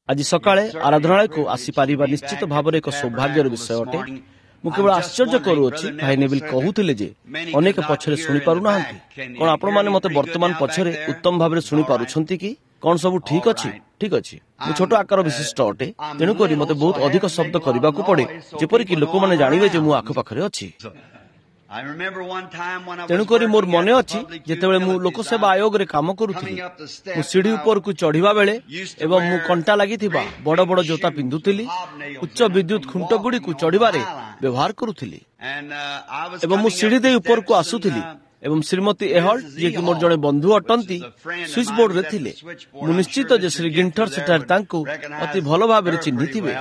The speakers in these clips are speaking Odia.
ଆଜି ସକାଳେ ଆରାଧନାଳୟକୁ ଆସିପାରିବା ନିଶ୍ଚିତ ଭାବରେ ଏକ ସୌଭାଗ୍ୟର ବିଷୟ ଅଟେ। ମୁଁ କେବଳ ଆଶ୍ଚର୍ଯ୍ୟ କରୁଅଛି, ଭାଇ ନେବିଲ କହୁଥିଲେ ଯେ ଅନେକ ପଛରେ ଶୁଣିପାରୁନାହାନ୍ତି। କଣ ଆପଣମାନେ ମୋତେ ବର୍ତ୍ତମାନ ପଛରେ ଉତ୍ତମ ଭାବରେ ଶୁଣିପାରୁଛନ୍ତି କି? କଣ ସବୁ ଠିକ ଅଛି? ଠିକ ଅଛି। ମୁଁ ଛୋଟ ଆକାର ବିଶିଷ୍ଟ ଅଟେ, ତେଣୁକରି ମୋତେ ବହୁତ ଅଧିକ ଶବ୍ଦ କରିବାକୁ ପଡେ, ଯେପରିକି ଲୋକମାନେ ଜାଣିବେ ଯେ ମୁଁ ଆଖପାଖରେ ଅଛି। ତେଣୁକରି ମୋର ମନେ ଅଛି, ଯେତେବେଳେ ମୁଁ ଲୋକସେବା ଆୟୋଗରେ କାମ କରୁଥିଲି, ମୁଁ ସିଢି ଉପରକୁ ଚଢିବା ବେଳେ ଏବଂ ମୁଁ କଣ୍ଟା ଲାଗିଥିବା ବଡ ବଡ ଜୋତା ପିନ୍ଧୁଥିଲି, ଉଚ୍ଚ ବିଦ୍ୟୁତ ଖୁଣ୍ଟ ଗୁଡ଼ିକୁ ଚଢିବାରେ ବ୍ୟବହାର କରୁଥିଲି ଏବଂ ମୁଁ ସିଢି ଦେଇ ଉପରକୁ ଆସୁଥିଲି ଏବଂ ଶ୍ରୀମତୀ ଏହଲ୍ଟ, ଯିଏକି ମୋର ଜଣେ ବନ୍ଧୁ ଅଟନ୍ତି, ସୁଇଚ୍ ବୋର୍ଡରେ ଥିଲେ। ମୁଁ ନିଶ୍ଚିତ ଯେ ଶ୍ରୀ ଗିଣ୍ଠର ସେଠାରେ ତାଙ୍କୁ ଅତି ଭଲ ଭାବରେ ଚିହ୍ନିଥିବେ।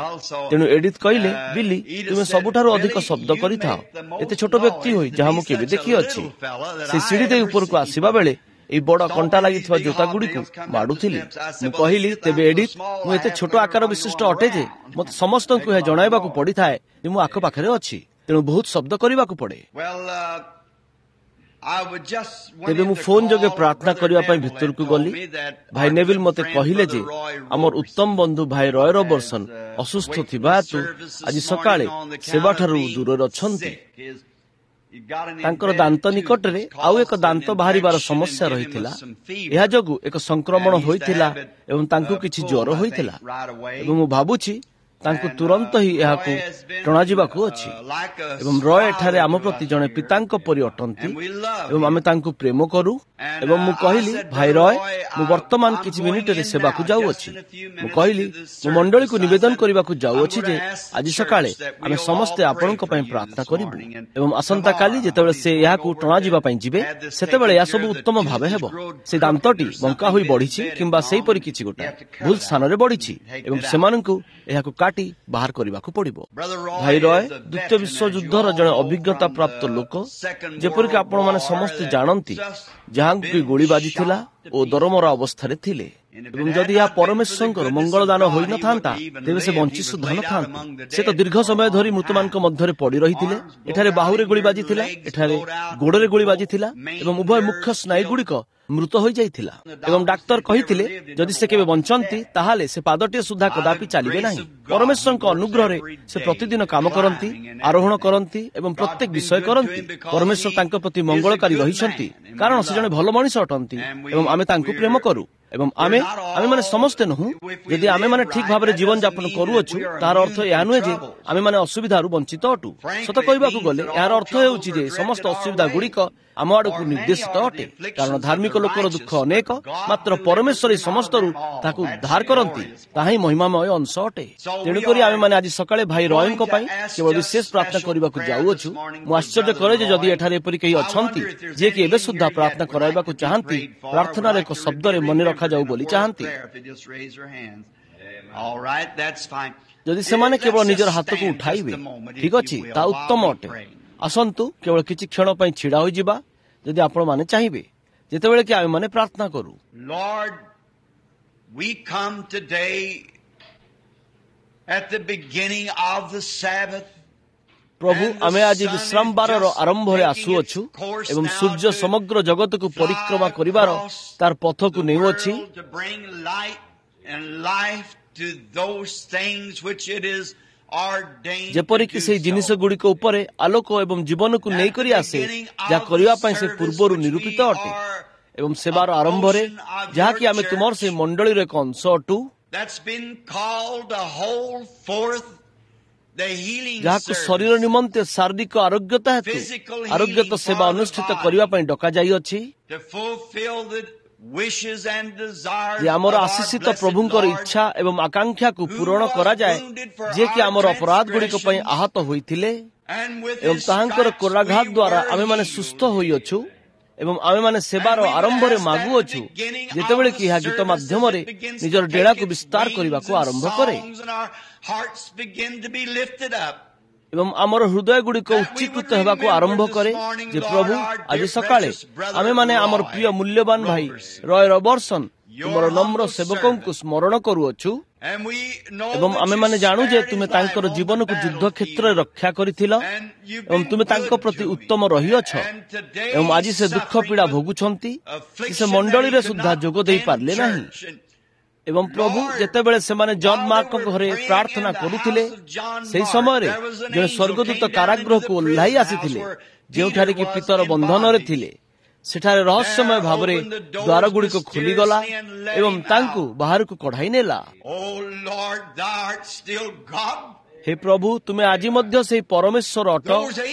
ତେଣୁ ଏଡିଥ୍ କହିଲେ, ବିଲି, ତୁମେ ସବୁଠାରୁ ଅଧିକ ଶବ୍ଦ କରିଥାଅ, ଏତେ ଛୋଟ ବ୍ୟକ୍ତି ହୋଇ, ଯାହା ମୁଁ କେବେ ଦେଖିଅଛି। ସେ ସିଢି ଦେଇ ଉପରକୁ ଆସିବା ବେଳେ ଏହି ବଡ କଣ୍ଟା ଲାଗିଥିବା ଜୋତା ଗୁଡ଼ିକୁ ମାଡୁଥିଲି। ମୁଁ କହିଲି, ତେବେ ଏଡିଥ୍, ମୁଁ ଏତେ ଛୋଟ ଆକାର ବିଶିଷ୍ଟ ଅଟେ ଯେ ମୋତେ ସମସ୍ତଙ୍କୁ ଏହା ଜଣାଇବାକୁ ପଡିଥାଏ ଯେ ମୁଁ ଆଖପାଖରେ ଅଛି, ତେଣୁ ବହୁତ ଶବ୍ଦ କରିବାକୁ ପଡେ। ତେବେ ମୁଁ ଫୋନ ଯୋଗେ ପ୍ରାର୍ଥନା କରିବା ପାଇଁ ଭିତରକୁ ଗଲି। ଭାଇ ନେଭିଲ ମୋତେ କହିଲେ ଯେ ଆମର ଉତ୍ତମ ବନ୍ଧୁ ଭାଇ ରୟ ରବର୍ସନ ଅସୁସ୍ଥ ଥିବା ହେତୁ ଆଜି ସକାଳେ ସେବାଠାରୁ ଦୂରରେ ଅଛନ୍ତି। ତାଙ୍କର ଦାନ୍ତ ନିକଟରେ ଆଉ ଏକ ଦାନ୍ତ ବାହାରିବାର ସମସ୍ୟା ରହିଥିଲା। ଏହା ଯୋଗୁଁ ଏକ ସଂକ୍ରମଣ ହୋଇଥିଲା ଏବଂ ତାଙ୍କୁ କିଛି ଜ୍ୱର ହୋଇଥିଲା ଏବଂ ମୁଁ ଭାବୁଛି ତାଙ୍କୁ ତୁରନ୍ତ ହିଁ ଏହାକୁ ଟଣାଯିବାକୁ ଅଛି। ଏବଂ ରୟ ଏଠାରେ ଆମ ପ୍ରତି ଜଣେ ପିତାଙ୍କ ପରି ଅଟନ୍ତି ଏବଂ ଆମେ ତାଙ୍କୁ ପ୍ରେମ କରୁ। ଏବଂ ମୁଁ କହିଲି, ଭାଇ ରୟ, ମୁଁ ବର୍ତ୍ତମାନ କିଛି ମିନିଟରେ ସେବାକୁ ଯାଉଅଛି। ମୁଁ କହିଲି, ମୁଁ ମଣ୍ଡଳୀକୁ ନିବେଦନ କରିବାକୁ ଯାଉଅଛି ଯେ ଆଜି ସକାଳେ ଆମେ ସମସ୍ତେ ଆପଣଙ୍କ ପାଇଁ ପ୍ରାର୍ଥନା କରିବୁ ଏବଂ ଆସନ୍ତାକାଲି ଯେତେବେଳେ ସେ ଏହାକୁ ଟଣାଯିବା ପାଇଁ ଯିବେ, ସେତେବେଳେ ଏହା ସବୁ ଉତ୍ତମ ଭାବେ ହେବ। ସେ ଦାନ୍ତଟି ବଙ୍କା ହୋଇ ବଢିଛି କିମ୍ବା ସେହିପରି କିଛି ଗୋଟାଏ ଭୁଲ ସ୍ଥାନରେ ବଢିଛି ଏବଂ ସେମାନଙ୍କୁ ଏହାକୁ କାଟି ବାହାର କରିବାକୁ ପଡିବ। ଭାଇ ରୟ ଦ୍ୱିତୀୟ ବିଶ୍ୱଯୁଦ୍ଧର ଜଣେ ଅଭିଜ୍ଞତା ପ୍ରାପ୍ତ ଲୋକ, ଯେପରିକି ଆପଣମାନେ ସମସ୍ତେ ଜାଣନ୍ତି, ଯାହାଙ୍କୁ କି ଗୁଳି ବାଜିଥିଲା ଓ ଦରମରା ଅବସ୍ଥାରେ ଥିଲେ। ଏବଂ ଯଦି ଏହା ପରମେଶ୍ୱରଙ୍କର ମଙ୍ଗଳଦାନ ହୋଇନଥାନ୍ତା, ତେବେ ସେ ବଞ୍ଚି ସୁଦ୍ଧା ନଥାନ୍ତେ। ସେ ତ ଦୀର୍ଘ ସମୟ ଧରି ମୃତମାନଙ୍କ ମଧ୍ୟରେ ପଡି ରହିଥିଲେ। ଏଠାରେ ବାହୁରେ ଗୁଳି ବାଜିଥିଲା, ଏଠାରେ ଗୋଡରେ ଗୁଳି ବାଜିଥିଲା ଏବଂ ଉଭୟ ମୁଖ୍ୟ ସ୍ନାୟୁଗୁଡ଼ିକ ମୃତ ହୋଇଯାଇଥିଲା। ଏବଂ ଡାକ୍ତର କହିଥିଲେ, ଯଦି ସେ କେବେ ବଞ୍ଚନ୍ତି ତାହେଲେ ସେ ପାଦଟିଏ ସୁଦ୍ଧା କଦାପି ଚାଲିବେ ନାହିଁ। ପରମେଶ୍ୱରଙ୍କ ଅନୁଗ୍ରହରେ ସେ ପ୍ରତିଦିନ କାମ କରନ୍ତି, ଆରୋହଣ କରନ୍ତି ଏବଂ ପ୍ରତ୍ୟେକ ବିଷୟ କରନ୍ତି। ପରମେଶ୍ୱର ତାଙ୍କ ପ୍ରତି ମଙ୍ଗଳକାରୀ ରହିଛନ୍ତି, କାରଣ ସେ ଜଣେ ଭଲ ମଣିଷ ଅଟନ୍ତି ଏବଂ ଆମେ ତାଙ୍କୁ ପ୍ରେମ କରୁ। ଏବଂ ଆମେମାନେ ସମସ୍ତେ ନୁହଁ। ଯଦି ଆମେମାନେ ଠିକ ଭାବରେ ଜୀବନ ଯାପନ କରୁଅଛୁ, ତାହାର ଅର୍ଥ ଏହା ନୁହେଁ ଯେ ଆମେମାନେ ଅସୁବିଧାରୁ ବଞ୍ଚିତ ଅଟୁ। ସତ କହିବାକୁ ଗଲେ ଏହାର ଅର୍ଥ ହେଉଛି ଯେ ସମସ୍ତ ଅସୁବିଧା ଗୁଡ଼ିକ ଆମ ଆଡ଼କୁ ନିର୍ଦ୍ଦେଶିତ ଅଟେ, କାରଣ ଧାର୍ମିକ ଲୋକର ଦୁଃଖ ଅନେକ, ମାତ୍ର ପରମେଶ୍ୱର ଏହି ସମସ୍ତରୁ ତାକୁ ଉଦ୍ଧାର କରନ୍ତି। ତାହା ହିଁ ମହିମାମୟ ଅଂଶ ଅଟେ। ତେଣୁକରି ଆମେମାନେ ଆଜି ସକାଳେ ଭାଇ ରୟଙ୍କ ପାଇଁ କେବଳ ବିଶେଷ ପ୍ରାର୍ଥନା କରିବାକୁ ଯାଉଅଛୁ। ମୁଁ ଆଶ୍ଚର୍ଯ୍ୟ କରେ ଯେ ଯଦି ଏଠାରେ ଏପରି କେହି ଅଛନ୍ତି ଯିଏକି ଏବେ ସୁଦ୍ଧା ପ୍ରାର୍ଥନା କରାଇବାକୁ ଚାହାନ୍ତି, ପ୍ରାର୍ଥନାର ଏକ ଶବ୍ଦରେ ମନେ ରଖାଯାଉ ବୋଲି ଚାହାନ୍ତି, ଯଦି ସେମାନେ କେବଳ ନିଜର ହାତକୁ ଉଠାଇବେ। ଠିକ ଅଛି, ତାହା ଉତ୍ତମ ଅଟେ। ଆସନ୍ତୁ କେବଳ କିଛି କ୍ଷଣ ପାଇଁ ଛିଡା ହୋଇଯିବା, ଯଦି ଆପଣମାନେ ଚାହିଁବେ, ଯେତେବେଳେ କି ଆମେମାନେ ପ୍ରାର୍ଥନା କରୁ। Lord, we come today at the beginning of the Sabbath. ପ୍ରଭୁ, ଆମେ ଆଜି ବିଶ୍ରାମବାରର ଆରମ୍ଭରେ ଆସୁଅଛୁ ଏବଂ ସୂର୍ଯ୍ୟ ସମଗ୍ର ଜଗତକୁ ପରିକ୍ରମା କରିବାର ତାର ପଥକୁ ନେଉଅଛି, to bring light and life to those things which it is ordained ଯେପରିକି to do ସେହି so. ଜିନିଷ ଗୁଡ଼ିକ ଉପରେ ଆଲୋକ ଏବଂ ଜୀବନକୁ ନେଇକରି ଆସେ, ଯାହା କରିବା ପାଇଁ ସେ ପୂର୍ବରୁ ନିରୂପିତ ଅଟେ। ଏବଂ ସେବାର ଆରମ୍ଭରେ, ଯାହାକି ଆମେ ତୁମର ସେହି ମଣ୍ଡଳୀର ଏକ ଅଂଶ ଅଟୁ, That's been called to hold forth the healing ଯାହାକୁ ଶରୀର service ନିମନ୍ତେ ଶାରୀରିକ ଆରୋଗ୍ୟତା ହେତୁ ଆରୋଗ୍ୟତା ସେବା ଅନୁଷ୍ଠିତ କରିବା ପାଇଁ ଡକାଯାଇଅଛି, to fulfill the wishes and desires ଯେ ଆମର of our ଆଶିଷିତ blessed ପ୍ରଭୁଙ୍କର Lord, ଇଚ୍ଛା ଏବଂ ଆକାଂକ୍ଷାକୁ ପୂରଣ କରାଯାଏ, ଯିଏକି ଆମର ଅପରାଧ ଗୁଡ଼ିକ ପାଇଁ ଆହତ ହୋଇଥିଲେ and with ଏବଂ his ତାହାଙ୍କର stripes କୋରାଘାତ we ଦ୍ୱାରା were ଆମେମାନେ healed. ସୁସ୍ଥ ହୋଇଅଛୁ। ଏବଂ ଆମେମାନେ ସେବାର ଆରମ୍ଭରେ ମାଗୁଅଛୁ, ଯେତେବେଳେ କି ଏହା ଗୀତ ମାଧ୍ୟମରେ ନିଜର ଡେଣାକୁ ବିସ୍ତାର କରିବାକୁ ଆରମ୍ଭ କରେ ଏବଂ ଆମର ହୃଦୟ ଗୁଡ଼ିକ ଉଚ୍ଚୀକୃତ ହେବାକୁ ଆରମ୍ଭ କରେ ଯେ ପ୍ରଭୁ, ଆଜି ସକାଳେ ଆମେମାନେ ଆମର ପ୍ରିୟ ମୂଲ୍ୟବାନ ଭାଇ ରୟ ରବର୍ସନ, ତୁମର ନମ୍ର ସେବକଙ୍କୁ ସ୍ମରଣ କରୁଅଛୁ। ଏବଂ ଆମେମାନେ ଜାଣୁ ଯେ ତୁମେ ତାଙ୍କର ଜୀବନକୁ ଯୁଦ୍ଧ କ୍ଷେତ୍ରରେ ରକ୍ଷା କରିଥିଲ ଏବଂ ତୁମେ ତାଙ୍କ ପ୍ରତି ଉତ୍ତମ ରହିଅଛ। ଏବଂ ଆଜି ସେ ଦୁଃଖ ପୀଡ଼ା ଭୋଗୁଛନ୍ତି କି ସେ ମଣ୍ଡଳୀରେ ସୁଦ୍ଧା ଯୋଗ ଦେଇପାରିଲେ ନାହିଁ। ଏବଂ ପ୍ରଭୁ, ଯେତେବେଳେ ସେମାନେ ଜନ୍ ମାର୍କଙ୍କ ଘରେ ପ୍ରାର୍ଥନା କରୁଥିଲେ, ସେହି ସମୟରେ ଜଣେ ସ୍ୱର୍ଗଦୂତ କାରାଗୃହକୁ ଓହ୍ଲାଇ ଆସିଥିଲେ, ଯେଉଁଠାରେ କି ପିତର ବନ୍ଧନରେ ଥିଲେ। ସେଠାରେ ରହସ୍ୟମୟ ଭାବରେ ଦ୍ୱାରଗୁଡ଼ିକ ଖୋଲିଗଲା ଏବଂ ତାଙ୍କୁ ବାହାରକୁ କଢ଼ାଇ ନେଲା। ହେ ପ୍ରଭୁ, ତୁମେ ଆଜି ମଧ୍ୟ ସେହି ପରମେଶ୍ୱର ଅଟ।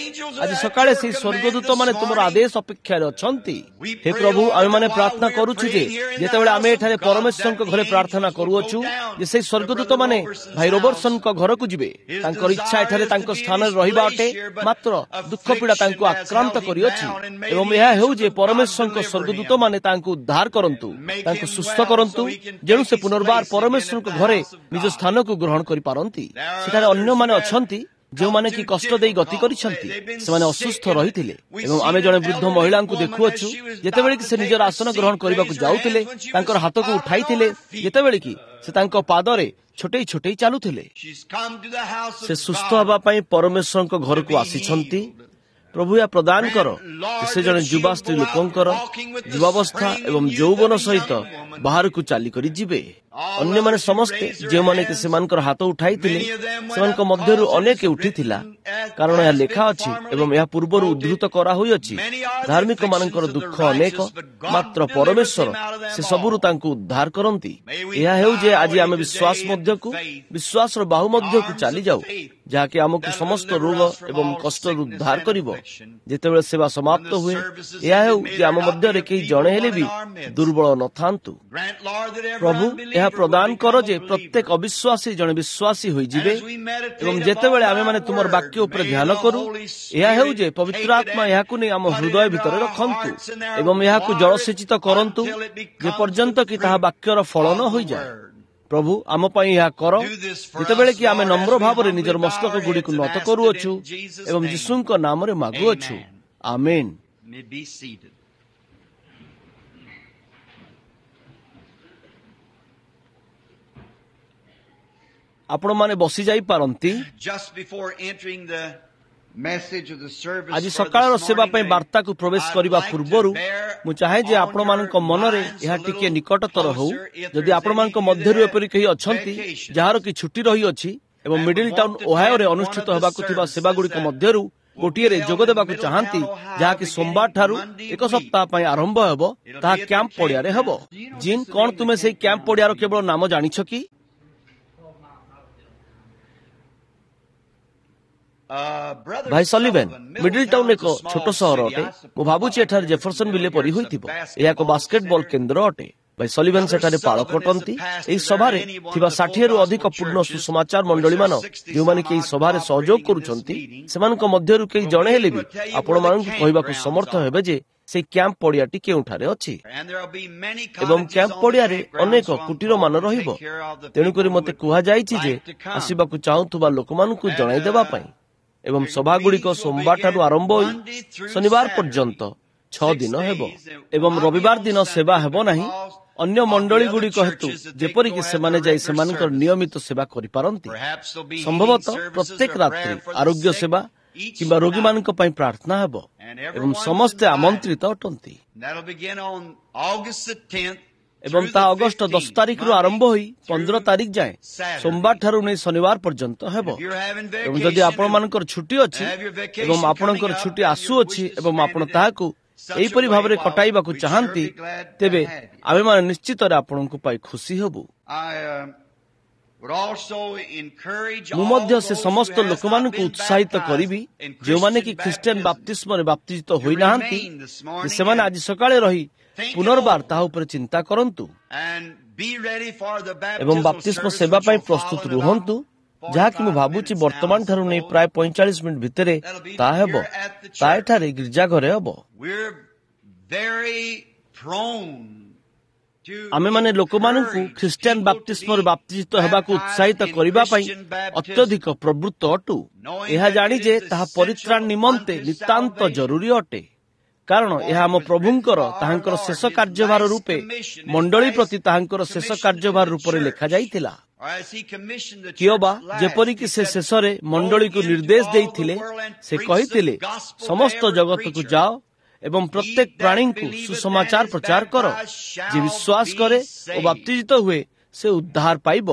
ଆଜି ସକାଳେ ସେହି ସ୍ୱର୍ଗଦୂତମାନେ ତୁମର ଆଦେଶ ଅପେକ୍ଷାରେ ଅଛନ୍ତି। ହେ ପ୍ରଭୁ, ଆମେମାନେ ପ୍ରାର୍ଥନା କରୁଛୁ ଯେ ଯେତେବେଳେ ଆମେ ଏଠାରେ ପରମେଶ୍ୱରଙ୍କ ଘରେ ପ୍ରାର୍ଥନା କରୁଅଛୁ, ଯେ ସେହି ସ୍ୱର୍ଗଦୂତମାନେ ଭାଇ ରୋବର୍ସନଙ୍କ ଘରକୁ ଯିବେ। ତାଙ୍କର ଇଚ୍ଛା ଏଠାରେ ତାଙ୍କ ସ୍ଥାନରେ ରହିବା ଅଟେ, ମାତ୍ର ଦୁଃଖ ପୀଡ଼ା ତାଙ୍କୁ ଆକ୍ରାନ୍ତ କରିଅଛି। ଏବଂ ଏହା ହେଉ ଯେ ପରମେଶ୍ୱରଙ୍କ ସ୍ୱର୍ଗଦୂତମାନେ ତାଙ୍କୁ ଉଦ୍ଧାର କରନ୍ତୁ, ତାଙ୍କୁ ସୁସ୍ଥ କରନ୍ତୁ, ଯେଣୁ ସେ ପୁନର୍ବାର ପରମେଶ୍ୱରଙ୍କ ଘରେ ନିଜ ସ୍ଥାନକୁ ଗ୍ରହଣ କରିପାରନ୍ତି। ସେଠାରେ ଅନ୍ୟମାନେ ଅଛନ୍ତି ଯେଉଁମାନେ କି କଷ୍ଟ ଦେଇ ଗତି କରିଛନ୍ତି, ସେମାନେ ଅସୁସ୍ଥ ରହିଥିଲେ। ଏବଂ ଆମେ ଜଣେ ବୃଦ୍ଧ ମହିଳାଙ୍କୁ ଦେଖୁଅଛୁ, ଯେତେବେଳେ କି ସେ ନିଜର ଆସନ ଗ୍ରହଣ କରିବାକୁ ଯାଉଥିଲେ, ତାଙ୍କର ହାତକୁ ଉଠାଇଥିଲେ, ଯେତେବେଳେ କି ସେ ତାଙ୍କ ପାଦରେ ଛୋଟେଇ ଛୋଟେଇ ଚାଲୁଥିଲେ। ସେ ସୁସ୍ଥ ହେବା ପାଇଁ ପରମେଶ୍ୱରଙ୍କ ଘରକୁ ଆସିଛନ୍ତି। ପ୍ରଭୁ, ଏହା ପ୍ରଦାନ କର ସେ ଜଣେ ଯୁବା ସ୍ତ୍ରୀ ଲୋକଙ୍କର ଯୁବାବସ୍ଥା ଏବଂ ଯୌବନ ସହିତ ବାହାରକୁ ଚାଲିକରି ଯିବେ। ଅନ୍ୟମାନେ ସମସ୍ତେ ଯେଉଁମାନେ କି ସେମାନଙ୍କର ହାତ ଉଠାଇଥିଲେ, ସେମାନଙ୍କ ମଧ୍ୟରୁ ଅନେକ ଉଠିଥିଲା, କାରଣ ଏହା ଲେଖା ଅଛି ଏବଂ ଏହା ପୂର୍ବରୁ ଉଦ୍ଧୃତ କରାହୋଇଅଛି, ଧାର୍ମିକମାନଙ୍କର ଦୁଃଖ ଅନେକ, ମାତ୍ର ପରମେଶ୍ୱର ସେ ସବୁରୁ ତାଙ୍କୁ ଉଦ୍ଧାର କରନ୍ତି। ଏହା ହେଉ ଯେ ଆଜି ଆମେ ବିଶ୍ୱାସ ମଧ୍ୟକୁ, ବିଶ୍ୱାସର ବାହୁ ମଧ୍ୟକୁ ଚାଲିଯାଉ, ଯାହାକି ଆମକୁ ସମସ୍ତ ରୋଗ ଏବଂ କଷ୍ଟରୁ ଉଦ୍ଧାର କରିବ। ଯେତେବେଳେ ସେବା ସମାପ୍ତ ହୁଏ, ଏହା ହେଉ ଯେ ଆମ ମଧ୍ୟରେ କେହି ଜଣେ ହେଲେ ବି ଦୁର୍ବଳ ନଥାନ୍ତୁ। ପ୍ରଭୁ, ଏହା ପ୍ରଦାନ କର ଯେ ପ୍ରତ୍ୟେକ ଅବିଶ୍ୱାସୀ ଜଣେ ବିଶ୍ୱାସୀ ହୋଇଯିବେ। ଏବଂ ଯେତେବେଳେ ଆମେମାନେ ତୁମର ବାକ୍ୟ ଉପରେ ଧ୍ୟାନ କରୁ, ଏହା ହେଉ ଯେ ପବିତ୍ର ଆତ୍ମା ଏହାକୁ ନେଇ ଆମ ହୃଦୟ ଭିତରେ ରଖନ୍ତୁ ଏବଂ ଏହାକୁ ଜଳସେଚିତ କରନ୍ତୁ, ଯେପର୍ଯ୍ୟନ୍ତ କି ତାହା ବାକ୍ୟର ଫଳ ନ ହୋଇଯାଏ। ପ୍ରଭୁ, ଆମ ପାଇଁ ଏହା କର, ଯେତେବେଳେ କି ଆମେ ନମ୍ର ଭାବରେ ନିଜର ମସ୍ତକ ଗୁଡ଼ିକୁ ନତ କରୁଅଛୁ ଏବଂ ଯୀଶୁଙ୍କ ନାମରେ ମାଗୁଅଛୁ, ଆମେନ୍। ଆପଣମାନେ ବସି ଯାଇପାରନ୍ତି। ଆଜି ସକାଳର ସେବା ପାଇଁ ବାର୍ତ୍ତାକୁ ପ୍ରବେଶ କରିବା ପୂର୍ବରୁ ମୁଁ ଚାହେଁ ଯେ ଆପଣମାନଙ୍କ ମନରେ ଏହା ଟିକିଏ ନିକଟତର ହେଉ। ଯଦି ଆପଣମାନଙ୍କ ମଧ୍ୟରୁ ଏପରି କେହି ଅଛନ୍ତି ଯାହାର କି ଛୁଟି ରହିଅଛି ଏବଂ ମିଡିଲ ଟାଉନ୍ ଓହାୟୋରେ ଅନୁଷ୍ଠିତ ହେବାକୁ ଥିବା ସେବାଗୁଡ଼ିକ ମଧ୍ୟରୁ ଗୋଟିଏରେ ଯୋଗ ଦେବାକୁ ଚାହାନ୍ତି, ଯାହାକି ସୋମବାର ଠାରୁ ଏକ ସପ୍ତାହ ପାଇଁ ଆରମ୍ଭ ହେବ, ତାହା କ୍ୟାମ୍ପ ପଡ଼ିଆରେ ହେବ। ଜିନ୍, କଣ ତୁମେ ସେହି କ୍ୟାମ୍ପ ପଡ଼ିଆର କେବଳ ନାମ ଜାଣିଛ କି? ଭାଇ ସଲିଭେନ୍, ମିଡିଲ ଟାଉନ୍ ଏକ ଛୋଟ ସହର ଅଟେ। ମୁଁ ଭାବୁଛି ଏଠାରେ ଜେଫରସନ ବିଲେ ପରି ହୋଇଥିବ। ଏହା ଏକ ବାସ୍କେଟବଲ କେନ୍ଦ୍ର ଅଟେ। ଭାଇ ସଲିଭେନ୍ ସେଠାରେ ପାଳକ ଅଟନ୍ତି। ଏହି ସଭାରେ ଥିବା 60ରୁ ଅଧିକ ପୂର୍ଣ୍ଣ ସୁସମାଚାର ମଣ୍ଡଳୀମାନ ଯେଉଁମାନେ କି ଏହି ସଭାରେ ସହଯୋଗ କରୁଛନ୍ତି, ସେମାନଙ୍କ ମଧ୍ୟରୁ କେହି ଜଣେ ହେଲେ ବି ଆପଣମାନଙ୍କୁ କହିବାକୁ ସମର୍ଥ ହେବେ ଯେ ସେହି କ୍ୟାମ୍ପ ପଡ଼ିଆଟି କେଉଁଠାରେ ଅଛି। ଏବଂ କ୍ୟାମ୍ପ ପଡ଼ିଆରେ ଅନେକ କୁଟୀରମାନ ରହିବ। ତେଣୁକରି ମୋତେ କୁହାଯାଇଛି ଯେ ଆସିବାକୁ ଚାହୁଁଥିବା ଲୋକମାନଙ୍କୁ ଜଣାଇ ଦେବା ପାଇଁ। ଏବଂ ସଭାଗୁଡ଼ିକ ସୋମବାରଠାରୁ ଆରମ୍ଭ ହୋଇ ଶନିବାର ପର୍ଯ୍ୟନ୍ତ 6 ଦିନ ହେବ ଏବଂ ରବିବାର ଦିନ ସେବା ହେବ ନାହିଁ, ଅନ୍ୟ ମଣ୍ଡଳୀଗୁଡ଼ିକ ହେତୁ, ଯେପରିକି ସେମାନେ ଯାଇ ସେମାନଙ୍କର ନିୟମିତ ସେବା କରିପାରନ୍ତି। ସମ୍ଭବତଃ ପ୍ରତ୍ୟେକ ରାତ୍ରି ଆରୋଗ୍ୟ ସେବା କିମ୍ବା ରୋଗୀମାନଙ୍କ ପାଇଁ ପ୍ରାର୍ଥନା ହେବ ଏବଂ ସମସ୍ତେ ଆମନ୍ତ୍ରିତ ଅଟନ୍ତି। ଏବଂ ତାହା ଅଗଷ୍ଟ 10 ତାରିଖରୁ ଆରମ୍ଭ ହୋଇ 15 ତାରିଖ ଯାଏଁ ସୋମବାର ଠାରୁ ନେଇ ଶନିବାର ପର୍ଯ୍ୟନ୍ତ ହେବ। ଏବଂ ଯଦି ଆପଣମାନଙ୍କର ଛୁଟି ଅଛି ଏବଂ ଆପଣଙ୍କର ଛୁଟି ଆସୁଅଛି ଏବଂ ଆପଣ ତାହାକୁ ଏହିପରି ଭାବରେ କଟାଇବାକୁ ଚାହାନ୍ତି, ତେବେ ଆମେମାନେ ନିଶ୍ଚିତରେ ଆପଣଙ୍କୁ ପାଇ ଖୁସି ହେବୁ। ମୁଁ ମଧ୍ୟ ସେ ସମସ୍ତ ଲୋକମାନଙ୍କୁ ଉତ୍ସାହିତ କରିବି ଯେଉଁମାନେ କି ଖ୍ରୀଷ୍ଟିଆନ ବାପ୍ତିସ୍ମରେ ବାପ୍ତିଜିତ ହୋଇନାହାନ୍ତି, ସେମାନେ ଆଜି ସକାଳେ ରହି ପୁନର୍ବାର ତାହା ଉପରେ ଚିନ୍ତା କରନ୍ତୁ ଏବଂ ବାପ୍ତିସ୍ମ ସେବା ପାଇଁ ପ୍ରସ୍ତୁତ ରୁହନ୍ତୁ, ଯାହାକି ମୁଁ ଭାବୁଛି ବର୍ତ୍ତମାନ ଠାରୁ ନେଇ ପ୍ରାୟ 45 ମିନିଟ୍ ଭିତରେ ତାହା ହେବ। ତାହା ଏଠାରେ ଗିର୍ଜା ଘରେ ହେବ। ଆମେମାନେ ଲୋକମାନଙ୍କୁ ଖ୍ରୀଷ୍ଟିଆନ ବାପ୍ତିସ୍ମରେ ବାପ୍ତିଜିତ ହେବାକୁ ଉତ୍ସାହିତ କରିବା ପାଇଁ ଅତ୍ୟଧିକ ପ୍ରବୃତ୍ତ ଅଟୁ, ଏହା ଜାଣି ଯେ ତାହା ପରିତ୍ରାଣ ନିମନ୍ତେ ନିତାନ୍ତ ଜରୁରୀ ଅଟେ, କାରଣ ଏହା ଆମ ପ୍ରଭୁଙ୍କର ତାହାଙ୍କର ଶେଷ କାର୍ଯ୍ୟଭାର ରୂପେ ମଣ୍ଡଳୀ ପ୍ରତି ତାହାଙ୍କର ଶେଷ କାର୍ଯ୍ୟଭାର ରୂପରେ ଲେଖାଯାଇଥିଲା। କିଅବା ଯେପରିକି ସେ ଶେଷରେ ମଣ୍ଡଳୀକୁ ନିର୍ଦ୍ଦେଶ ଦେଇଥିଲେ, ସେ କହିଥିଲେ, ସମସ୍ତ ଜଗତକୁ ଯାଅ ଏବଂ ପ୍ରତ୍ୟେକ ପ୍ରାଣୀଙ୍କୁ ସୁସମାଚାର ପ୍ରଚାର କର। ଯେ ବିଶ୍ୱାସ କରେ ଓ ବାପ୍ତିଜିତ ହୁଏ ସେ ଉଦ୍ଧାର ପାଇବ।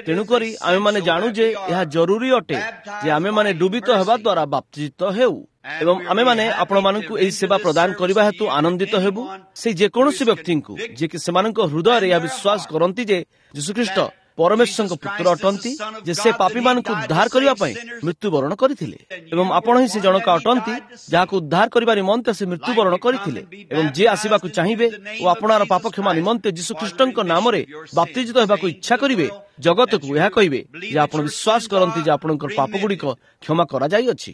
ତେଣୁକରି ଆମେମାନେ ଜାଣୁ ଯେ ଏହା ଜରୁରୀ ଅଟେ ଯେ ଆମେମାନେ ଡୁବିତ ହେବା ଦ୍ୱାରା ବାପ୍ତିଜିତ ହେଉ ଏବଂ ଆମେମାନେ ଆପଣମାନଙ୍କୁ ଏହି ସେବା ପ୍ରଦାନ କରିବା ହେତୁ ଆନନ୍ଦିତ ହେବୁ। ସେଇ ଯେକୌଣସି ବ୍ୟକ୍ତିଙ୍କୁ ଯିଏକି ସେମାନଙ୍କ ହୃଦୟରେ ଏହା ବିଶ୍ୱାସ କରନ୍ତି ଯେ ଯୀଶୁଖ୍ରୀଷ୍ଟ ପରମେଶ୍ୱରଙ୍କ ପୁତ୍ର ଅଟନ୍ତି, ଯେ ସେ ପାପୀମାନଙ୍କୁ ଉଦ୍ଧାର କରିବା ପାଇଁ ମୃତ୍ୟୁବରଣ କରିଥିଲେ ଏବଂ ଆପଣ ହିଁ ସେ ଜଣକ ଅଟନ୍ତି ଯାହାକୁ ଉଦ୍ଧାର କରିବା ନିମନ୍ତେ ସେ ମୃତ୍ୟୁବରଣ କରିଥିଲେ ଏବଂ ଯିଏ ଆସିବାକୁ ଚାହିଁବେ ଓ ଆପଣାର ପାପ କ୍ଷମା ନିମନ୍ତେ ଯୀଶୁଖ୍ରୀଷ୍ଟଙ୍କ ନାମରେ ବାପ୍ତିଜିତ ହେବାକୁ ଇଚ୍ଛା କରିବେ, ଜଗତକୁ ଏହା କହିବେ ଯେ ଆପଣ ବିଶ୍ୱାସ କରନ୍ତି ଯେ ଆପଣଙ୍କର ପାପଗୁଡ଼ିକ କ୍ଷମା କରାଯାଇଅଛି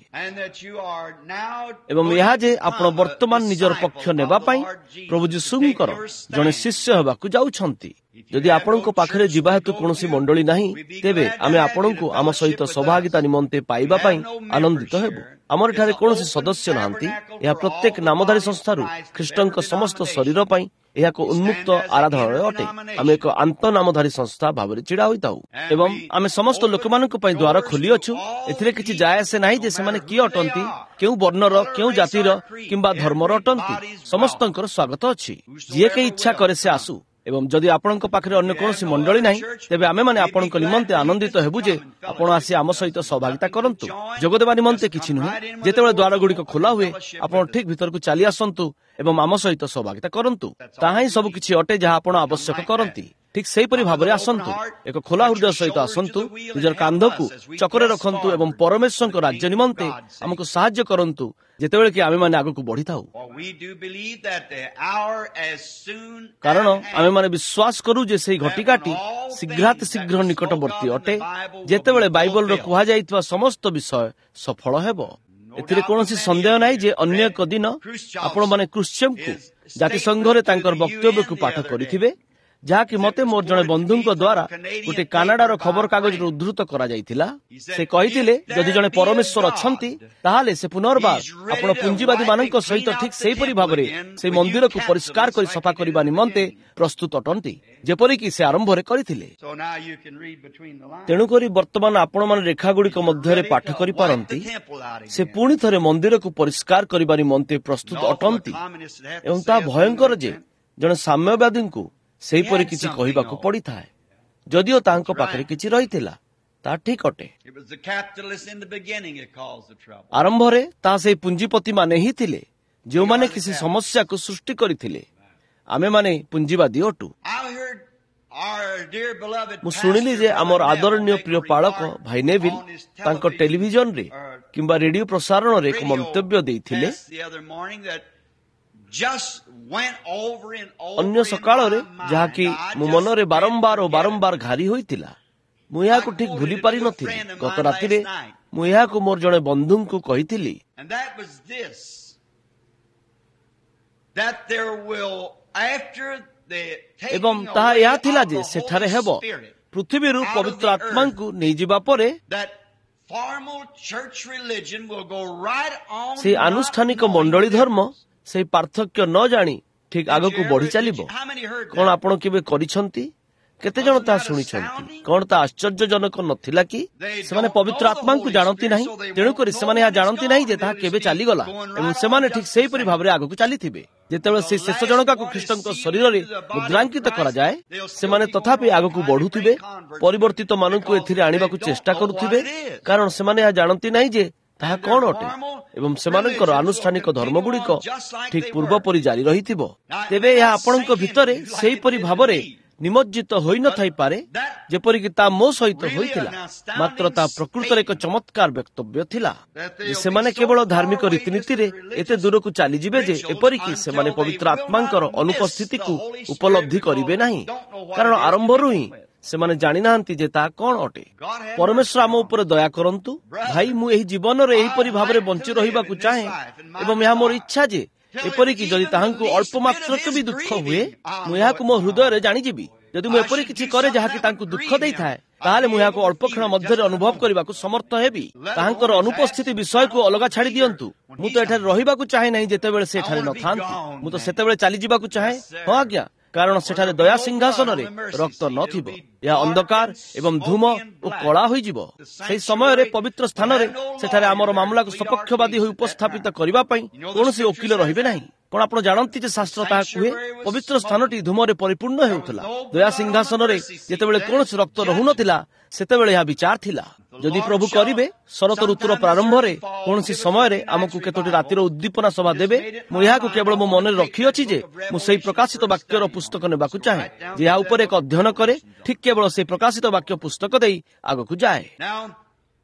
ଏବଂ ଏହା ଯେ ଆପଣ ବର୍ତ୍ତମାନ ନିଜର ପକ୍ଷ ନେବା ପାଇଁ ପ୍ରଭୁ ଯୀଶୁଙ୍କର ଜଣେ ଶିଷ୍ୟ ହେବାକୁ ଯାଉଛନ୍ତି। ଯଦି ଆପଣଙ୍କ ପାଖରେ ଯିବା ହେତୁ କୌଣସି ମଣ୍ଡଳୀ ନାହିଁ, ତେବେ ଆମେ ଆପଣଙ୍କୁ ଆମ ସହିତ ସହଭାଗିତା ନିମନ୍ତେ ପାଇବା ପାଇଁ ଆନନ୍ଦିତ ହେବୁ। ଆମର ଏଠାରେ କୌଣସି ସଦସ୍ୟ ନାହାନ୍ତି। ଏହା ପ୍ରତ୍ୟେକ ନାମଧାରୀ ସଂସ୍ଥାରୁ ଖ୍ରୀଷ୍ଟଙ୍କ ସମସ୍ତ ଶରୀର ପାଇଁ ଏହା ଏକ ଉନ୍ମୁକ୍ତ ଆରାଧନାଳୟ ଅଟେ। ଆମେ ଏକ ଆନ୍ତଃନାମଧାରୀ ସଂସ୍ଥା ଭାବରେ ଛିଡ଼ା ହୋଇଥାଉ ଏବଂ ଆମେ ସମସ୍ତ ଲୋକମାନଙ୍କ ପାଇଁ ଦ୍ୱାର ଖୋଲିଅଛୁ। ଏଥିରେ କିଛି ଯାଏ ଆସେ ନାହିଁ ଯେ ସେମାନେ କିଏ ଅଟନ୍ତି, କେଉଁ ବର୍ଣ୍ଣର, କେଉଁ ଜାତିର କିମ୍ବା ଧର୍ମର ଅଟନ୍ତି। ସମସ୍ତଙ୍କର ସ୍ୱାଗତ ଅଛି। ଯିଏ କେହି ଇଚ୍ଛା କରେ ସେ ଆସୁ। ଏବଂ ଯଦି ଆପଣଙ୍କ ପାଖରେ ଅନ୍ୟ କୌଣସି ମଣ୍ଡଳୀ ନାହିଁ, ତେବେ ଆମେମାନେ ଆପଣଙ୍କ ନିମନ୍ତେ ଆନନ୍ଦିତ ହେବୁ ଯେ ଆପଣ ଆସି ଆମ ସହିତ ସହଭାଗିତା କରନ୍ତୁ। ଯୋଗଦେବା ନିମନ୍ତେ କିଛି ନୁହେଁ। ଯେତେବେଳେ ଦ୍ୱାରଗୁଡ଼ିକ ଖୋଲା ହୁଏ, ଆପଣ ଠିକ୍ ଭିତରକୁ ଚାଲି ଆସନ୍ତୁ ଏବଂ ଆମ ସହିତ ସହଭାଗିତା କରନ୍ତୁ। ତାହା ହିଁ ସବୁ କିଛି ଅଟେ ଯାହା ଆପଣ ଆବଶ୍ୟକ କରନ୍ତି। ଠିକ୍ ସେହିପରି ଭାବରେ ଆସନ୍ତୁ, ଏକ ଖୋଲା ହୃଦୟ ସହିତ ଆସନ୍ତୁ, ନିଜର କାନ୍ଧକୁ ଚକରେ ରଖନ୍ତୁ ଏବଂ ପରମେଶ୍ୱରଙ୍କ ରାଜ୍ୟ ନିମନ୍ତେ ଆମକୁ ସାହାଯ୍ୟ କରନ୍ତୁ ଯେତେବେଳେ କି ଆମେମାନେ ଆଗକୁ ବଢ଼ିଥାଉ। କାରଣ ଆମେମାନେ ବିଶ୍ୱାସ କରୁ ଯେ ସେହି ଘଟିକାଟି ଶୀଘ୍ରାତି ଶୀଘ୍ର ନିକଟବର୍ତ୍ତୀ ଅଟେ, ଯେତେବେଳେ ବାଇବଲର କୁହାଯାଇଥିବା ସମସ୍ତ ବିଷୟ ସଫଳ ହେବ। ଏଥିରେ କୌଣସି ସନ୍ଦେହ ନାହିଁ ଯେ ଅନ୍ୟ ଏକ ଦିନ ଆପଣମାନେ କ୍ରୁଶ୍ଚେଭଙ୍କୁ ଜାତିସଂଘରେ ତାଙ୍କର ବକ୍ତବ୍ୟକୁ ପାଠ କରିଥିବେ, ଯାହାକି ମୋତେ ମୋର ଜଣେ ବନ୍ଧୁଙ୍କ ଦ୍ୱାରା ଗୋଟିଏ କାନାଡାର ଖବରକାଗଜରୁ ଉଦ୍ଧୃତ କରାଯାଇଥିଲା। ସେ କହିଥିଲେ, ଯଦି ଜଣେ ପରମେଶ୍ୱର ଅଛନ୍ତି, ତାହେଲେ ସେ ପୁନର୍ବାର ଆପଣ ପୁଞ୍ଜିବାଦୀମାନଙ୍କ ସହିତ ଠିକ୍ ସେହିପରି ଭାବରେ ସେହି ମନ୍ଦିରକୁ ପରିଷ୍କାର କରି ସଫା କରିବା ନିମନ୍ତେ ପ୍ରସ୍ତୁତ ଅଟନ୍ତି, ଯେପରିକି ସେ ଆରମ୍ଭରେ କରିଥିଲେ। ତେଣୁକରି ବର୍ତ୍ତମାନ ଆପଣମାନେ ରେଖାଗୁଡ଼ିକ ମଧ୍ୟରେ ପାଠ କରିପାରନ୍ତି। ସେ ପୁଣି ଥରେ ମନ୍ଦିରକୁ ପରିଷ୍କାର କରିବା ନିମନ୍ତେ ପ୍ରସ୍ତୁତ ଅଟନ୍ତି ଏବଂ ତାହା ଭୟଙ୍କର ଯେ ଜଣେ ସାମ୍ୟବାଦୀଙ୍କୁ ସେହିପରି କିଛି କହିବାକୁ ପଡ଼ିଥାଏ, ଯଦିଓ ତାଙ୍କ ପାଖରେ କିଛି ରହିଥିଲା। ତାହା ଠିକ୍ ଅଟେ। ଆରମ୍ଭରେ ତାହା ସେହି ପୁଞ୍ଜିପତିମାନେ ହିଁ ଥିଲେ ଯେଉଁମାନେ କିଛି ସମସ୍ୟାକୁ ସୃଷ୍ଟି କରିଥିଲେ। ଆମେମାନେ ପୁଞ୍ଜିବାଦୀ ଅଟୁ। ମୁଁ ଶୁଣିଲି ଯେ ଆମର ଆଦରଣୀୟ ପ୍ରିୟ ପାଳକ ଭାଇ ନେଭିଲ ତାଙ୍କ ଟେଲିଭିଜନରେ କିମ୍ବା ରେଡିଓ ପ୍ରସାରଣରେ ଏକ ମନ୍ତବ୍ୟ ଦେଇଥିଲେ ଅନ୍ୟ ସକାଳରେ, ଯାହାକି ମୋ ମନରେ ବାରମ୍ବାର ଓ ବାରମ୍ବାର ଘାରି ହୋଇଥିଲା। ମୁଁ ଏହାକୁ ଠିକ୍ ଭୁଲି ପାରିନଥିଲି। ଗତ ରାତିରେ ମୁଁ ଏହାକୁ ମୋର ଜଣେ ବନ୍ଧୁଙ୍କୁ କହିଥିଲି। ଏବଂ ତାହା ଏହା ଥିଲା ଯେ ସେଠାରେ ହେବ ପୃଥିବୀରୁ ପବିତ୍ର ଆତ୍ମାଙ୍କୁ ନେଇଯିବା ପରେ ସେହି ଆନୁଷ୍ଠାନିକ ମଣ୍ଡଳୀ ଧର୍ମ ସେହି ପାର୍ଥକ୍ୟ ନ ଜାଣି ଠିକ୍ ଆଗକୁ ବଢ଼ି ଚାଲିବ। କଣ ଆପଣ କେବେ କରିଛନ୍ତି? କେତେ ଜଣ ତାହା ଶୁଣିଛନ୍ତି? କଣ ତାହା ଆଶ୍ଚର୍ଯ୍ୟଜନକ ନଥିଲା କି? ସେମାନେ ପବିତ୍ର ଆତ୍ମାଙ୍କୁ ଜାଣନ୍ତି ନାହିଁ, ତେଣୁକରି ସେମାନେ ଏହା ଜାଣନ୍ତି ନାହିଁ ଯେ ତାହା କେବେ ଚାଲିଗଲା ଏବଂ ସେମାନେ ଠିକ୍ ସେହିପରି ଭାବରେ ଆଗକୁ ଚାଲିଥିବେ। ଯେତେବେଳେ ସେହି ଶେଷ ଜଣକାକୁ ଖ୍ରୀଷ୍ଟଙ୍କ ଶରୀରରେ ମୁଦ୍ରାଙ୍କିତ କରାଯାଏ, ସେମାନେ ତଥାପି ଆଗକୁ ବଢ଼ୁଥିବେ, ପରିବର୍ତ୍ତିତ ମାନଙ୍କୁ ଏଥିରେ ଆଣିବାକୁ ଚେଷ୍ଟା କରୁଥିବେ, କାରଣ ସେମାନେ ଏହା ଜାଣନ୍ତି ନାହିଁ ଯେ ତାହା କଣ ଅଟେ ଏବଂ ସେମାନଙ୍କର ଆନୁଷ୍ଠାନିକ ଧର୍ମଗୁଡ଼ିକ ଠିକ୍ ପୂର୍ବପରି ଜାରି ରହିଥିବ। ତେବେ ଏହା ଆପଣଙ୍କ ଭିତରେ ସେହିପରି ଭାବରେ ନିମଜ୍ଜିତ ହୋଇନଥାଇପାରେ ଯେପରିକି ତା ମୋ ସହିତ ହୋଇଥିଲା, ମାତ୍ର ତାହା ପ୍ରକୃତରେ ଏକ ଚମତ୍କାର ବକ୍ତବ୍ୟ ଥିଲା ଯେ ସେମାନେ କେବଳ ଧାର୍ମିକ ରୀତିନୀତିରେ ଏତେ ଦୂରକୁ ଚାଲିଯିବେ ଯେ ଏପରିକି ସେମାନେ ପବିତ୍ର ଆତ୍ମାଙ୍କର ଅନୁପସ୍ଥିତିକୁ ଉପଲବ୍ଧି କରିବେ ନାହିଁ, କାରଣ ଆରମ୍ଭରୁ ହିଁ ସେମାନେ ଜାଣିନାହାନ୍ତି ଯେ ତାହା କଣ ଅଟେ। ପରମେଶ୍ୱର ଆମ ଉପରେ ଦୟା କରନ୍ତୁ। ଭାଇ, ମୁଁ ଏହି ଜୀବନରେ ଏହିପରି ଭାବରେ ବଞ୍ଚି ରହିବାକୁ ଚାହେଁ ଏବଂ ଏହା ମୋର ଇଚ୍ଛା ଯେ ଏପରିକି ଯଦି ତାହାଙ୍କୁ ଅଳ୍ପ ମାତ୍ରକ ବି ଦୁଃଖ ହୁଏ, ମୁଁ ଏହାକୁ ମୋ ହୃଦୟରେ ଜାଣିଯିବି। ଯଦି ମୁଁ ଏପରି କିଛି କରେ ଯାହାକି ତାଙ୍କୁ ଦୁଃଖ ଦେଇଥାଏ, ତାହେଲେ ମୁଁ ଏହାକୁ ଅଳ୍ପ କ୍ଷଣ ମଧ୍ୟରେ ଅନୁଭବ କରିବାକୁ ସମର୍ଥ ହେବି। ତାହାଙ୍କର ଅନୁପସ୍ଥିତି ବିଷୟକୁ ଅଲଗା ଛାଡ଼ି ଦିଅନ୍ତୁ। ମୁଁ ତ ଏଠାରେ ରହିବାକୁ ଚାହେଁ ନାହିଁ ଯେତେବେଳେ ସେ ଏଠାରେ ନଥାନ୍ତି। ମୁଁ ତ ସେତେବେଳେ ଚାଲିଯିବାକୁ ଚାହେଁ। ହଁ ଆଜ୍ଞା, କାରଣ ସେଠାରେ ଦୟା ସିଂହାସନରେ ରକ୍ତ ନଥିବ। ଏହା ଅନ୍ଧକାର ଏବଂ ଧୂମ ଓ କଳା ହୋଇଯିବ। ସେହି ସମୟରେ ପବିତ୍ର ସ୍ଥାନରେ ସେଠାରେ ଆମର ମାମଲାକୁ ସପକ୍ଷବାଦୀ ହୋଇ ଉପସ୍ଥାପିତ କରିବା ପାଇଁ କୌଣସି ଓକିଲ ରହିବେ ନାହିଁ। କଣ ଆପଣ ଜାଣନ୍ତି ଯେ ଶାସ୍ତ୍ର ତାହା କୁହେ? ପବିତ୍ର ସ୍ଥାନଟି ଧୂମରେ ପରିପୂର୍ଣ୍ଣ ହେଉଥିଲା। ଦୟା ସିଂହାସନରେ ଯେତେବେଳେ କୌଣସି ରକ୍ତ ରହୁନଥିଲା, ସେତେବେଳେ ଏହା ବିଚାର ଥିଲା। ଯଦି ପ୍ରଭୁ କରିବେ, ଶରତ ଋତୁର ପ୍ରାରମ୍ଭରେ କୌଣସି ସମୟରେ ଆମକୁ କେତୋଟି ରାତିର ଉଦ୍ଦୀପନା ସଭା ଦେବେ। ମୁଁ ଏହାକୁ କେବଳ ମୋ ମନରେ ରଖିଅଛି ଯେ ମୁଁ ସେହି ପ୍ରକାଶିତ ବାକ୍ୟର ପୁସ୍ତକ ନେବାକୁ ଚାହେଁ, ଯେ ଏହା ଉପରେ ଏକ ଅଧ୍ୟୟନ କରେ, ଠିକ୍ କେବଳ ସେହି ପ୍ରକାଶିତ ବାକ୍ୟ ପୁସ୍ତକ ଦେଇ ଆଗକୁ ଯାଏ।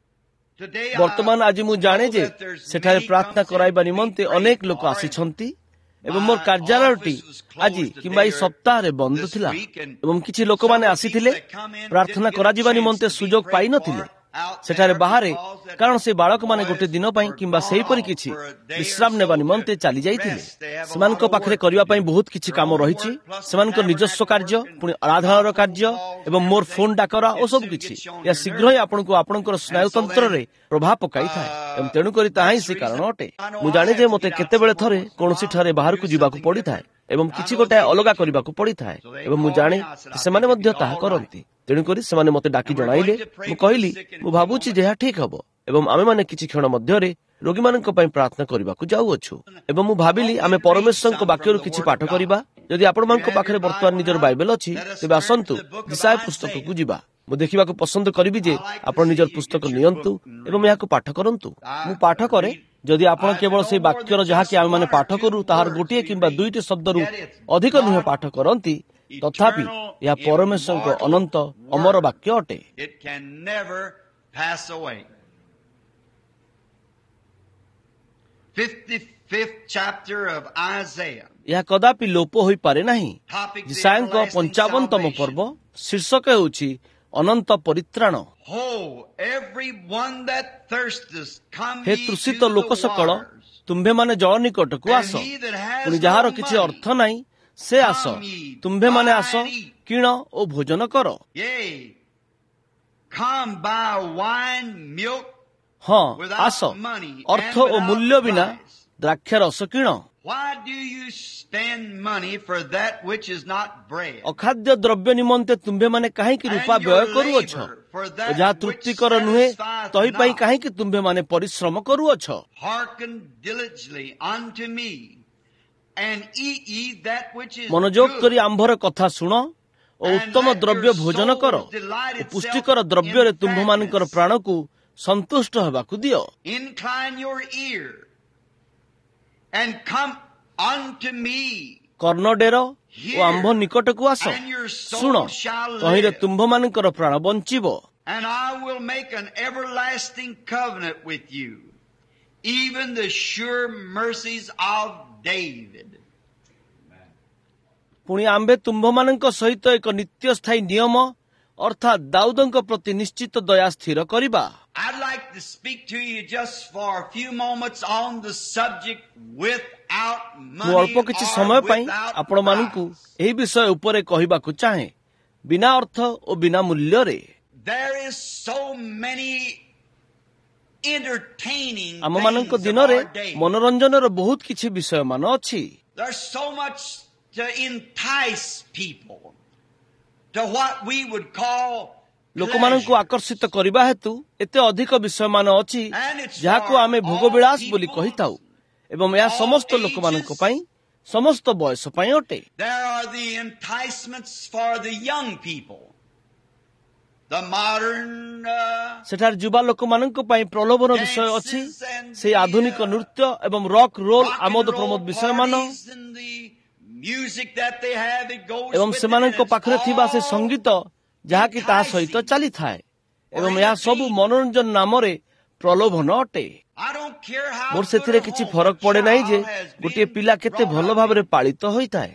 ବର୍ତ୍ତମାନ ଆଜି ମୁଁ ଜାଣେ ଯେ ସେଠାରେ ପ୍ରାର୍ଥନା କରାଇବା ନିମନ୍ତେ ଅନେକ ଲୋକ ଆସିଛନ୍ତି ଏବଂ ମୋର କାର୍ଯ୍ୟାଳୟଟି ଆଜି କିମ୍ବା ଏହି ସପ୍ତାହରେ ବନ୍ଦ ଥିଲା ଏବଂ କିଛି ଲୋକମାନେ ଆସିଥିଲେ, ପ୍ରାର୍ଥନା କରାଯିବା ନିମନ୍ତେ ସୁଯୋଗ ପାଇନଥିଲେ ସେଠାରେ ବାହାରେ, କାରଣ ସେ ବାଳକମାନେ ଗୋଟେ ଦିନ ପାଇଁ କିମ୍ବା ସେହିପରି କିଛି ବିଶ୍ରାମ ନେବା ନିମନ୍ତେ ଚାଲି ଯାଇଥିଲେ। ସେମାନଙ୍କ ପାଖରେ କରିବା ପାଇଁ ବହୁତ କିଛି କାମ ରହିଛି, ସେମାନଙ୍କ ନିଜସ୍ୱ କାର୍ଯ୍ୟ, ପୁଣି ଆରାଧନାର କାର୍ଯ୍ୟ ଏବଂ ମୋର ଫୋନ୍ ଡାକରା ଓ ସବୁ କିଛି। ଏହା ଶୀଘ୍ର ହିଁ ଆପଣଙ୍କୁ ଆପଣଙ୍କର ସ୍ନାୟୁତନ୍ତ୍ରରେ ପ୍ରଭାବ ପକାଇଥାଏ ଏବଂ ତେଣୁକରି ତାହା ହିଁ ସେ କାରଣ ଅଟେ। ମୁଁ ଜାଣେ ଯେ ମୋତେ କେତେବେଳେ ଥରେ କୌଣସି ଠାରେ ବାହାରକୁ ଯିବାକୁ ପଡ଼ିଥାଏ ଏବଂ କିଛି ଗୋଟାଏ ଅଲଗା କରିବାକୁ ପଡ଼ିଥାଏ ଏବଂ ମୁଁ ଜାଣେ ସେମାନେ ମଧ୍ୟ ତାହା କରନ୍ତି। ତେଣୁକରି ସେମାନେ ମୋତେ ଡାକି ଜଣାଇଲେ। ମୁଁ କହିଲି, ମୁଁ ଭାବୁଛି ଯେ ଏହା ଠିକ୍ ହବ ଏବଂ ଆମେମାନେ କିଛି କ୍ଷଣ ମଧ୍ୟରେ ରୋଗୀମାନଙ୍କ ପାଇଁ ପ୍ରାର୍ଥନା କରିବାକୁ ଯାଉଅଛୁ ଏବଂ ମୁଁ ଭାବିଲି ଆମେ ପରମେଶ୍ୱରଙ୍କ ବାକ୍ୟରୁ କିଛି ପାଠ କରିବା। ଯଦି ଆପଣମାନଙ୍କ ପାଖରେ ବର୍ତ୍ତମାନ ନିଜର ବାଇବେଲ ଅଛି, ତେବେ ଆସନ୍ତୁ ଯିଶାଇୟ ପୁସ୍ତକକୁ ଯିବା। ମୁଁ ଦେଖିବାକୁ ପସନ୍ଦ କରିବି ଯେ ଆପଣ ନିଜର ପୁସ୍ତକ ନିଅନ୍ତୁ ଏବଂ ଏହାକୁ ପାଠ କରନ୍ତୁ। ମୁଁ ପାଠ କରେ। ଯଦି ଆପଣ କେବଳ ସେଇ ବାକ୍ୟର ଯାହାକି ଆମେମାନେ ପାଠ କରୁ ତାହାର ଗୋଟିଏ କିମ୍ବା ଦୁଇଟି ଶବ୍ଦରୁ ଅଧିକ ନୁହେଁ ପାଠ କରନ୍ତି, ତଥାପି ଏହା ପରମେଶ୍ୱରଙ୍କ ଅନନ୍ତ ଅମର ବାକ୍ୟ ଅଟେ। It can never pass away. 55th chapter of Isaiah. ଏହା କଦାପି ଲୋପ ହୋଇପାରେ ନାହିଁ। Topic, the ଯିଶାଇୟଙ୍କ everlasting 55ତମ salvation. ପର୍ବ, ଶୀର୍ଷକ ହେଉଛି ଅନନ୍ତ ପରିତ୍ରାଣ। Ho, every one that thirsteth, come Hai ye to ତୃଷିତ the ଲୋକ ସକଳ, waters. ତୁମ୍ଭେମାନେ ଜଳ ନିକଟକୁ And ଆସ। he that has ପୁଣି ଯାହାର no କିଛି money, ଅର୍ଥ ନାହିଁ, ସେ ଆସ, come ye, ତୁମ୍ଭେମାନେ buy ଆସ, and eat. କିଣ ଓ ଭୋଜନ କର। Yea, come buy wine, milk, ହଁ, without ଆସ, money ଅର୍ଥ and O without ମୂଲ୍ୟ ବିନା price. ଦ୍ରାକ୍ଷାରସ କିଣ। Why do you spend money for that which is not bread? ଅଖାଦ୍ୟ ଦ୍ରବ୍ୟ ନିମନ୍ତେ ତୁମ୍ଭେମାନେ କାହିଁକି ରୂପା And your ବ୍ୟୟ କରୁଅଛ? labor for O that ଯାହା which ତୃପ୍ତିକର ନୁହେଁ, satisfieth ତହିଁ ପାଇଁ not? କାହିଁକି ତୁମ୍ଭେମାନେ ପରିଶ୍ରମ କରୁଅଛ? Hearken diligently unto me, and eat ye that which is ମନୋଯୋଗ good, କରି ଆମ୍ଭର କଥା ଶୁଣ ଓ and ଉତ୍ତମ let ଦ୍ରବ୍ୟ your ଭୋଜନ କର souls delight ଓ itself ପୁଷ୍ଟିକର in ଦ୍ରବ୍ୟରେ ତୁମ୍ଭମାନଙ୍କର fatness. ପ୍ରାଣକୁ ସନ୍ତୁଷ୍ଟ ହେବାକୁ ଦିଅ। Incline your ear, and come unto me, କର୍ଣ୍ଣ ଡେର ଓ ଆମ୍ଭ ନିକଟକୁ ଆସ, and your ଶୁଣ, soul shall ତହିଁରେ live. ତୁମ୍ଭମାନଙ୍କର ପ୍ରାଣ ବଞ୍ଚିବ। And I will make an everlasting covenant with you, even the sure mercies of David. ପୁଣି ଆମ୍ଭେ ତୁମ୍ଭମାନଙ୍କ ସହିତ ଏକ ନିତ୍ୟସ୍ଥାୟୀ ନିୟମ, ଅର୍ଥାତ୍ ଦାଉଦଙ୍କ ପ୍ରତି ନିଶ୍ଚିତ ଦୟା ସ୍ଥିର କରିବା। I'd like to speak to you just for a few moments on the subject without ମୁଁ money ଅଳ୍ପ କିଛି or ସମୟ ପାଇଁ without ଆପଣମାନଙ୍କୁ price. ଏହି ବିଷୟ ଉପରେ କହିବାକୁ ଚାହେଁ, ବିନା ଅର୍ଥ ଓ ବିନା ମୂଲ୍ୟରେ। There is so many entertaining ଆମମାନଙ୍କ things of ଦିନରେ our day. ମନୋରଞ୍ଜନର ବହୁତ କିଛି ବିଷୟମାନ ଅଛି। There's so much to entice people to what we would call ଲୋକମାନଙ୍କୁ pleasure. ଆକର୍ଷିତ କରିବା ହେତୁ ଏତେ ଅଧିକ ବିଷୟମାନ ଅଛି, And it's ଯାହାକୁ for ଆମେ all ଭୋଗବିଳାସ ବୋଲି peoples, କହିଥାଉ ଏବଂ ଏହା all ସମସ୍ତ ଲୋକମାନଙ୍କ ages. ପାଇଁ, ସମସ୍ତ ବୟସ ପାଇଁ ଅଟେ। There are the enticements for the young people. The modern ସେଠାରେ ଯୁବା ଲୋକମାନଙ୍କ ପାଇଁ ପ୍ରଲୋଭନ ବିଷୟ ଅଛି, dances and ସେହି the ଆଧୁନିକ ନୃତ୍ୟ ଏବଂ rock roll rock ଆମୋଦ and Pramod roll ବିଷୟମାନ parties and the music that they have, it goes ଏବଂ with it, and ସେମାନଙ୍କ it's ପାଖରେ ଥିବା ସେ all ସଙ୍ଗୀତ ଯାହାକି ତାହା ସହିତ enticing ଚାଲିଥାଏ or ଏବଂ ଏହା ସବୁ entertaining. ମନୋରଞ୍ଜନ ନାମରେ ପ୍ରଲୋଭନ ଅଟେ। I don't care how ମୋର good ସେଥିରେ a କିଛି home ଫରକ a ପଡେ ନାହିଁ ଯେ child has ଗୋଟିଏ been ପିଲା କେତେ brought ଭଲ up ଭାବରେ in ପାଳିତ ହୋଇଥାଏ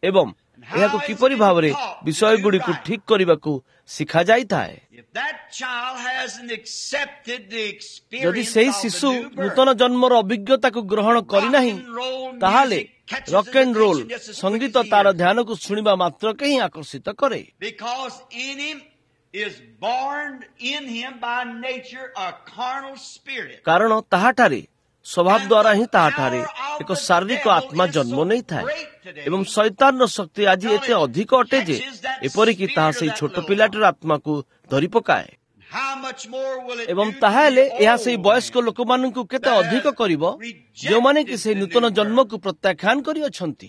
ଏବଂ and how ଏହାକୁ it's କିପରି been ଭାବରେ taught to do ବିଷୟଗୁଡ଼ିକୁ right. ଠିକ୍ କରିବାକୁ ଶିଖାଯାଇଥାଏ। If that child hasn't accepted the ଯଦି experience ସେହି of the ଶିଶୁ new birth, ନୂତନ ଜନ୍ମର ଅଭିଜ୍ଞତାକୁ ଗ୍ରହଣ rock କରିନାହିଁ, and roll ତାହେଲେ music catches rock his and roll attention just as quick ସଙ୍ଗୀତ as he ତାର hears it. ଧ୍ୟାନକୁ ଶୁଣିବା ମାତ୍ରକେ ହିଁ ଆକର୍ଷିତ କରେ। Because in him is born in him by nature a carnal spirit. କାରଣ ତାହାଠାରେ ସ୍ୱଭାବ And ଦ୍ୱାରା the ହିଁ ତାହାଠାରେ power of ଏକ the ଶାରୀରିକ devil ଆତ୍ମା is ଜନ୍ମ so ନେଇଥାଏ great today ଏବଂ ଶୈତାନର ଶକ୍ତି ଆଜି till ଏତେ it ଅଧିକ ଅଟେ ଯେ catches that ଏପରିକି ତାହା spirit of ସେଇ that ଛୋଟ little one. ପିଲାଟିର ଆତ୍ମାକୁ ଧରି ପକାଏ। ଏବଂ ତାହେଲେ ଏହା ସେହି ବୟସ୍କ ଲୋକମାନଙ୍କୁ କେତେ ଅଧିକ କରିବ ଯେଉଁମାନେ କି ସେହି ନୂତନ ଜନ୍ମକୁ ପ୍ରତ୍ୟାଖ୍ୟାନ କରିଅଛନ୍ତି।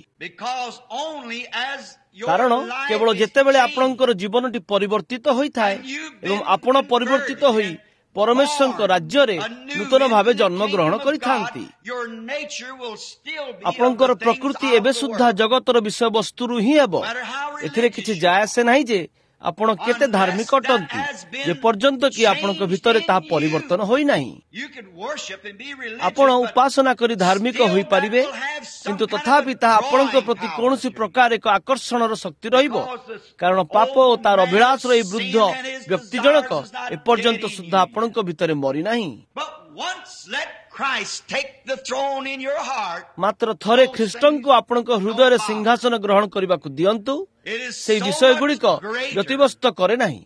କାରଣ କେବଳ ଯେତେବେଳେ ଆପଣଙ୍କର ଜୀବନଟି ପରିବର୍ତ୍ତିତ ହୋଇଥାଏ ଏବଂ ଆପଣ ପରିବର୍ତ୍ତିତ ହୋଇ ପରମେଶ୍ୱରଙ୍କ ରାଜ୍ୟରେ ନୂତନ ଭାବେ ଜନ୍ମଗ୍ରହଣ କରିଥାନ୍ତି, ଆପଣଙ୍କର ପ୍ରକୃତି ଏବେ ସୁଦ୍ଧା ଜଗତର ବିଷୟବସ୍ତୁରୁ ହିଁ ହେବ। ଏଥିରେ କିଛି ଯାଏ ଆସେ ନାହିଁ ଯେ ଆପଣ କେତେ ଧାର୍ମିକ ଅଟନ୍ତି, ଯେପର୍ଯ୍ୟନ୍ତ କି ଆପଣଙ୍କ ଭିତରେ ତାହା ପରିବର୍ତ୍ତନ ହୋଇନାହିଁ। ଆପଣ ଉପାସନା କରି ଧାର୍ମିକ ହୋଇପାରିବେ, କିନ୍ତୁ ତଥାପି ତାହା ଆପଣଙ୍କ ପ୍ରତି କୌଣସି ପ୍ରକାର ଏକ ଆକର୍ଷଣର ଶକ୍ତି ରହିବ, କାରଣ ପାପ ଓ ତାର ଅଭିଳାଷର ଏହି ବୃଦ୍ଧ ବ୍ୟକ୍ତି ଜଣକ ଏପର୍ଯ୍ୟନ୍ତ ସୁଦ୍ଧା ଆପଣଙ୍କ ଭିତରେ ମରିନାହିଁ। ମାତ୍ର ଥରେ ଖ୍ରୀଷ୍ଟଙ୍କୁ ଆପଣଙ୍କ ହୃଦୟରେ ସିଂହାସନ ଗ୍ରହଣ କରିବାକୁ ଦିଅନ୍ତୁ, ସେହି ବିଷୟଗୁଡ଼ିକ ବ୍ୟତିବ୍ୟସ୍ତ କରେ ନାହିଁ।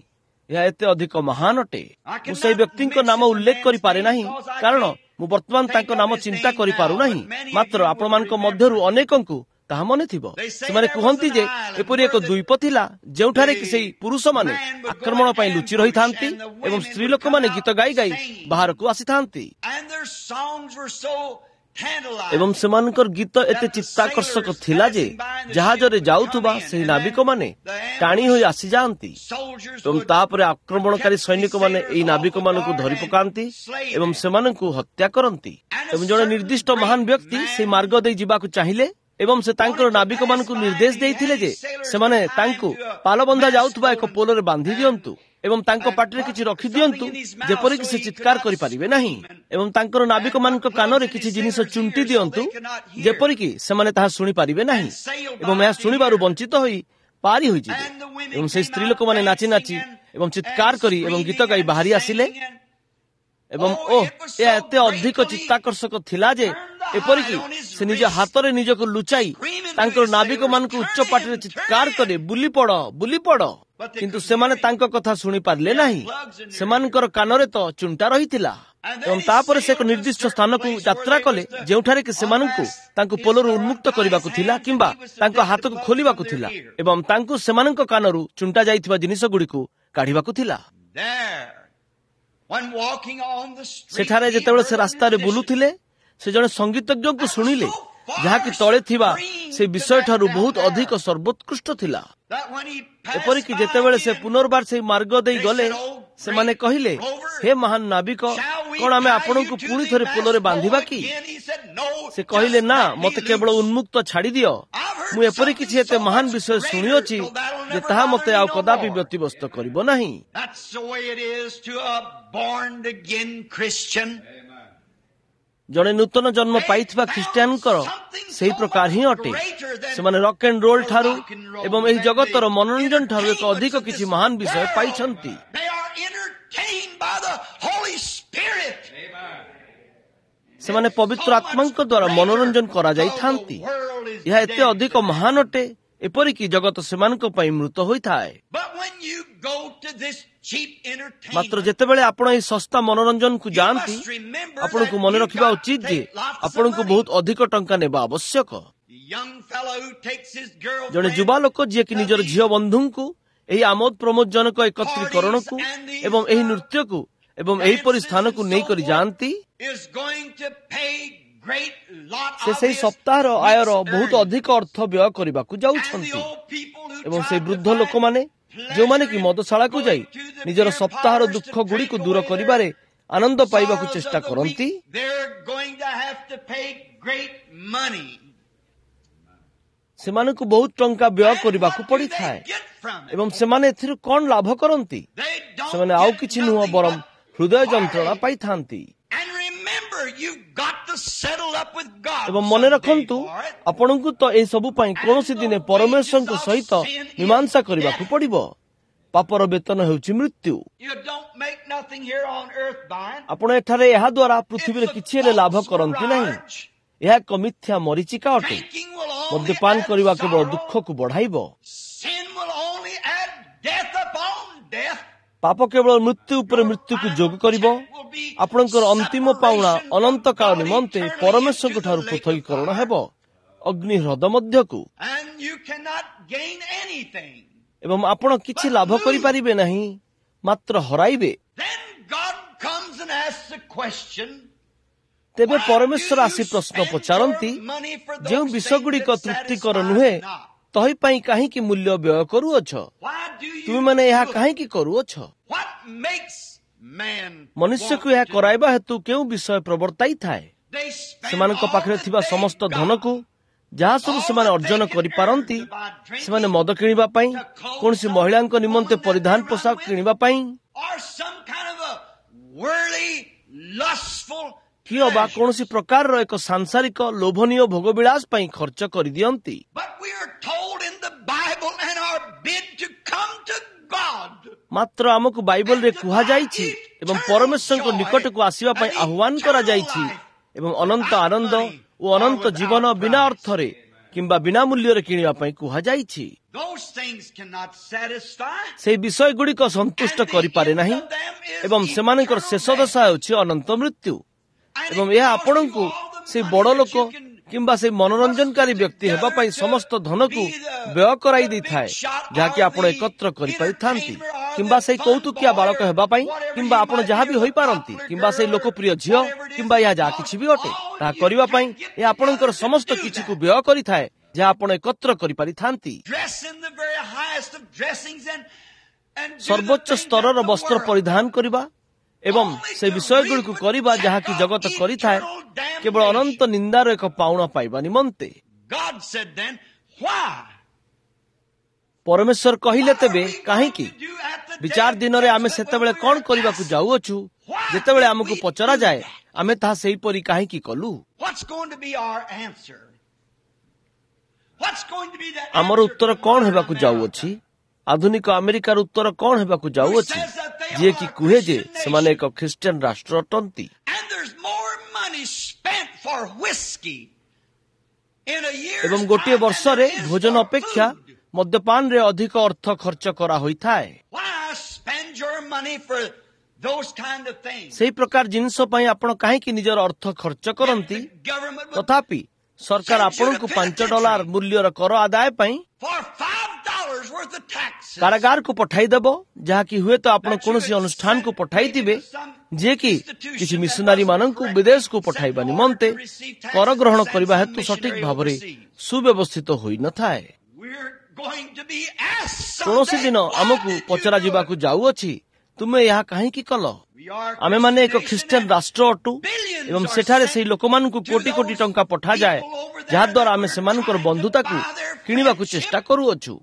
ଏହା ଏତେ ଅଧିକ ମହାନ ଅଟେ। ମୁଁ ସେହି ବ୍ୟକ୍ତିଙ୍କ ନାମ ଉଲ୍ଲେଖ କରିପାରେ ନାହିଁ, କାରଣ ମୁଁ ବର୍ତ୍ତମାନ ତାଙ୍କ ନାମ ଚିନ୍ତା କରିପାରୁନାହିଁ। ମାତ୍ର ଆପଣମାନଙ୍କ ମଧ୍ୟରୁ ଅନେକଙ୍କୁ ତାହା ମନେ ଥିବ। ସେମାନେ କୁହନ୍ତି ଯେ ଏପରି ଏକ ଦ୍ୱୀପ ଥିଲା ଯେଉଁଠାରେ କି ସେହି ପୁରୁଷମାନେ ଆକ୍ରମଣ ପାଇଁ ଲୁଚି ରହିଥାନ୍ତି ଏବଂ ସ୍ତ୍ରୀ ଲୋକମାନେ ଗୀତ ଗାଇ ଗାଇ ବାହାରକୁ ଆସିଥାନ୍ତି, ଏବଂ ସେମାନଙ୍କର ଗୀତ ଏତେ ଚିତ୍ତାକର୍ଷକ ଥିଲା ଯେ ଜାହାଜରେ ଯାଉଥିବା ସେହି ନାବିକମାନେ ଟାଣି ହୋଇ ଆସିଯାଆନ୍ତି, ଏବଂ ତାପରେ ଆକ୍ରମଣକାରୀ ସୈନିକମାନେ ଏହି ନାବିକମାନଙ୍କୁ ଧରି ପକାନ୍ତି ଏବଂ ସେମାନଙ୍କୁ ହତ୍ୟା କରନ୍ତି। ଏବଂ ଜଣେ ନିର୍ଦ୍ଦିଷ୍ଟ ମହାନ ବ୍ୟକ୍ତି ସେହି ମାର୍ଗ ଦେଇ ଯିବାକୁ ଚାହିଁଲେ ଏବଂ ସେ ତାଙ୍କର ନାବିକମାନଙ୍କୁ ନିର୍ଦ୍ଦେଶ ଦେଇଥିଲେ ଯେ ସେମାନେ ତାଙ୍କୁ ପାଲବନ୍ଧା ଯାଉଥିବା ଏକ ପୋଲରେ ବାନ୍ଧି ଦିଅନ୍ତୁ ଏବଂ ତାଙ୍କ ପାଟିରେ କିଛି ରଖିଦିଅନ୍ତୁ ଯେପରିକି ସେ ଚିତ୍କାର କରିପାରିବେ ନାହିଁ, ଏବଂ ତାଙ୍କର ନାବିକମାନଙ୍କ କାନରେ କିଛି ଜିନିଷ ଚୁଣ୍ଟି ଦିଅନ୍ତୁ ଯେପରିକି ସେମାନେ ତାହା ଶୁଣିପାରିବେ ନାହିଁ ଏବଂ ଏହା ଶୁଣିବାରୁ ବଞ୍ଚିତ ହୋଇ ପାରି ହୋଇଯିବେ। ଏବଂ ସେହି ସ୍ତ୍ରୀ ଲୋକମାନେ ନାଚି ନାଚି ଏବଂ ଚିତ୍କାର କରି ଏବଂ ଗୀତ ଗାଇ ବାହାରି ଆସିଲେ, ଏବଂ ଓହ, ଏହା ଏତେ ଅଧିକ ଚିତ୍ତାକର୍ଷକ ଥିଲା ଯେ ଏପରିକି ସେ ନିଜ ହାତରେ ନିଜକୁ ଲୁଚାଇ ତାଙ୍କର ନାବିକମାନଙ୍କୁ ଉଚ୍ଚ ପାଟିରେ ଚିତ୍କାର କରି ବୁଲି ପଡ଼, ବୁଲି ପଡ଼। କିନ୍ତୁ ସେମାନେ ତାଙ୍କ କଥା ଶୁଣିପାରିଲେ ନାହିଁ। ସେମାନଙ୍କର କାନରେ ତ ଚୁଣ୍ଟା ରହିଥିଲା। ଏବଂ ତାପରେ ସେ ଏକ ନିର୍ଦ୍ଦିଷ୍ଟ ସ୍ଥାନକୁ ଯାତ୍ରା କଲେ ଯେଉଁଠାରେ କି ସେମାନଙ୍କୁ ତାଙ୍କୁ ପୋଲରୁ ଉନ୍ମୁକ୍ତ କରିବାକୁ ଥିଲା କିମ୍ବା ତାଙ୍କ ହାତକୁ ଖୋଲିବାକୁ ଥିଲା ଏବଂ ତାଙ୍କୁ ସେମାନଙ୍କ କାନରୁ ଚୁଣ୍ଟା ଯାଇଥିବା ଜିନିଷଗୁଡ଼ିକୁ କାଢ଼ିବାକୁ ଥିଲା। ସେଠାରେ ଯେତେବେଳେ ସେ ରାସ୍ତାରେ ବୁଲୁଥିଲେ, ସେ ଜଣେ ସଙ୍ଗୀତଜ୍ଞଙ୍କୁ ଶୁଣିଲେ ଯାହାକି ତଳେ ଥିବା ସେ ବିଷୟଠାରୁ ବହୁତ ଅଧିକ ସର୍ବୋତ୍କୃଷ୍ଟ ଥିଲା। ଏପରିକି ଯେତେବେଳେ ସେ ପୁନର୍ବାର ସେହି ମାର୍ଗ ଦେଇ ଗଲେ, ସେମାନେ କହିଲେ, ହେ ମହାନ ନାବିକ, କଣ ଆମେ ଆପଣଙ୍କୁ ପୁଣି ଥରେ ପୋଲରେ ବାନ୍ଧିବା କି? ସେ କହିଲେ, ନା, ମତେ କେବଳ ଉନ୍ମୁକ୍ତ ଛାଡ଼ିଦିଅ। ମୁଁ ଏପରି କିଛି ଏତେ ମହାନ ବିଷୟ ଶୁଣିଅଛି ଯେ ତାହା ମତେ ଆଉ କଦାପି ବ୍ୟତିବ୍ୟସ୍ତ କରିବ ନାହିଁ। ଜଣେ ନୂତନ ଜନ୍ମ ପାଇଥିବା ଖ୍ରୀଷ୍ଟିଆନଙ୍କର ସେହି ପ୍ରକାର ହିଁ ଅଟେ। ସେମାନେ ରକ୍ ଆଣ୍ଡ ରୋଲ ଠାରୁ ଏବଂ ଏହି ଜଗତର ମନୋରଞ୍ଜନ ଠାରୁ ଏକ ଅଧିକ କିଛି ମହାନ ବିଷୟ ପାଇଛନ୍ତି। ସେମାନେ ପବିତ୍ର ଆତ୍ମାଙ୍କ ଦ୍ୱାରା ମନୋରଞ୍ଜନ କରାଯାଇଥାନ୍ତି। ଏହା ଏତେ ଅଧିକ ମହାନ ଅଟେ, ଏପରିକି ଜଗତ ସେମାନଙ୍କ ପାଇଁ ମୃତ ହୋଇଥାଏ। ମାତ୍ର ଯେତେବେଳେ ଆପଣ ଏହି ଶସ୍ତା ମନୋରଞ୍ଜନକୁ ଯାଆନ୍ତି, ଆପଣଙ୍କୁ ମନେ ରଖିବା ଉଚିତ ଯେ ଆପଣଙ୍କୁ ବହୁତ ଅଧିକ ଟଙ୍କା ନେବା ଆବଶ୍ୟକ। ଜଣେ ଯୁବା ଲୋକ ଯିଏକି ନିଜର ଝିଅ ବନ୍ଧୁଙ୍କୁ ଏହି ଆମୋଦ ପ୍ରମୋଦଜନକ ଏକତ୍ରୀକରଣକୁ ଏବଂ ଏହି ନୃତ୍ୟକୁ ଏବଂ ଏହିପରି ସ୍ଥାନକୁ ନେଇକରି ଯାଆନ୍ତି, ସେ ସେହି ସପ୍ତାହର ଆୟର ବହୁତ ଅଧିକ ଅର୍ଥ ବ୍ୟୟ କରିବାକୁ ଯାଉଛନ୍ତି। ଏବଂ ସେହି ବୃଦ୍ଧ ଲୋକମାନେ ଯେଉଁମାନେ କି ମଦଶାଳାକୁ ଯାଇ ନିଜର ସପ୍ତାହର ଦୁଃଖ ଗୁଡ଼ିକୁ ଦୂର କରିବାରେ ଆନନ୍ଦ ପାଇବାକୁ ଚେଷ୍ଟା କରନ୍ତି, ସେମାନଙ୍କୁ ବହୁତ ଟଙ୍କା ବ୍ୟୟ କରିବାକୁ ପଡ଼ିଥାଏ। ଏବଂ ସେମାନେ ଏଥିରୁ କଣ ଲାଭ କରନ୍ତି? ସେମାନେ ଆଉ କିଛି ନୁହଁ ବରଂ ହୃଦୟ ଯନ୍ତ୍ରଣା ପାଇଥାନ୍ତି। ଏବଂ ମନେ ରଖନ୍ତୁ, ଆପଣଙ୍କୁ ତ ଏସବୁ ପାଇଁ କୌଣସି ଦିନେ ପରମେଶ୍ୱରଙ୍କ ସହିତ ମୀମାଂସା କରିବାକୁ ପଡ଼ିବ। ପାପର ବେତନ ହେଉଛି ମୃତ୍ୟୁ। ଆପଣ ଏଠାରେ ଏହା ଦ୍ୱାରା ପୃଥିବୀରେ କିଛି ହେଲେ ଲାଭ କରନ୍ତି ନାହିଁ। ଏହା ଏକ ମିଥ୍ୟା ମରୀଚିକା ଅଟେ। ମଦ୍ୟପାନ କରିବା କେବଳ ଦୁଃଖକୁ ବଢ଼ାଇବ। ପାପ କେବଳ ମୃତ୍ୟୁ ଉପରେ ମୃତ୍ୟୁକୁ ଯୋଗ କରିବ। ଆପଣଙ୍କର ଅନ୍ତିମ ପାଉଣା ଅନନ୍ତ କାଳ ନିମନ୍ତେ ପରମେଶ୍ୱରଙ୍କ ଠାରୁ ପୃଥକୀକରଣ ହେବ, ଅଗ୍ନି ହ୍ରଦ ମଧ୍ୟକୁ। ଏବଂ ଆପଣ କିଛି ଲାଭ କରିପାରିବେ ନାହିଁ, ମାତ୍ର ହରାଇବେ। ତେବେ ପରମେଶ୍ୱର ଆସି ପ୍ରଶ୍ନ ପଚାରନ୍ତି, ଯେଉଁ ବିଷୟଗୁଡ଼ିକ ତୃପ୍ତିକର ନୁହେଁ ତହି ପାଇଁ କାହିଁକି ମୂଲ୍ୟ ବ୍ୟୟ କରୁଅଛ? ତୁମେମାନେ ଏହା କାହିଁକି କରୁଅଛ? ମନୁଷ୍ୟକୁ ଏହା କରାଇବା ହେତୁ କେଉଁ ବିଷୟ ପ୍ରବର୍ତ୍ତାଇଥାଏ? ସେମାନଙ୍କ ପାଖରେ ଥିବା ସମସ୍ତ ଧନକୁ, ଯାହା ସବୁ ସେମାନେ ଅର୍ଜନ କରିପାରନ୍ତି, ସେମାନେ ମଦ କିଣିବା ପାଇଁ, କୌଣସି ମହିଳାଙ୍କ ନିମନ୍ତେ ପରିଧାନ ପୋଷାକ କିଣିବା ପାଇଁ, କି ଅବା କୌଣସି ପ୍ରକାରର ଏକ ସାଂସାରିକ ଲୋଭନୀୟ ଭୋଗବିଳାସ ପାଇଁ ଖର୍ଚ୍ଚ କରିଦିଅନ୍ତି। ମାତ୍ର ଆମକୁ ବାଇବଲରେ କୁହାଯାଇଛି ଏବଂ ପରମେଶ୍ୱରଙ୍କ ନିକଟକୁ ଆସିବା ପାଇଁ ଆହ୍ୱାନ କରାଯାଇଛି ଏବଂ ଅନନ୍ତ ଆନନ୍ଦ ଓ ଅନନ୍ତ ଜୀବନ ବିନା ଅର୍ଥରେ କିମ୍ବା ବିନା ମୂଲ୍ୟରେ କିଣିବା ପାଇଁ କୁହାଯାଇଛି। ସେହି ବିଷୟଗୁଡ଼ିକ ସନ୍ତୁଷ୍ଟ କରିପାରେ ନାହିଁ ଏବଂ ସେମାନଙ୍କର ଶେଷ ଦଶା ହେଉଛି ଅନନ୍ତ ମୃତ୍ୟୁ। ଏବଂ ଏହା ଆପଣଙ୍କୁ ସେଇ ବଡ଼ ଲୋକ କିମ୍ବା ସେଇ ମନୋରଞ୍ଜନକାରୀ ବ୍ୟକ୍ତି ହେବା ପାଇଁ ସମସ୍ତ ଧନକୁ ବ୍ୟୟ କରାଇ ଦେଇଥାଏ, ଯାହାକି ଆପଣ ଏକତ୍ର କରିପାରିଥାନ୍ତି, କିମ୍ବା ସେଇ କୌତୁକିଆ ବାଳକ ହେବା ପାଇଁ, କିମ୍ବା ଆପଣ ଯାହା ବି ହୋଇପାରନ୍ତି, କିମ୍ବା ସେଇ ଲୋକପ୍ରିୟ ଝିଅ, କିମ୍ବା ଏହା ଯାହା କିଛି ବି ଅଟେ, ତାହା କରିବା ପାଇଁ ଏହା ଆପଣଙ୍କର ସମସ୍ତ କିଛିକୁ ବ୍ୟୟ କରିଥାଏ, ଯାହା ଆପଣ ଏକତ୍ର କରିପାରିଥାନ୍ତି। ସର୍ବୋଚ୍ଚ ସ୍ତରର ବସ୍ତ୍ର ପରିଧାନ କରିବା ଏବଂ ସେ ବିଷୟଗୁଡ଼ିକୁ କରିବା ଯାହାକି ଜଗତ କରିଥାଏ, କେବଳ ଅନନ୍ତ ନିନ୍ଦାର ଏକ ପାଉଣା ପାଇବା ନିମନ୍ତେ। ପରମେଶ୍ୱର କହିଲେ, ତେବେ କାହିଁକି? ବିଚାର ଦିନରେ ଆମେ ସେତେବେଳେ କଣ କରିବାକୁ ଯାଉଅଛୁ? ଯେତେବେଳେ ଆମକୁ ପଚରାଯାଏ, ଆମେ ତାହା ସେହିପରି କାହିଁକି କଲୁ? ଆମର ଉତ୍ତର କଣ ହେବାକୁ ଯାଉଅଛି? ଆଧୁନିକ ଆମେରିକାର ଉତ୍ତର କଣ ହେବାକୁ ଯାଉଅଛି, ଯିଏକି କୁହେ ଯେ ସେମାନେ ଏକ ଖ୍ରୀଷ୍ଟିଆନ ରାଷ୍ଟ୍ର ଅଟନ୍ତି? ଏବଂ ଗୋଟିଏ ବର୍ଷରେ ଭୋଜନ ଅପେକ୍ଷା ମଦ୍ୟପାନରେ ଅଧିକ ଅର୍ଥ ଖର୍ଚ୍ଚ କରାହୋଇଥାଏ। ସେହି ପ୍ରକାର ଜିନିଷ ପାଇଁ ଆପଣ କାହିଁକି ନିଜର ଅର୍ଥ ଖର୍ଚ୍ଚ କରନ୍ତି? ତଥାପି ସରକାର ଆପଣଙ୍କୁ $5 ମୂଲ୍ୟର କର ଆଦାୟ ପାଇଁ କାରାଗାରକୁ ପଠାଇଦେବ, ଯାହାକି ହୁଏତ ଆପଣ କୌଣସି ଅନୁଷ୍ଠାନକୁ ପଠାଇଥିବେ, ଯିଏକି କିଛି ମିଶନାରୀ ମାନଙ୍କୁ ବିଦେଶକୁ ପଠାଇବା ନିମନ୍ତେ କର ଗ୍ରହଣ କରିବା ହେତୁ ସଠିକ ଭାବରେ ସୁବ୍ୟବସ୍ଥିତ ହୋଇନଥାଏ। କୌଣସି ଦିନ ଆମକୁ ପଚରାଯିବାକୁ ଯାଉଅଛି, ତୁମେ ଏହା କାହିଁକି କଲ? ଆମେମାନେ ଏକ ଖ୍ରୀଷ୍ଟିଆନ ରାଷ୍ଟ୍ର ଅଟୁ ଏବଂ ସେଠାରେ ସେହି ଲୋକମାନଙ୍କୁ କୋଟି କୋଟି ଟଙ୍କା ପଠାଯାଏ, ଯାହାଦ୍ୱାରା ଆମେ ସେମାନଙ୍କର ବନ୍ଧୁତାକୁ କିଣିବାକୁ ଚେଷ୍ଟା କରୁଅଛୁ।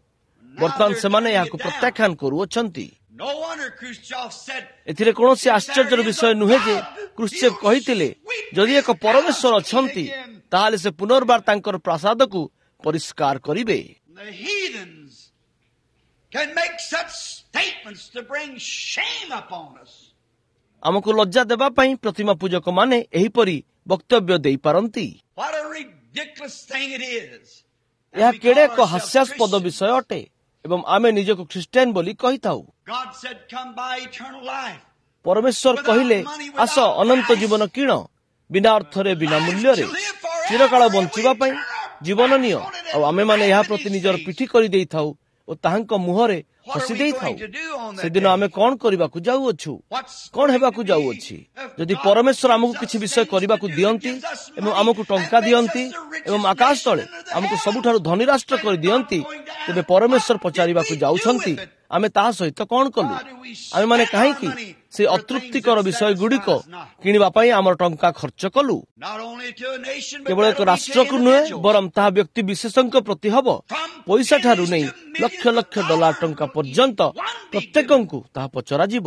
ବର୍ତ୍ତମାନ ସେମାନେ ଏହାକୁ ପ୍ରତ୍ୟାଖ୍ୟାନ କରୁଅଛନ୍ତି। ଏଥିରେ କୌଣସି ଆଶ୍ଚର୍ଯ୍ୟର ବିଷୟ ନୁହେଁ ଯେ କ୍ରୁଶ୍ଚେଭ କହିଥିଲେ, ଯଦି ଏକ ପରମେଶ୍ୱର ଅଛନ୍ତି, ତାହେଲେ ସେ ପୁନର୍ବାର ତାଙ୍କର ପ୍ରାସାଦକୁ ପରିଷ୍କାର କରିବେ। ଆମକୁ ଲଜ୍ଜା ଦେବା ପାଇଁ ପ୍ରତିମା ପୂଜକମାନେ ଏହିପରି ବକ୍ତବ୍ୟ ଦେଇପାରନ୍ତି। ଏହା କେଡ଼େ ଏକ ହାସ୍ୟାସ୍ପଦ ବିଷୟ ଅଟେ ଏବଂ ଆମେ ନିଜକୁ ଖ୍ରୀଷ୍ଟିଆନ ବୋଲି କହିଥାଉ। ପରମେଶ୍ୱର କହିଲେ, ଆସ ଅନନ୍ତ ଜୀବନ କିଣ, ବିନା ଅର୍ଥରେ, ବିନା ମୂଲ୍ୟରେ, ଚିରକାଳ ବଞ୍ଚିବା ପାଇଁ ଜୀବନ ନିଅ। ଆଉ ଆମେମାନେ ଏହା ପ୍ରତି ନିଜର ପିଠି କରିଦେଇଥାଉ ଓ ତାହାଙ୍କ ମୁହଁରେ ହସି ଦେଇଥାଉ। ସେଦିନ ଆମେ କଣ କରିବାକୁ ଯାଉଅଛୁ? କଣ ହେବାକୁ ଯାଉଅଛି? ଯଦି ପରମେଶ୍ୱର ଆମକୁ କିଛି ବିଷୟ କରିବାକୁ ଦିଅନ୍ତି ଏବଂ ଆମକୁ ଟଙ୍କା ଦିଅନ୍ତି ଏବଂ ଆକାଶ ତଳେ ଆମକୁ ସବୁଠାରୁ ଧନୀ ରାଷ୍ଟ୍ର କରିଦିଅନ୍ତି, ତେବେ ପରମେଶ୍ୱର ପଚାରିବାକୁ ଯାଉଛନ୍ତି, ଆମେ ତାହା ସହିତ କଣ କଲୁ? ଆମେମାନେ କାହିଁକି ସେ ଅତୃପ୍ତିକର ବିଷୟ ଗୁଡ଼ିକ କିଣିବା ପାଇଁ ଆମର ଟଙ୍କା ଖର୍ଚ୍ଚ କଲୁ? କେବଳ ଏକ ରାଷ୍ଟ୍ରକୁ ନୁହେଁ, ବରଂ ତାହା ବ୍ୟକ୍ତି ବିଶେଷଙ୍କ ପ୍ରତି ହବ। ପଇସା ଠାରୁ ନେଇ ଲକ୍ଷ ଲକ୍ଷ ଡଲାର ଟଙ୍କା ପର୍ଯ୍ୟନ୍ତ ପ୍ରତ୍ୟେକଙ୍କୁ ତାହା ପଚରାଯିବ।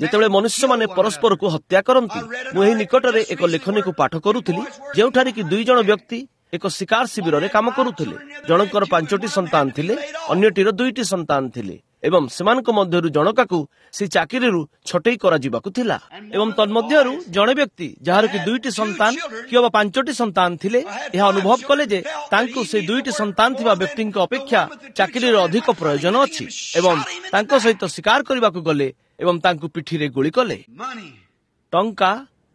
ଯେତେବେଳେ ମନୁଷ୍ୟମାନେ ପରସ୍ପରକୁ ହତ୍ୟା କରନ୍ତି, ମୁଁ ଏହି ନିକଟରେ ଏକ ଲେଖନୀକୁ ପାଠ କରୁଥିଲି, ଯେଉଁଠାରେ କି ଦୁଇ ଜଣ ବ୍ୟକ୍ତି ଏକ ଶିକାର ଶିବିରରେ କାମ କରୁଥିଲେ। ଜଣଙ୍କର 5ଟି ସନ୍ତାନ ଥିଲେ, ଅନ୍ୟଟିର 2ଟି ସନ୍ତାନ ଥିଲେ ଏବଂ ସେମାନଙ୍କ ମଧ୍ୟରୁ ଜଣକାକୁ ସେ ଚାକିରିରୁ ଛଟେଇ କରାଯିବାକୁ ଥିଲା। ଏବଂ ତନ୍ମଧ୍ୟରୁ ଜଣେ ବ୍ୟକ୍ତି, ଯାହାର କି 2ଟି ସନ୍ତାନ କିମ୍ବା 5ଟି ସନ୍ତାନ ଥିଲେ, ଏହା ଅନୁଭବ କଲେ ଯେ ତାଙ୍କୁ ସେ 2ଟି ସନ୍ତାନ ଥିବା ବ୍ୟକ୍ତିଙ୍କ ଅପେକ୍ଷା ଚାକିରିର ଅଧିକ ପ୍ରୟୋଜନ ଅଛି ଏବଂ ତାଙ୍କ ସହିତ ଶିକାର କରିବାକୁ ଗଲେ ଏବଂ ତାଙ୍କୁ ପିଠିରେ ଗୁଳି କଲେ। ଟଙ୍କା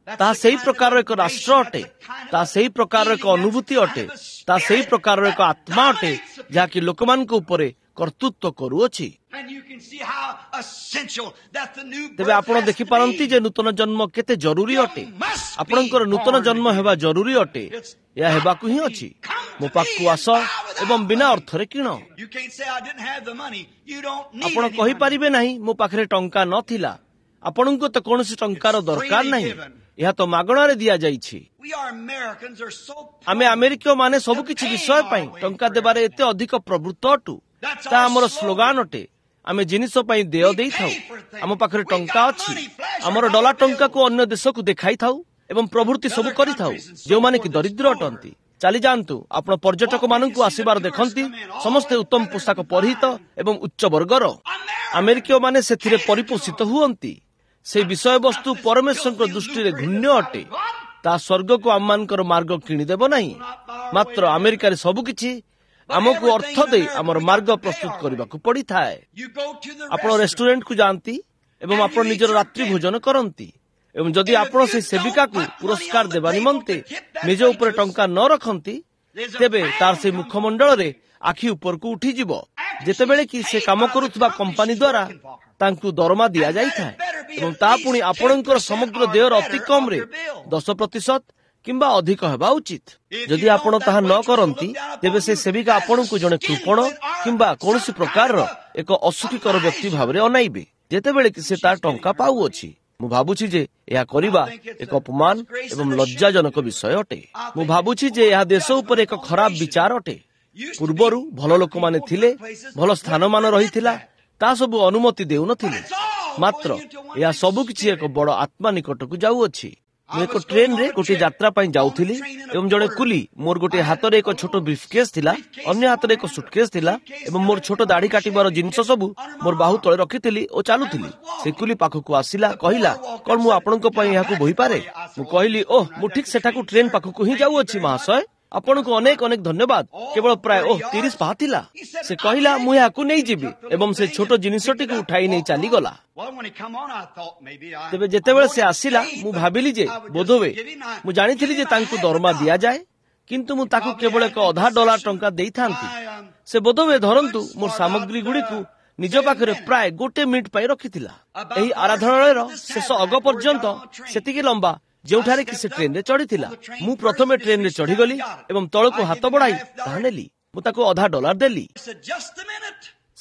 ତାହା ସେହି ପ୍ରକାରର ଏକ ରାଷ୍ଟ୍ର ଅଟେ, ତାହା ସେହି ପ୍ରକାରର ଏକ ଅନୁଭୂତି ଅଟେ, ତାହା ସେହି ପ୍ରକାରର ଏକ ଆତ୍ମା ଅଟେ, ଯାହାକି ଲୋକମାନଙ୍କ ଉପରେ କର୍ତ୍ତୃତ୍ୱ କରୁଅଛି। ତେବେ ଆପଣ ଦେଖିପାରନ୍ତି ଯେ ନୂତନ ଜନ୍ମ କେତେ ଜରୁରୀ ଅଟେ। ଆପଣଙ୍କର ନୂତନ ଜନ୍ମ ହେବା ଜରୁରୀ ଅଟେ। ଏହା ହେବାକୁ ହିଁ ଅଛି। ମୋ ପାଖକୁ ଆସ ଏବଂ ବିନା ଅର୍ଥରେ କିଣ। ଆପଣ କହିପାରିବେ ନାହିଁ ମୋ ପାଖରେ ଟଙ୍କା ନଥିଲା। ଆପଣଙ୍କୁ ତ କୌଣସି ଟଙ୍କାର ଦରକାର ନାହିଁ। ଏହା ତ ମାଗଣାରେ ଦିଆଯାଇଛି। ଆମେ ଆମେରିକୀୟମାନେ ସବୁକିଛି ବିଷୟ ପାଇଁ ଟଙ୍କା ଦେବାରେ ଏତେ ଅଧିକ ପ୍ରବୃତ୍ତ ଅଟୁ। ତାହା ଆମର ସ୍ଲୋଗାନ ଅଟେ। ଆମେ ଜିନିଷ ପାଇଁ ଦେୟ ଦେଇଥାଉ। ଆମ ପାଖରେ ଟଙ୍କା ଅଛି। ଆମର ଡଲାର ଟଙ୍କାକୁ ଅନ୍ୟ ଦେଶକୁ ଦେଖାଇଥାଉ ଏବଂ ପ୍ରଭୃତି ସବୁ କରିଥାଉ, ଯେଉଁମାନେ କି ଦରିଦ୍ର ଅଟନ୍ତି। ଚାଲିଯାଆନ୍ତୁ, ଆପଣ ପର୍ଯ୍ୟଟକମାନଙ୍କୁ ଆସିବାର ଦେଖନ୍ତି, ସମସ୍ତେ ଉତ୍ତମ ପୋଷାକ ପରିହିତ ଏବଂ ଉଚ୍ଚ ବର୍ଗର। ଆମେରିକୀୟମାନେ ସେଥିରେ ପରିପୋଷିତ ହୁଅନ୍ତି। ସେହି ବିଷୟବସ୍ତୁ ପରମେଶ୍ୱରଙ୍କ ଦୃଷ୍ଟିରେ ଘୃଣ୍ୟ ଅଟେ। ତାହା ସ୍ୱର୍ଗକୁ ଆମମାନଙ୍କର ମାର୍ଗ କିଣିଦେବ ନାହିଁ। ମାତ୍ର ଆମେରିକାରେ ସବୁକିଛି ଆମକୁ ଅର୍ଥ ଦେଇ ଆମର ମାର୍ଗ ପ୍ରସ୍ତୁତ କରିବାକୁ ପଡ଼ିଥାଏ। ଆପଣ ରେଷ୍ଟୁରାଣ୍ଟକୁ ଯାଆନ୍ତି ଏବଂ ଆପଣ ନିଜର ରାତ୍ରି ଭୋଜନ କରନ୍ତି, ଏବଂ ଯଦି ଆପଣ ସେହି ସେବିକାକୁ ପୁରସ୍କାର ଦେବା ନିମନ୍ତେ ନିଜ ଉପରେ ଟଙ୍କା ନ ରଖନ୍ତି, ତେବେ ତାର ସେହି ମୁଖମଣ୍ଡଳରେ ଆଖି ଉପରକୁ ଉଠିଯିବ, ଯେତେବେଳେ କି ସେ କାମ କରୁଥିବା କମ୍ପାନୀ ଦ୍ୱାରା ତାଙ୍କୁ ଦରମା ଦିଆଯାଇଥାଏ, ଏବଂ ତାହା ପୁଣି ଆପଣଙ୍କର ସମଗ୍ର ଦେୟର ଅତି କମରେ 10% କିମ୍ବା ଅଧିକ ହେବା ଉଚିତ। ଯଦି ଆପଣ ତାହା ନ କରନ୍ତି, ତେବେ ସେ ସେବିକା ଆପଣଙ୍କୁ ଜଣେ କୃପଣ କିମ୍ବା କୌଣସି ପ୍ରକାରର ଏକ ଅସୁଖୀକର ବ୍ୟକ୍ତି ଭାବରେ ଅନାଇବେ, ଯେତେବେଳେ କି ସେ ତାର ଟଙ୍କା ପାଉଅଛି। ମୁଁ ଭାବୁଛି ଯେ ଏହା କରିବା ଏକ ଅପମାନ ଏବଂ ଲଜ୍ଜାଜନକ ବିଷୟ ଅଟେ। ମୁଁ ଭାବୁଛି ଯେ ଏହା ଦେଶ ଉପରେ ଏକ ଖରାପ ବିଚାର ଅଟେ। ପୂର୍ବରୁ ଭଲ ଲୋକମାନେ ଥିଲେ, ଭଲ ସ୍ଥାନମାନ ରହିଥିଲା, ତା ସବୁ ଅନୁମତି ଦେଉନଥିଲେ। ମାତ୍ର ଏହା ସବୁକିଛି ଏକ ବଡ଼ ଆତ୍ମା ନିକଟକୁ ଯାଉଅଛି। ମୁଁ ଏକ ଟ୍ରେନରେ ଗୋଟିଏ ଯାତ୍ରା ପାଇଁ ଯାଉଥିଲି ଏବଂ ଜଣେ କୁଲି, ମୋର ଗୋଟିଏ ହାତରେ ଏକ ଛୋଟ ବ୍ରିଫକେସ୍ ଥିଲା, ଅନ୍ୟ ହାତରେ ଏକ ସୁଟକେସ୍ ଥିଲା ଏବଂ ମୋର ଛୋଟ ଦାଢ଼ି କାଟିବାର ଜିନିଷ ସବୁ ମୋର ବାହୁ ତଳେ ରଖିଥିଲି ଓ ଚାଲୁଥିଲି। ସେ କୁଲି ପାଖକୁ ଆସିଲା, କହିଲା, କଣ ମୁଁ ଆପଣଙ୍କ ପାଇଁ ଏହାକୁ ବୋହିପାରେ? ମୁଁ କହିଲି, ଓହ, ମୁଁ ଠିକ ସେଠାକୁ ଟ୍ରେନ ପାଖକୁ ହିଁ ଯାଉଅଛି ମହାଶୟ। ଆପଣଙ୍କୁ ଅନେକ ଅନେକ ଧନ୍ୟବାଦ। କେବଳ ପ୍ରାୟ 30 ପାହା ଥିଲା। ସେ କହିଲା, ମୁଁ ଏହାକୁ ନେଇଯିବି, ଏବଂ ସେ ଛୋଟ ଜିନିଷଟିକୁ ଉଠାଇ ନେଇ ଚାଲିଗଲା। ତେବେ ଯେତେବେଳେ ସେ ଆସିଲା, ମୁଁ ଭାବିଲି ଯେ ବୋଧହୁଏ ମୁଁ ଜାଣିଥିଲି ଯେ ତାଙ୍କୁ ଦରମା ଦିଆଯାଏ, କିନ୍ତୁ ମୁଁ ତାକୁ କେବଳ ଏକ ଅଧା ଡଲାର ଟଙ୍କା ଦେଇଥାନ୍ତି। ସେ ବୋଧହୁଏ ଧରନ୍ତୁ ମୋର ସାମଗ୍ରୀ ଗୁଡ଼ିକୁ ନିଜ ପାଖରେ ପ୍ରାୟ 1 ମିନିଟ୍ ପାଇଁ ରଖିଥିଲା। ଏହି ଆରାଧନାଳୟର ଶେଷ ଅଗ ପର୍ଯ୍ୟନ୍ତ ସେତିକି ଲମ୍ବା ଯେଉଁଠାରେ କି ସେ ଟ୍ରେନରେ ଚଢ଼ିଥିଲା। ମୁଁ ପ୍ରଥମେ ଟ୍ରେନରେ ଚଢ଼ିଗଲି ଏବଂ ତଳକୁ ହାତ ବଢ଼ାଇ ତାହା ନେଲି। ମୁଁ ତାକୁ ଅଧା ଡଲାର ଦେଲି।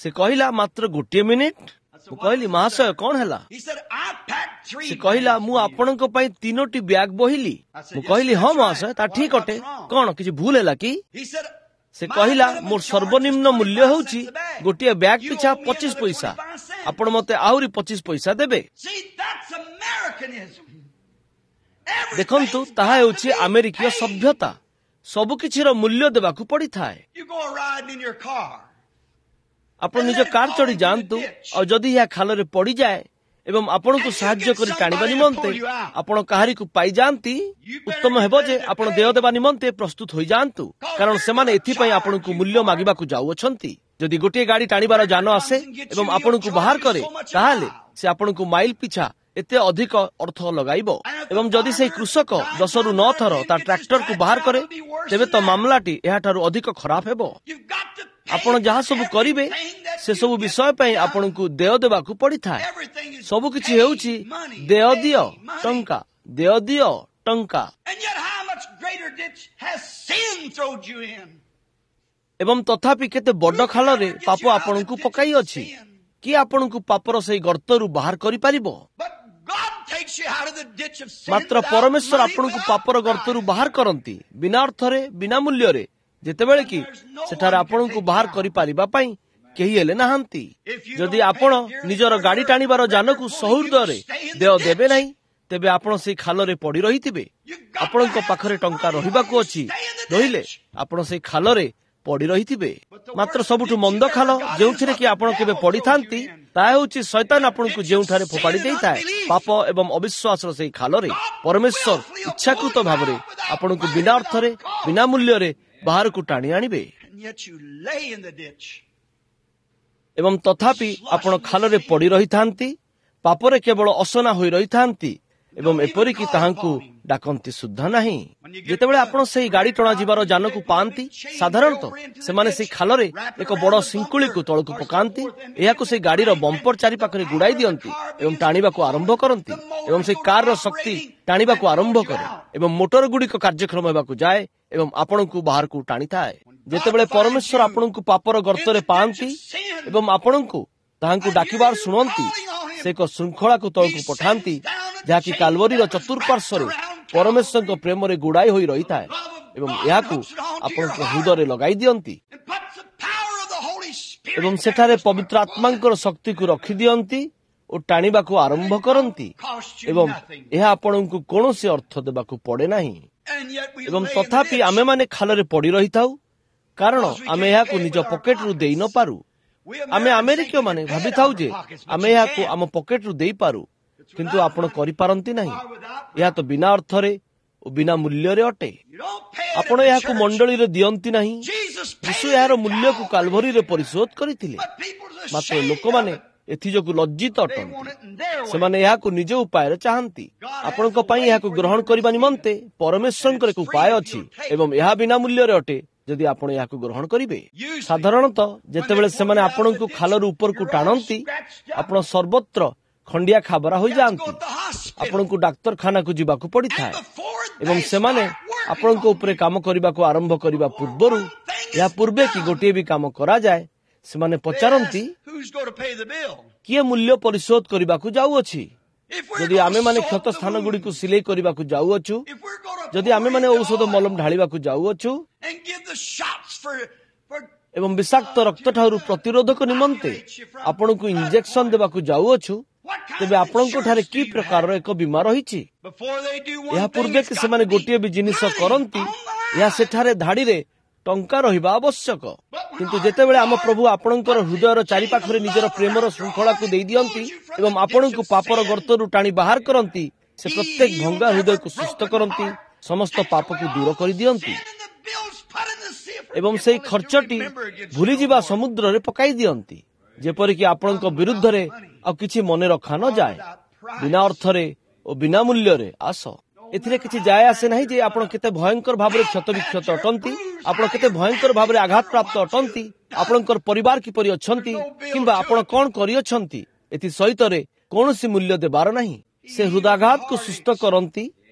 ସେ କହିଲା, ମାତ୍ର 1 ମିନିଟ୍। ମୁଁ କହିଲି, ମହାଶୟ, କଣ ହେଲା? ସେ କହିଲା, ମୁଁ ଆପଣଙ୍କ ପାଇଁ 3ଟି ବ୍ୟାଗ ବୋହିଲି। ମୁଁ କହିଲି, ହଁ ମହାଶୟ, ତା ଠିକ ଅଟେ। କଣ କିଛି ଭୁଲ ହେଲା କି? ସେ କହିଲା, ମୋର ସର୍ବନିମ୍ନ ମୂଲ୍ୟ ହେଉଛି ଗୋଟିଏ ବ୍ୟାଗ ପିଛା 25 ପଇସା। ଆପଣ ମତେ ଆହୁରି 25 ପଇସା ଦେବେ। ଦେଖନ୍ତୁ, ତାହା ହେଉଛି ଆମେରିକୀୟ ସଭ୍ୟତା। ସବୁକିଛିର ମୂଲ୍ୟ ଦେବାକୁ ପଡ଼ିଥାଏ। ଆପଣ ନିଜ କାର ଚଢ଼ି ଯାଆନ୍ତୁ, ଆଉ ଯଦି ଏହା ଖାଲରେ ପଡ଼ିଯାଏ ଏବଂ ଆପଣଙ୍କୁ ସାହାଯ୍ୟ କରି ଟାଣିବା ନିମନ୍ତେ ଆପଣ କାହାରିକୁ ପାଇଯାଆନ୍ତି, ଉତ୍ତମ ହେବ ଯେ ଆପଣ ଦେୟ ଦେବା ନିମନ୍ତେ ପ୍ରସ୍ତୁତ ହୋଇଯାଆନ୍ତୁ, କାରଣ ସେମାନେ ଏଥିପାଇଁ ଆପଣଙ୍କୁ ମୂଲ୍ୟ ମାଗିବାକୁ ଯାଉଅଛନ୍ତି। ଯଦି ଗୋଟିଏ ଗାଡ଼ି ଟାଣିବାର ଯାନ ଆସେ ଏବଂ ଆପଣଙ୍କୁ ବାହାର କରେ, ତାହେଲେ ସେ ଆପଣଙ୍କୁ ମାଇଲ ପିଛା ଏତେ ଅଧିକ ଅର୍ଥ ଲଗାଇବ। ଏବଂ ଯଦି ସେହି କୃଷକ 10ରୁ 9 ଥର ତା ଟ୍ରାକ୍ଟରକୁ ବାହାର କରେ, ତେବେ ତ ମାମଲାଟି ଏହାଠାରୁ ଅଧିକ ଖରାପ ହେବ। ଆପଣ ଯାହା ସବୁ କରିବେ ସେସବୁ ବିଷୟ ପାଇଁ ଆପଣଙ୍କୁ ଦେୟ ଦେବାକୁ ପଡ଼ିଥାଏ। ସବୁକିଛି ହେଉଛି ଦେୟ ଦିଅ ଟଙ୍କା, ଦେୟ ଦିଅ ଟଙ୍କା। ଏବଂ ତଥାପି କେତେ ବଡ଼ ଖାଲରେ ପାପ ଆପଣଙ୍କୁ ପକାଇଅଛି। କିଏ ଆପଣଙ୍କୁ ପାପର ସେହି ଗର୍ତ୍ତରୁ ବାହାର କରିପାରିବ? ମାତ୍ର ପରମେଶ୍ୱର ଆପଣଙ୍କୁ ପାପର ଗର୍ତ୍ତରୁ ବାହାର କରନ୍ତି ବିନା ଅର୍ଥରେ, ବିନା ମୂଲ୍ୟରେ, ଯେତେବେଳେ କି ସେଠାରେ ଆପଣଙ୍କୁ ବାହାର କରିପାରିବା ପାଇଁ କେହି ହେଲେ ନାହାନ୍ତି। ଯଦି ଆପଣ ନିଜର ଗାଡ଼ି ଟାଣିବାର ଯାନକୁ ସହୃଦୟରେ ଦେୟ ଦେବେ ନାହିଁ, ତେବେ ଆପଣ ସେଇ ଖାଲରେ ପଡ଼ି ରହିଥିବେ। ଆପଣଙ୍କ ପାଖରେ ଟଙ୍କା ରହିବାକୁ ଅଛି, ନହିଲେ ଆପଣ ସେଇ ଖାଲରେ ପଡ଼ି ରହିଥିବେ। ମାତ୍ର ସବୁଠୁ ମନ୍ଦ ଖାଲ ଯେଉଁଥିରେ କି ଆପଣ କେବେ ପଡ଼ିଥାନ୍ତି, ତାହା ହେଉଛି ଶୈତାନ ଆପଣଙ୍କୁ ଯେଉଁଠାରେ ଫୋପାଡ଼ି ଦେଇଥାଏ, ପାପ ଏବଂ ଅବିଶ୍ୱାସର ସେଇ ଖାଲରେ। ପରମେଶ୍ୱର ଇଚ୍ଛାକୃତ ଭାବରେ ଆପଣଙ୍କୁ ବିନା ଅର୍ଥରେ, ବିନା ମୂଲ୍ୟରେ ବାହାରକୁ ଟାଣି ଆଣିବେ, ଏବଂ ତଥାପି ଆପଣ ଖାଲରେ ପଡ଼ି ରହିଥାନ୍ତି, ପାପରେ କେବଳ ଅସନା ହୋଇ ରହିଥାନ୍ତି ଏବଂ ଏପରିକି ତାହାଙ୍କୁ ଡାକନ୍ତି ସୁଦ୍ଧା ନାହିଁ। ଯେତେବେଳେ ଆପଣ ସେହି ଗାଡ଼ି ଟଣାଯିବାର ଯାନକୁ ପାଆନ୍ତି, ସାଧାରଣତଃ ସେମାନେ ସେହି ଖାଲରେ ଏକ ବଡ଼ ଶିଙ୍କୁଳିକୁ ତଳକୁ ପକାନ୍ତି, ଏହାକୁ ସେହି ଗାଡ଼ିର ବମ୍ପର ଚାରିପାଖରେ ଗୁଡ଼ାଇ ଦିଅନ୍ତି ଏବଂ ଟାଣିବାକୁ ଆରମ୍ଭ କରନ୍ତି ଏବଂ ସେହି କାରର ଶକ୍ତି ଟାଣିବାକୁ ଆରମ୍ଭ କରେ ଏବଂ ମୋଟର ଗୁଡ଼ିକ କାର୍ଯ୍ୟକ୍ଷମ ହେବାକୁ ଯାଏ ଏବଂ ଆପଣଙ୍କୁ ବାହାରକୁ ଟାଣିଥାଏ। ଯେତେବେଳେ ପରମେଶ୍ୱର ଆପଣଙ୍କୁ ପାପର ଗର୍ତ୍ତରେ ପାଆନ୍ତି ଏବଂ ଆପଣଙ୍କୁ ତାହାଙ୍କୁ ଡାକିବାର ଶୁଣନ୍ତି, ସେ ଏକ ଶୃଙ୍ଖଳାକୁ ତଳକୁ ପଠାନ୍ତି ଯାହାକି କାଲବରୀର ଚତୁଃପାର୍ଶ୍ୱରେ ପରମେଶ୍ୱରଙ୍କ ପ୍ରେମରେ ଗୁଡ଼ାଇ ହୋଇ ରହିଥାଏ ଏବଂ ଏହାକୁ ଆପଣଙ୍କ ହୃଦୟରେ ଲଗାଇ ଦିଅନ୍ତି ଏବଂ ସେଠାରେ ପବିତ୍ର ଆତ୍ମାଙ୍କର ଶକ୍ତିକୁ ରଖିଦିଅନ୍ତି ଓ ଟାଣିବାକୁ ଆରମ୍ଭ କରନ୍ତି ଏବଂ ଏହା ଆପଣଙ୍କୁ କୌଣସି ଅର୍ଥ ଦେବାକୁ ପଡ଼େ ନାହିଁ। ଏବଂ ତଥାପି ଆମେମାନେ ଖାଲରେ ପଡ଼ି ରହିଥାଉ, କାରଣ ଆମେ ଏହାକୁ ନିଜ ପକେଟରୁ ଦେଇ ନପାରୁ। ଆମେ ଆମେରିକୀୟମାନେ ଭାବିଥାଉ ଯେ ଆମେ ଏହାକୁ ଆମ ପକେଟରୁ ଦେଇପାରୁ, କିନ୍ତୁ ଆପଣ କରିପାରନ୍ତି ନାହିଁ। ଏହା ତ ବିନା ଅର୍ଥରେ ଓ ବିନା ମୂଲ୍ୟରେ ଅଟେ। ଆପଣ ଏହାକୁ ମଣ୍ଡଳୀରେ ଦିଅନ୍ତି ନାହିଁ। ଯୀଶୁ ଏହାର ମୂଲ୍ୟକୁ କାଲଭରୀରେ ପରିଶୋଧ କରିଥିଲେ, ମାତ୍ର ଲୋକମାନେ ଏଥିଯୋଗୁଁ ଲଜ୍ଜିତ ଅଟନ୍ତି। ସେମାନେ ଏହାକୁ ନିଜ ଉପାୟରେ ଚାହାନ୍ତି। ଆପଣଙ୍କ ପାଇଁ ଏହାକୁ ଗ୍ରହଣ କରିବା ନିମନ୍ତେ ପରମେଶ୍ୱରଙ୍କର ଏକ ଉପାୟ ଅଛି ଏବଂ ଏହା ବିନା ମୂଲ୍ୟରେ ଅଟେ ଯଦି ଆପଣ ଏହାକୁ ଗ୍ରହଣ କରିବେ। ସାଧାରଣତଃ ଯେତେବେଳେ ସେମାନେ ଆପଣଙ୍କୁ ଖାଲରୁ ଉପରକୁ ଟାଣନ୍ତି, ଆପଣ ସର୍ବତ୍ର ଖଣ୍ଡିଆ ଖାବରା ହୋଇଯାଆନ୍ତି। ଆପଣଙ୍କୁ ଡାକ୍ତରଖାନାକୁ ଯିବାକୁ ପଡ଼ିଥାଏ ଏବଂ ସେମାନେ ଆପଣଙ୍କ ଉପରେ କାମ କରିବାକୁ ଆରମ୍ଭ କରିବା ପୂର୍ବରୁ, ଏହା ପୂର୍ବେ କି ଗୋଟିଏ ବି କାମ କରାଯାଏ, ସେମାନେ ପଚାରନ୍ତି କିଏ ମୂଲ୍ୟ ପରିଶୋଧ କରିବାକୁ ଯାଉଅଛି। ଯଦି ଆମେମାନେ କ୍ଷତ ସ୍ଥାନଗୁଡ଼ିକୁ ସିଲେଇ କରିବାକୁ ଯାଉଅଛୁ, ଯଦି ଆମେମାନେ ଔଷଧ ମଲମ ଢାଳିବାକୁ ଯାଉଅଛୁ ଏବଂ ବିଷାକ୍ତ ରକ୍ତଠାରୁ ପ୍ରତିରୋଧକ ନିମନ୍ତେ ଆପଣଙ୍କୁ ଇଞ୍ଜେକ୍ସନ ଦେବାକୁ ଯାଉଅଛୁ, ତେବେ ଆପଣଙ୍କଠାରେ କି ପ୍ରକାରର ଏକ ବୀମା ରହିଛି? ଏହା ପୂର୍ବେ କି ସେମାନେ ଗୋଟିଏ ବି ଜିନିଷ କରନ୍ତି, ଏହା ସେଠାରେ ଧାଡ଼ିରେ ଟଙ୍କା ରହିବା ଆବଶ୍ୟକ। କିନ୍ତୁ ଯେତେବେଳେ ଆମ ପ୍ରଭୁ ଆପଣଙ୍କର ହୃଦୟର ଚାରିପାଖରେ ନିଜର ପ୍ରେମର ଶୃଙ୍ଖଳାକୁ ଦେଇଦିଅନ୍ତି ଏବଂ ଆପଣଙ୍କୁ ପାପର ଗର୍ତ୍ତରୁ ଟାଣି ବାହାର କରନ୍ତି, ସେ ପ୍ରତ୍ୟେକ ଭଙ୍ଗା ହୃଦୟକୁ ସୁସ୍ଥ କରନ୍ତି, ସମସ୍ତ ପାପକୁ ଦୂର କରିଦିଅନ୍ତି ଏବଂ ସେହି ଖର୍ଚ୍ଚଟି ଭୁଲିଯିବା ସମୁଦ୍ରରେ ପକାଇ ଦିଅନ୍ତି, ଯେପରିକି ଆପଣଙ୍କ ବିରୁଦ୍ଧରେ ଆଉ କିଛି ମନେ ରଖା ନଯାଏ। ବିନା ଅର୍ଥରେ ଓ ବିନା ମୂଲ୍ୟରେ ଆସ। ଏଥିରେ କିଛି ଯାଏ ଆସେ ନାହିଁ ଯେ ଆପଣ କେତେ ଭୟଙ୍କର ଭାବରେ କ୍ଷତବିକ୍ଷତ ଅଟନ୍ତି, ଆପଣ କେତେ ଭୟଙ୍କର ଭାବରେ ଆଘାତପ୍ରାପ୍ତ ଅଟନ୍ତି, ଆପଣଙ୍କର ପରିବାର କିପରି ଅଛନ୍ତି କିମ୍ବା ଆପଣ କଣ କରିଅଛନ୍ତି, ଏଥି ସହିତରେ କୌଣସି ମୂଲ୍ୟ ଦେବାର ନାହିଁ। ସେ ହୃଦୟାଘାତକୁ ସୁସ୍ଥ କରନ୍ତି,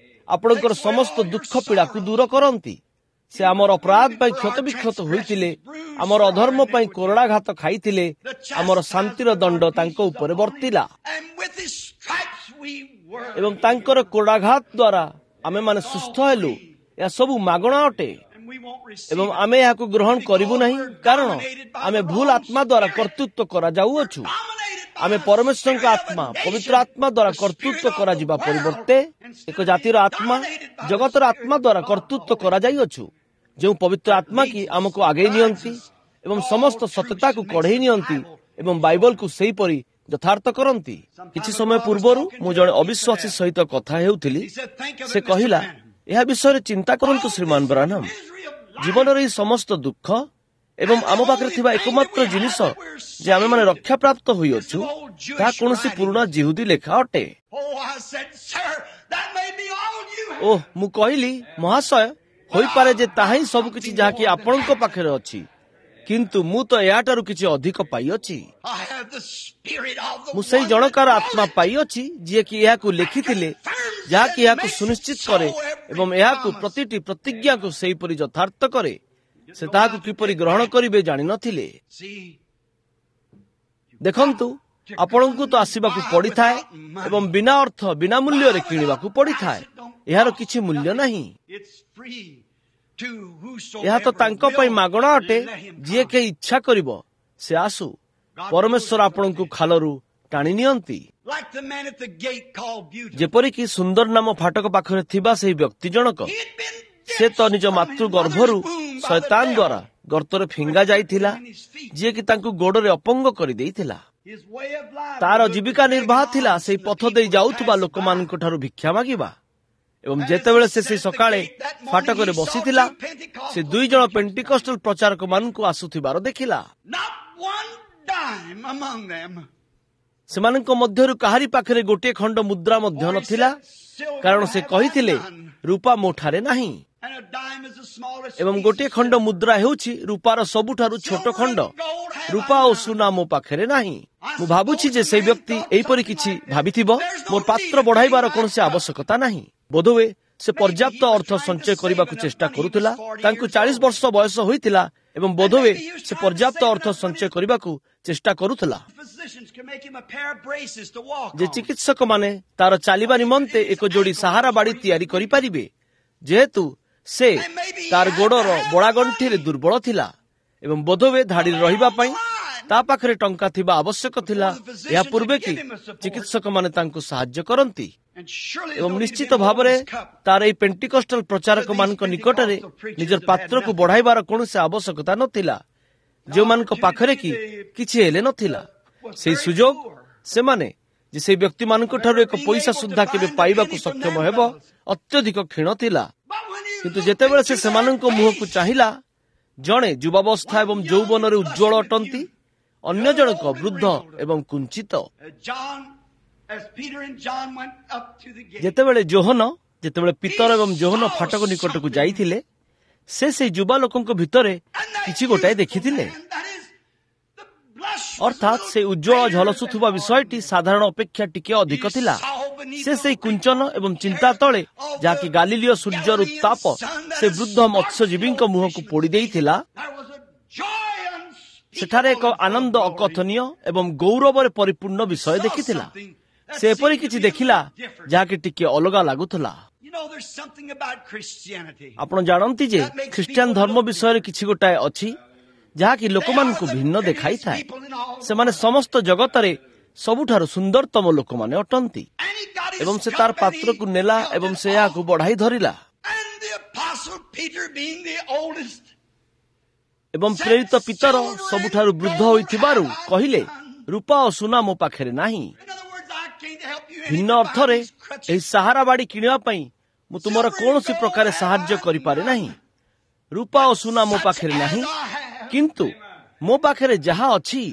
ଆପଣଙ୍କର ସମସ୍ତ ଦୁଃଖ ପୀଡ଼ାକୁ ଦୂର କରନ୍ତି। ସେ ଆମର ଅପରାଧ ପାଇଁ କ୍ଷତବିକ୍ଷତ ହୋଇଥିଲେ, ଆମର ଅଧର୍ମ ପାଇଁ କୋରଡ଼ାଘାତ ଖାଇଥିଲେ, ଆମର ଶାନ୍ତିର ଦଣ୍ଡ ତାଙ୍କ ଉପରେ ବର୍ତ୍ତିଲା ଏବଂ ତାଙ୍କର କୋରଡ଼ାଘାତ ଦ୍ୱାରା ଆମେମାନେ ସୁସ୍ଥ ହେଲୁ। ଏହା ସବୁ ମାଗଣା ଅଟେ ଏବଂ ଆମେ ଏହାକୁ ଗ୍ରହଣ କରିବୁ ନାହିଁ, କାରଣ ଆମେ ଭୁଲ ଆତ୍ମା ଦ୍ୱାରା କର୍ତ୍ତୃତ୍ୱ କରାଯାଉଅଛୁ। ଆମେ ପରମେଶ୍ୱରଙ୍କ ଆତ୍ମା, ପବିତ୍ର ଆତ୍ମା ଦ୍ୱାରା କର୍ତ୍ତୃତ୍ୱ କରାଯିବା ପରିବର୍ତ୍ତେ ଏକ ଜାତିର ଆତ୍ମା, ଜଗତର ଆତ୍ମା ଦ୍ୱାରା କର୍ତ୍ତୃତ୍ୱ କରାଯାଇଅଛୁ, ଯେଉଁ ପବିତ୍ର ଆତ୍ମା କି ଆମକୁ ଆଗେଇ ନିଅନ୍ତି ଏବଂ ସମସ୍ତ ସତ୍ୟତାକୁ କଢ଼େଇ ନିଅନ୍ତି ଏବଂ ବାଇବଲକୁ ସେହିପରି ଯଥାର୍ଥ କରନ୍ତି। କିଛି ସମୟ ପୂର୍ବରୁ ମୁଁ ଜଣେ ଅବିଶ୍ୱାସୀ ସହିତ କଥା ହେଉଥିଲି। ସେ କହିଲା, ଏହା ବିଷୟରେ ଚିନ୍ତା କରନ୍ତୁ ଶ୍ରୀମାନ ବ୍ରାନମ୍, ଜୀବନର ଏହି ସମସ୍ତ ଦୁଃଖ ଏବଂ ଆମ ପାଖରେ ଥିବା ଏକମାତ୍ର ଜିନିଷ ଯେ ଆମେମାନେ ରକ୍ଷାପ୍ରାପ୍ତ ହୋଇଅଛୁ, ତାହା କୌଣସି ପୁରୁଣା ଜିହୁଦୀ ଲେଖା ଅଟେ। ଓହ, ମୁଁ କହିଲି, ମହାଶୟ, ହୋଇପାରେ ଯେ ତାହା ହିଁ ସବୁକିଛି ଯାହାକି ଆପଣଙ୍କ ପାଖରେ ଅଛି, କିନ୍ତୁ ମୁଁ ତ ଏହାଠାରୁ କିଛି ଅଧିକ ପାଇଅଛି। ମୁଁ ସେଇ ଜଣକାର ଆତ୍ମା ପାଇଅଛି ଯିଏକି ଏହାକୁ ଲେଖିଥିଲେ, ଯାହାକି ଏହାକୁ ସୁନିଶ୍ଚିତ କରେ ଏବଂ ଏହାକୁ ପ୍ରତିଟି ପ୍ରତିଜ୍ଞାକୁ ସେହିପରି ଯଥାର୍ଥ କରେ। ସେ ତାହାକୁ କିପରି ଗ୍ରହଣ କରିବେ ଜାଣିନଥିଲେ। ଦେଖନ୍ତୁ, ଆପଣଙ୍କୁ ତ ଆସିବାକୁ ପଡ଼ିଥାଏ ଏବଂ ବିନା ଅର୍ଥ, ବିନା ମୂଲ୍ୟରେ କିଣିବାକୁ ପଡ଼ିଥାଏ। ଏହାର କିଛି ମୂଲ୍ୟ ନାହିଁ। ଏହା ତ ତାଙ୍କ ପାଇଁ ମାଗଣା ଅଟେ, ଯିଏ କେହି ଇଚ୍ଛା କରିବ ସେ ଆସୁ। ପରମେଶ୍ୱର ଆପଣଙ୍କୁ ଖାଲରୁ ଟାଣି ନିଅନ୍ତି, ଯେପରିକି ସୁନ୍ଦର ନାମ ଫାଟକ ପାଖରେ ଥିବା ସେହି ବ୍ୟକ୍ତି ଜଣକ। ସେ ତ ନିଜ ମାତୃ ଗର୍ଭରୁ ଶୟତାନ ଦ୍ୱାରା ଗର୍ତ୍ତରେ ଫିଙ୍ଗା ଯାଇଥିଲା, ଯିଏକି ତାଙ୍କୁ ଗୋଡ଼ରେ ଅପଙ୍ଗ କରିଦେଇଥିଲା। ତାର ଜୀବିକା ନିର୍ବାହ ଥିଲା ସେହି ପଥ ଦେଇ ଯାଉଥିବା ଲୋକମାନଙ୍କ ଠାରୁ ଭିକ୍ଷା ମାଗିବା। ଏବଂ ଯେତେବେଳେ ସେ ସେହି ସକାଳେ ଫାଟକରେ ବସିଥିଲା, ସେ ଦୁଇ ଜଣ ପେଣ୍ଟିକଷ୍ଟଲ ପ୍ରଚାରକମାନଙ୍କୁ ଆସୁଥିବାର ଦେଖିଲା। ସେମାନଙ୍କ ମଧ୍ୟରୁ କାହାରି ପାଖରେ ଗୋଟିଏ ଖଣ୍ଡ ମୁଦ୍ରା ମଧ୍ୟ ନଥିଲା, କାରଣ ସେ କହିଥିଲେ, ରୂପା ମୋ ଠାରେ ନାହିଁ। ଏବଂ ଗୋଟିଏ ଖଣ୍ଡ ମୁଦ୍ରା ହେଉଛି ରୂପାର ସବୁଠାରୁ ଛୋଟ ଖଣ୍ଡ। ରୂପା ଓ ସୁନା ମୋ ପାଖରେ ନାହିଁ। ମୁଁ ଭାବୁଛି ଯେ ସେଇ ବ୍ୟକ୍ତି ଏହିପରି କିଛି ଭାବିଥିବ, ମୋର ପାତ୍ର ବଢ଼ାଇବାର କୌଣସି ଆବଶ୍ୟକତା ନାହିଁ। ବୋଧହୁଏ ସେ ପର୍ଯ୍ୟାପ୍ତ ଅର୍ଥ ସଞ୍ଚୟ କରିବାକୁ ଚେଷ୍ଟା କରୁଥିଲା। ତାଙ୍କୁ 40 ବର୍ଷ ବୟସ ହୋଇଥିଲା ଏବଂ ବୋଧହୁଏ ସେ ପର୍ଯ୍ୟାପ୍ତ ଅର୍ଥ ସଞ୍ଚୟ କରିବାକୁ ଚେଷ୍ଟା କରୁଥିଲା ଯେ ଚିକିତ୍ସକମାନେ ତାର ଚାଲିବା ନିମନ୍ତେ ଏକ ଯୋଡ଼ି ସାହାରା ବାଡ଼ି ତିଆରି କରିପାରିବେ, ଯେହେତୁ ସେ ତାର ଗୋଡ଼ର ବଳାଗଣ୍ଠିରେ ଦୁର୍ବଳ ଥିଲା ଏବଂ ବୋଧହୁଏ ଧାଡ଼ିରେ ରହିବା ପାଇଁ ତା ପାଖରେ ଟଙ୍କା ଥିବା ଆବଶ୍ୟକ ଥିଲା, ଏହା ପୂର୍ବେ କି ଚିକିତ୍ସକମାନେ ତାଙ୍କୁ ସାହାଯ୍ୟ କରନ୍ତି। ଏବଂ ନିଶ୍ଚିତ ଭାବରେ ତାର ଏହି ପେଣ୍ଟିକଷ୍ଟାଲ ପ୍ରଚାରକମାନଙ୍କ ନିକଟରେ ନିଜର ପାତ୍ରକୁ ବଢ଼ାଇବାର କୌଣସି ଆବଶ୍ୟକତା ନଥିଲା, ଯେଉଁମାନଙ୍କ ପାଖରେ କି କିଛି ହେଲେ ନଥିଲା। ସେହି ସୁଯୋଗ ସେମାନେ ଯେ ସେହି ବ୍ୟକ୍ତିମାନଙ୍କ ଠାରୁ ଏକ ପଇସା ସୁଦ୍ଧା କେବେ ପାଇବାକୁ ସକ୍ଷମ ହେବ ଅତ୍ୟଧିକ କ୍ଷୀଣ ଥିଲା। କିନ୍ତୁ ଯେତେବେଳେ ସେ ସେମାନଙ୍କ ମୁହଁକୁ ଚାହିଁଲା, ଜଣେ ଯୁବାବସ୍ଥା ଏବଂ ଯୌବନରେ ଉଜ୍ଜ୍ୱଳ ଅଟନ୍ତି, ଅନ୍ୟ ଜଣକ ବୃଦ୍ଧ ଏବଂ କୁଞ୍ଚିତ। ଯେତେବେଳେ ଯୋହନ, ଯେତେବେଳେ ପିତର ଏବଂ ଯୋହନ ଫାଟକ ନିକଟକୁ ଯାଇଥିଲେ, ସେ ସେହି ଯୁବା ଲୋକଙ୍କ ଭିତରେ କିଛି ଗୋଟାଏ ଦେଖିଥିଲେ। ଅର୍ଥାତ୍ ସେ ଉଜ୍ଜ୍ୱଳ ଝଲସୁଥିବା ବିଷୟଟି ସାଧାରଣ ଅପେକ୍ଷା ଟିକେ ଅଧିକ ଥିଲା। ସେ ସେହି କୁଞ୍ଚନ ଏବଂ ଚିନ୍ତା ତଳେ, ଯାହାକି ଗାଲିଲୀୟ ସୂର୍ଯ୍ୟର ଉତ୍ତାପ ସେ ବୃଦ୍ଧ ମତ୍ସ୍ୟଜୀବୀଙ୍କ ମୁହଁକୁ ପୋଡ଼ି ଦେଇଥିଲା, ସେଠାରେ ଏକ ଆନନ୍ଦ ଅକଥନୀୟ ଏବଂ ଗୌରବରେ ପରିପୂର୍ଣ୍ଣ ବିଷୟ ଦେଖିଥିଲା। ସେ ଏପରି କିଛି ଦେଖିଲା ଯାହାକି ଟିକେ ଅଲଗା ଲାଗୁଥିଲା। ଆପଣ ଜାଣନ୍ତି ଯେ ଖ୍ରୀଷ୍ଟିଆନ ଧର୍ମ ବିଷୟରେ କିଛି ଗୋଟାଏ ଅଛି ଯାହାକି ଲୋକମାନଙ୍କୁ ଭିନ୍ନ ଦେଖାଇଥାଏ। ସେମାନେ ସମସ୍ତ ଜଗତରେ ସବୁଠାରୁ ସୁନ୍ଦରତମ ଲୋକମାନେ ଅଟନ୍ତି। ଏବଂ ସେ ତାର ପାତ୍ରକୁ ନେଲା ଏବଂ ସେ ଏହାକୁ ବଢ଼ାଇ ଧରିଲା। ଏବଂ ପ୍ରେରିତ ପିତର ସବୁଠାରୁ ବୃଦ୍ଧ ହୋଇଥିବାରୁ କହିଲେ, ରୂପା ଓ ସୁନା ମୋ ପାଖରେ ନାହିଁ। ଭିନ୍ନ ଅର୍ଥରେ, ଏହି ସାହାରା ବାଡ଼ି କିଣିବା ପାଇଁ ମୁଁ ତୁମର କୌଣସି ପ୍ରକାର ସାହାଯ୍ୟ କରିପାରେ ନାହିଁ। ରୂପା ଓ ସୁନା ମୋ ପାଖରେ ନାହିଁ, କିନ୍ତୁ ମୋ ପାଖରେ ଯାହା ଅଛି।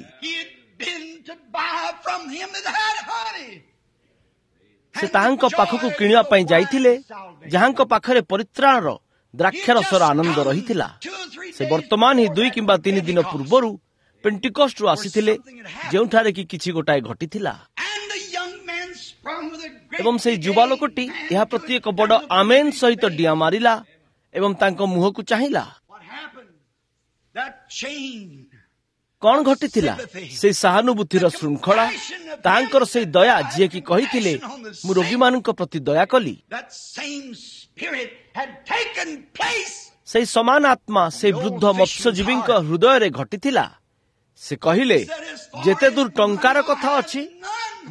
ସେ ତାହାଙ୍କ ପାଖକୁ କିଣିବା ପାଇଁ ଯାଇଥିଲେ, ଯାହାଙ୍କ ପାଖରେ ପରିତ୍ରାଣର ଦ୍ରାକ୍ଷାରସର ଆନନ୍ଦ ରହିଥିଲା। ସେ ବର୍ତ୍ତମାନ ହିଁ 2 କିମ୍ବା 3 ଦିନ ପୂର୍ବରୁ ପେଣ୍ଟିକଷ୍ଟରୁ ଆସିଥିଲେ, ଯେଉଁଠାରେ କି କିଛି ଗୋଟାଏ ଘଟିଥିଲା। ଏବଂ ସେହି ଯୁବା ଲୋକଟି ଏହା ପ୍ରତି ଏକ ବଡ଼ ଆମେନ୍ ସହିତ ଡିଆଁ ମାରିଲା ଏବଂ ତାଙ୍କ ମୁହଁକୁ ଚାହିଁଲା। କଣ ଘଟିଥିଲା? ସେଇ ସହାନୁଭୂତିର ଶୃଙ୍ଖଳା, ତାହାଙ୍କର ସେଇ ଦୟା, ଯିଏକି କହିଥିଲେ, ମୁଁ ରୋଗୀମାନଙ୍କ ପ୍ରତି ଦୟା କଲି। ସେଇ ସମାନ ଆତ୍ମା ସେଇ ବୃଦ୍ଧ ମତ୍ସ୍ୟଜୀବୀଙ୍କ ହୃଦୟରେ ଘଟିଥିଲା। ସେ କହିଲେ, ଯେତେ ଦୂର ଟଙ୍କାର କଥା ଅଛି,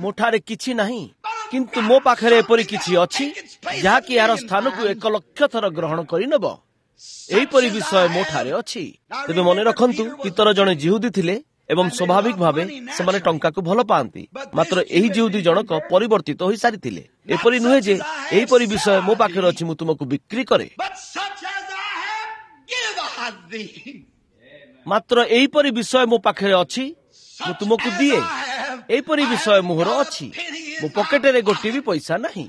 ମୋ ଠାରେ କିଛି ନାହିଁ, କିନ୍ତୁ ମୋ ପାଖରେ ଏପରି କିଛି ଅଛି ଯାହାକି ଏହାର ସ୍ଥାନକୁ 1 ଲକ୍ଷ ଥର ଗ୍ରହଣ କରିନେବ। ଏହିପରି ବିଷୟ ମୋ ଠାରେ ଅଛି। ତେବେ ମନେ ରଖନ୍ତୁ, ପିତର ଜଣେ ଜିହୁଦୀ ଥିଲେ ଏବଂ ସ୍ୱାଭାବିକ ଭାବେ ସେମାନେ ଟଙ୍କାକୁ ଭଲ ପାଆନ୍ତି। ମାତ୍ର ଏହି ଜିହୁଦୀ ଜଣକ ପରିବର୍ତ୍ତିତ ହୋଇସାରିଥିଲେ। ଏପରି ନୁହେଁ ଯେ ଏହିପରି ବିଷୟ ମୋ ପାଖରେ ଅଛି, ମୁଁ ତୁମକୁ ବିକ୍ରି କରେ। ମାତ୍ର ଏହିପରି ବିଷୟ ମୋ ପାଖରେ ଅଛି, ମୁଁ ତୁମକୁ ଦିଏ। ଏହିପରି ବିଷୟ ମୋହର ଅଛି, ମୋ ପକେଟରେ ଗୋଟିଏ ବି ପଇସା ନାହିଁ।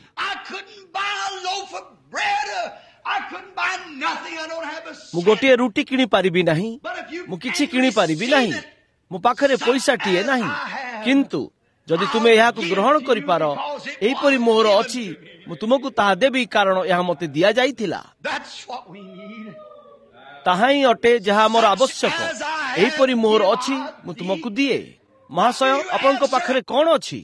ମୁଁ ଗୋଟିଏ ରୁଟି କିଣିପାରିବି ନାହିଁ, ମୁଁ କିଛି କିଣିପାରିବି ନାହିଁ, ମୋ ପାଖରେ ପଇସାଟିଏ ନାହିଁ। କିନ୍ତୁ ଯଦି ତୁମେ ଏହାକୁ ଗ୍ରହଣ କରିପାର, ଏହିପରି ମୋହର ଅଛି, ମୁଁ ତୁମକୁ ତାହା ଦେବି, କାରଣ ଏହା ମୋତେ ଦିଆଯାଇଥିଲା। ତାହା ହିଁ ଅଟେ ଯାହା ଆମର ଆବଶ୍ୟକ। ଏହିପରି ମୋହର ଅଛି, ମୁଁ ତୁମକୁ ଦିଏ। ମହାଶୟ, ଆପଣଙ୍କ ପାଖରେ କଣ ଅଛି?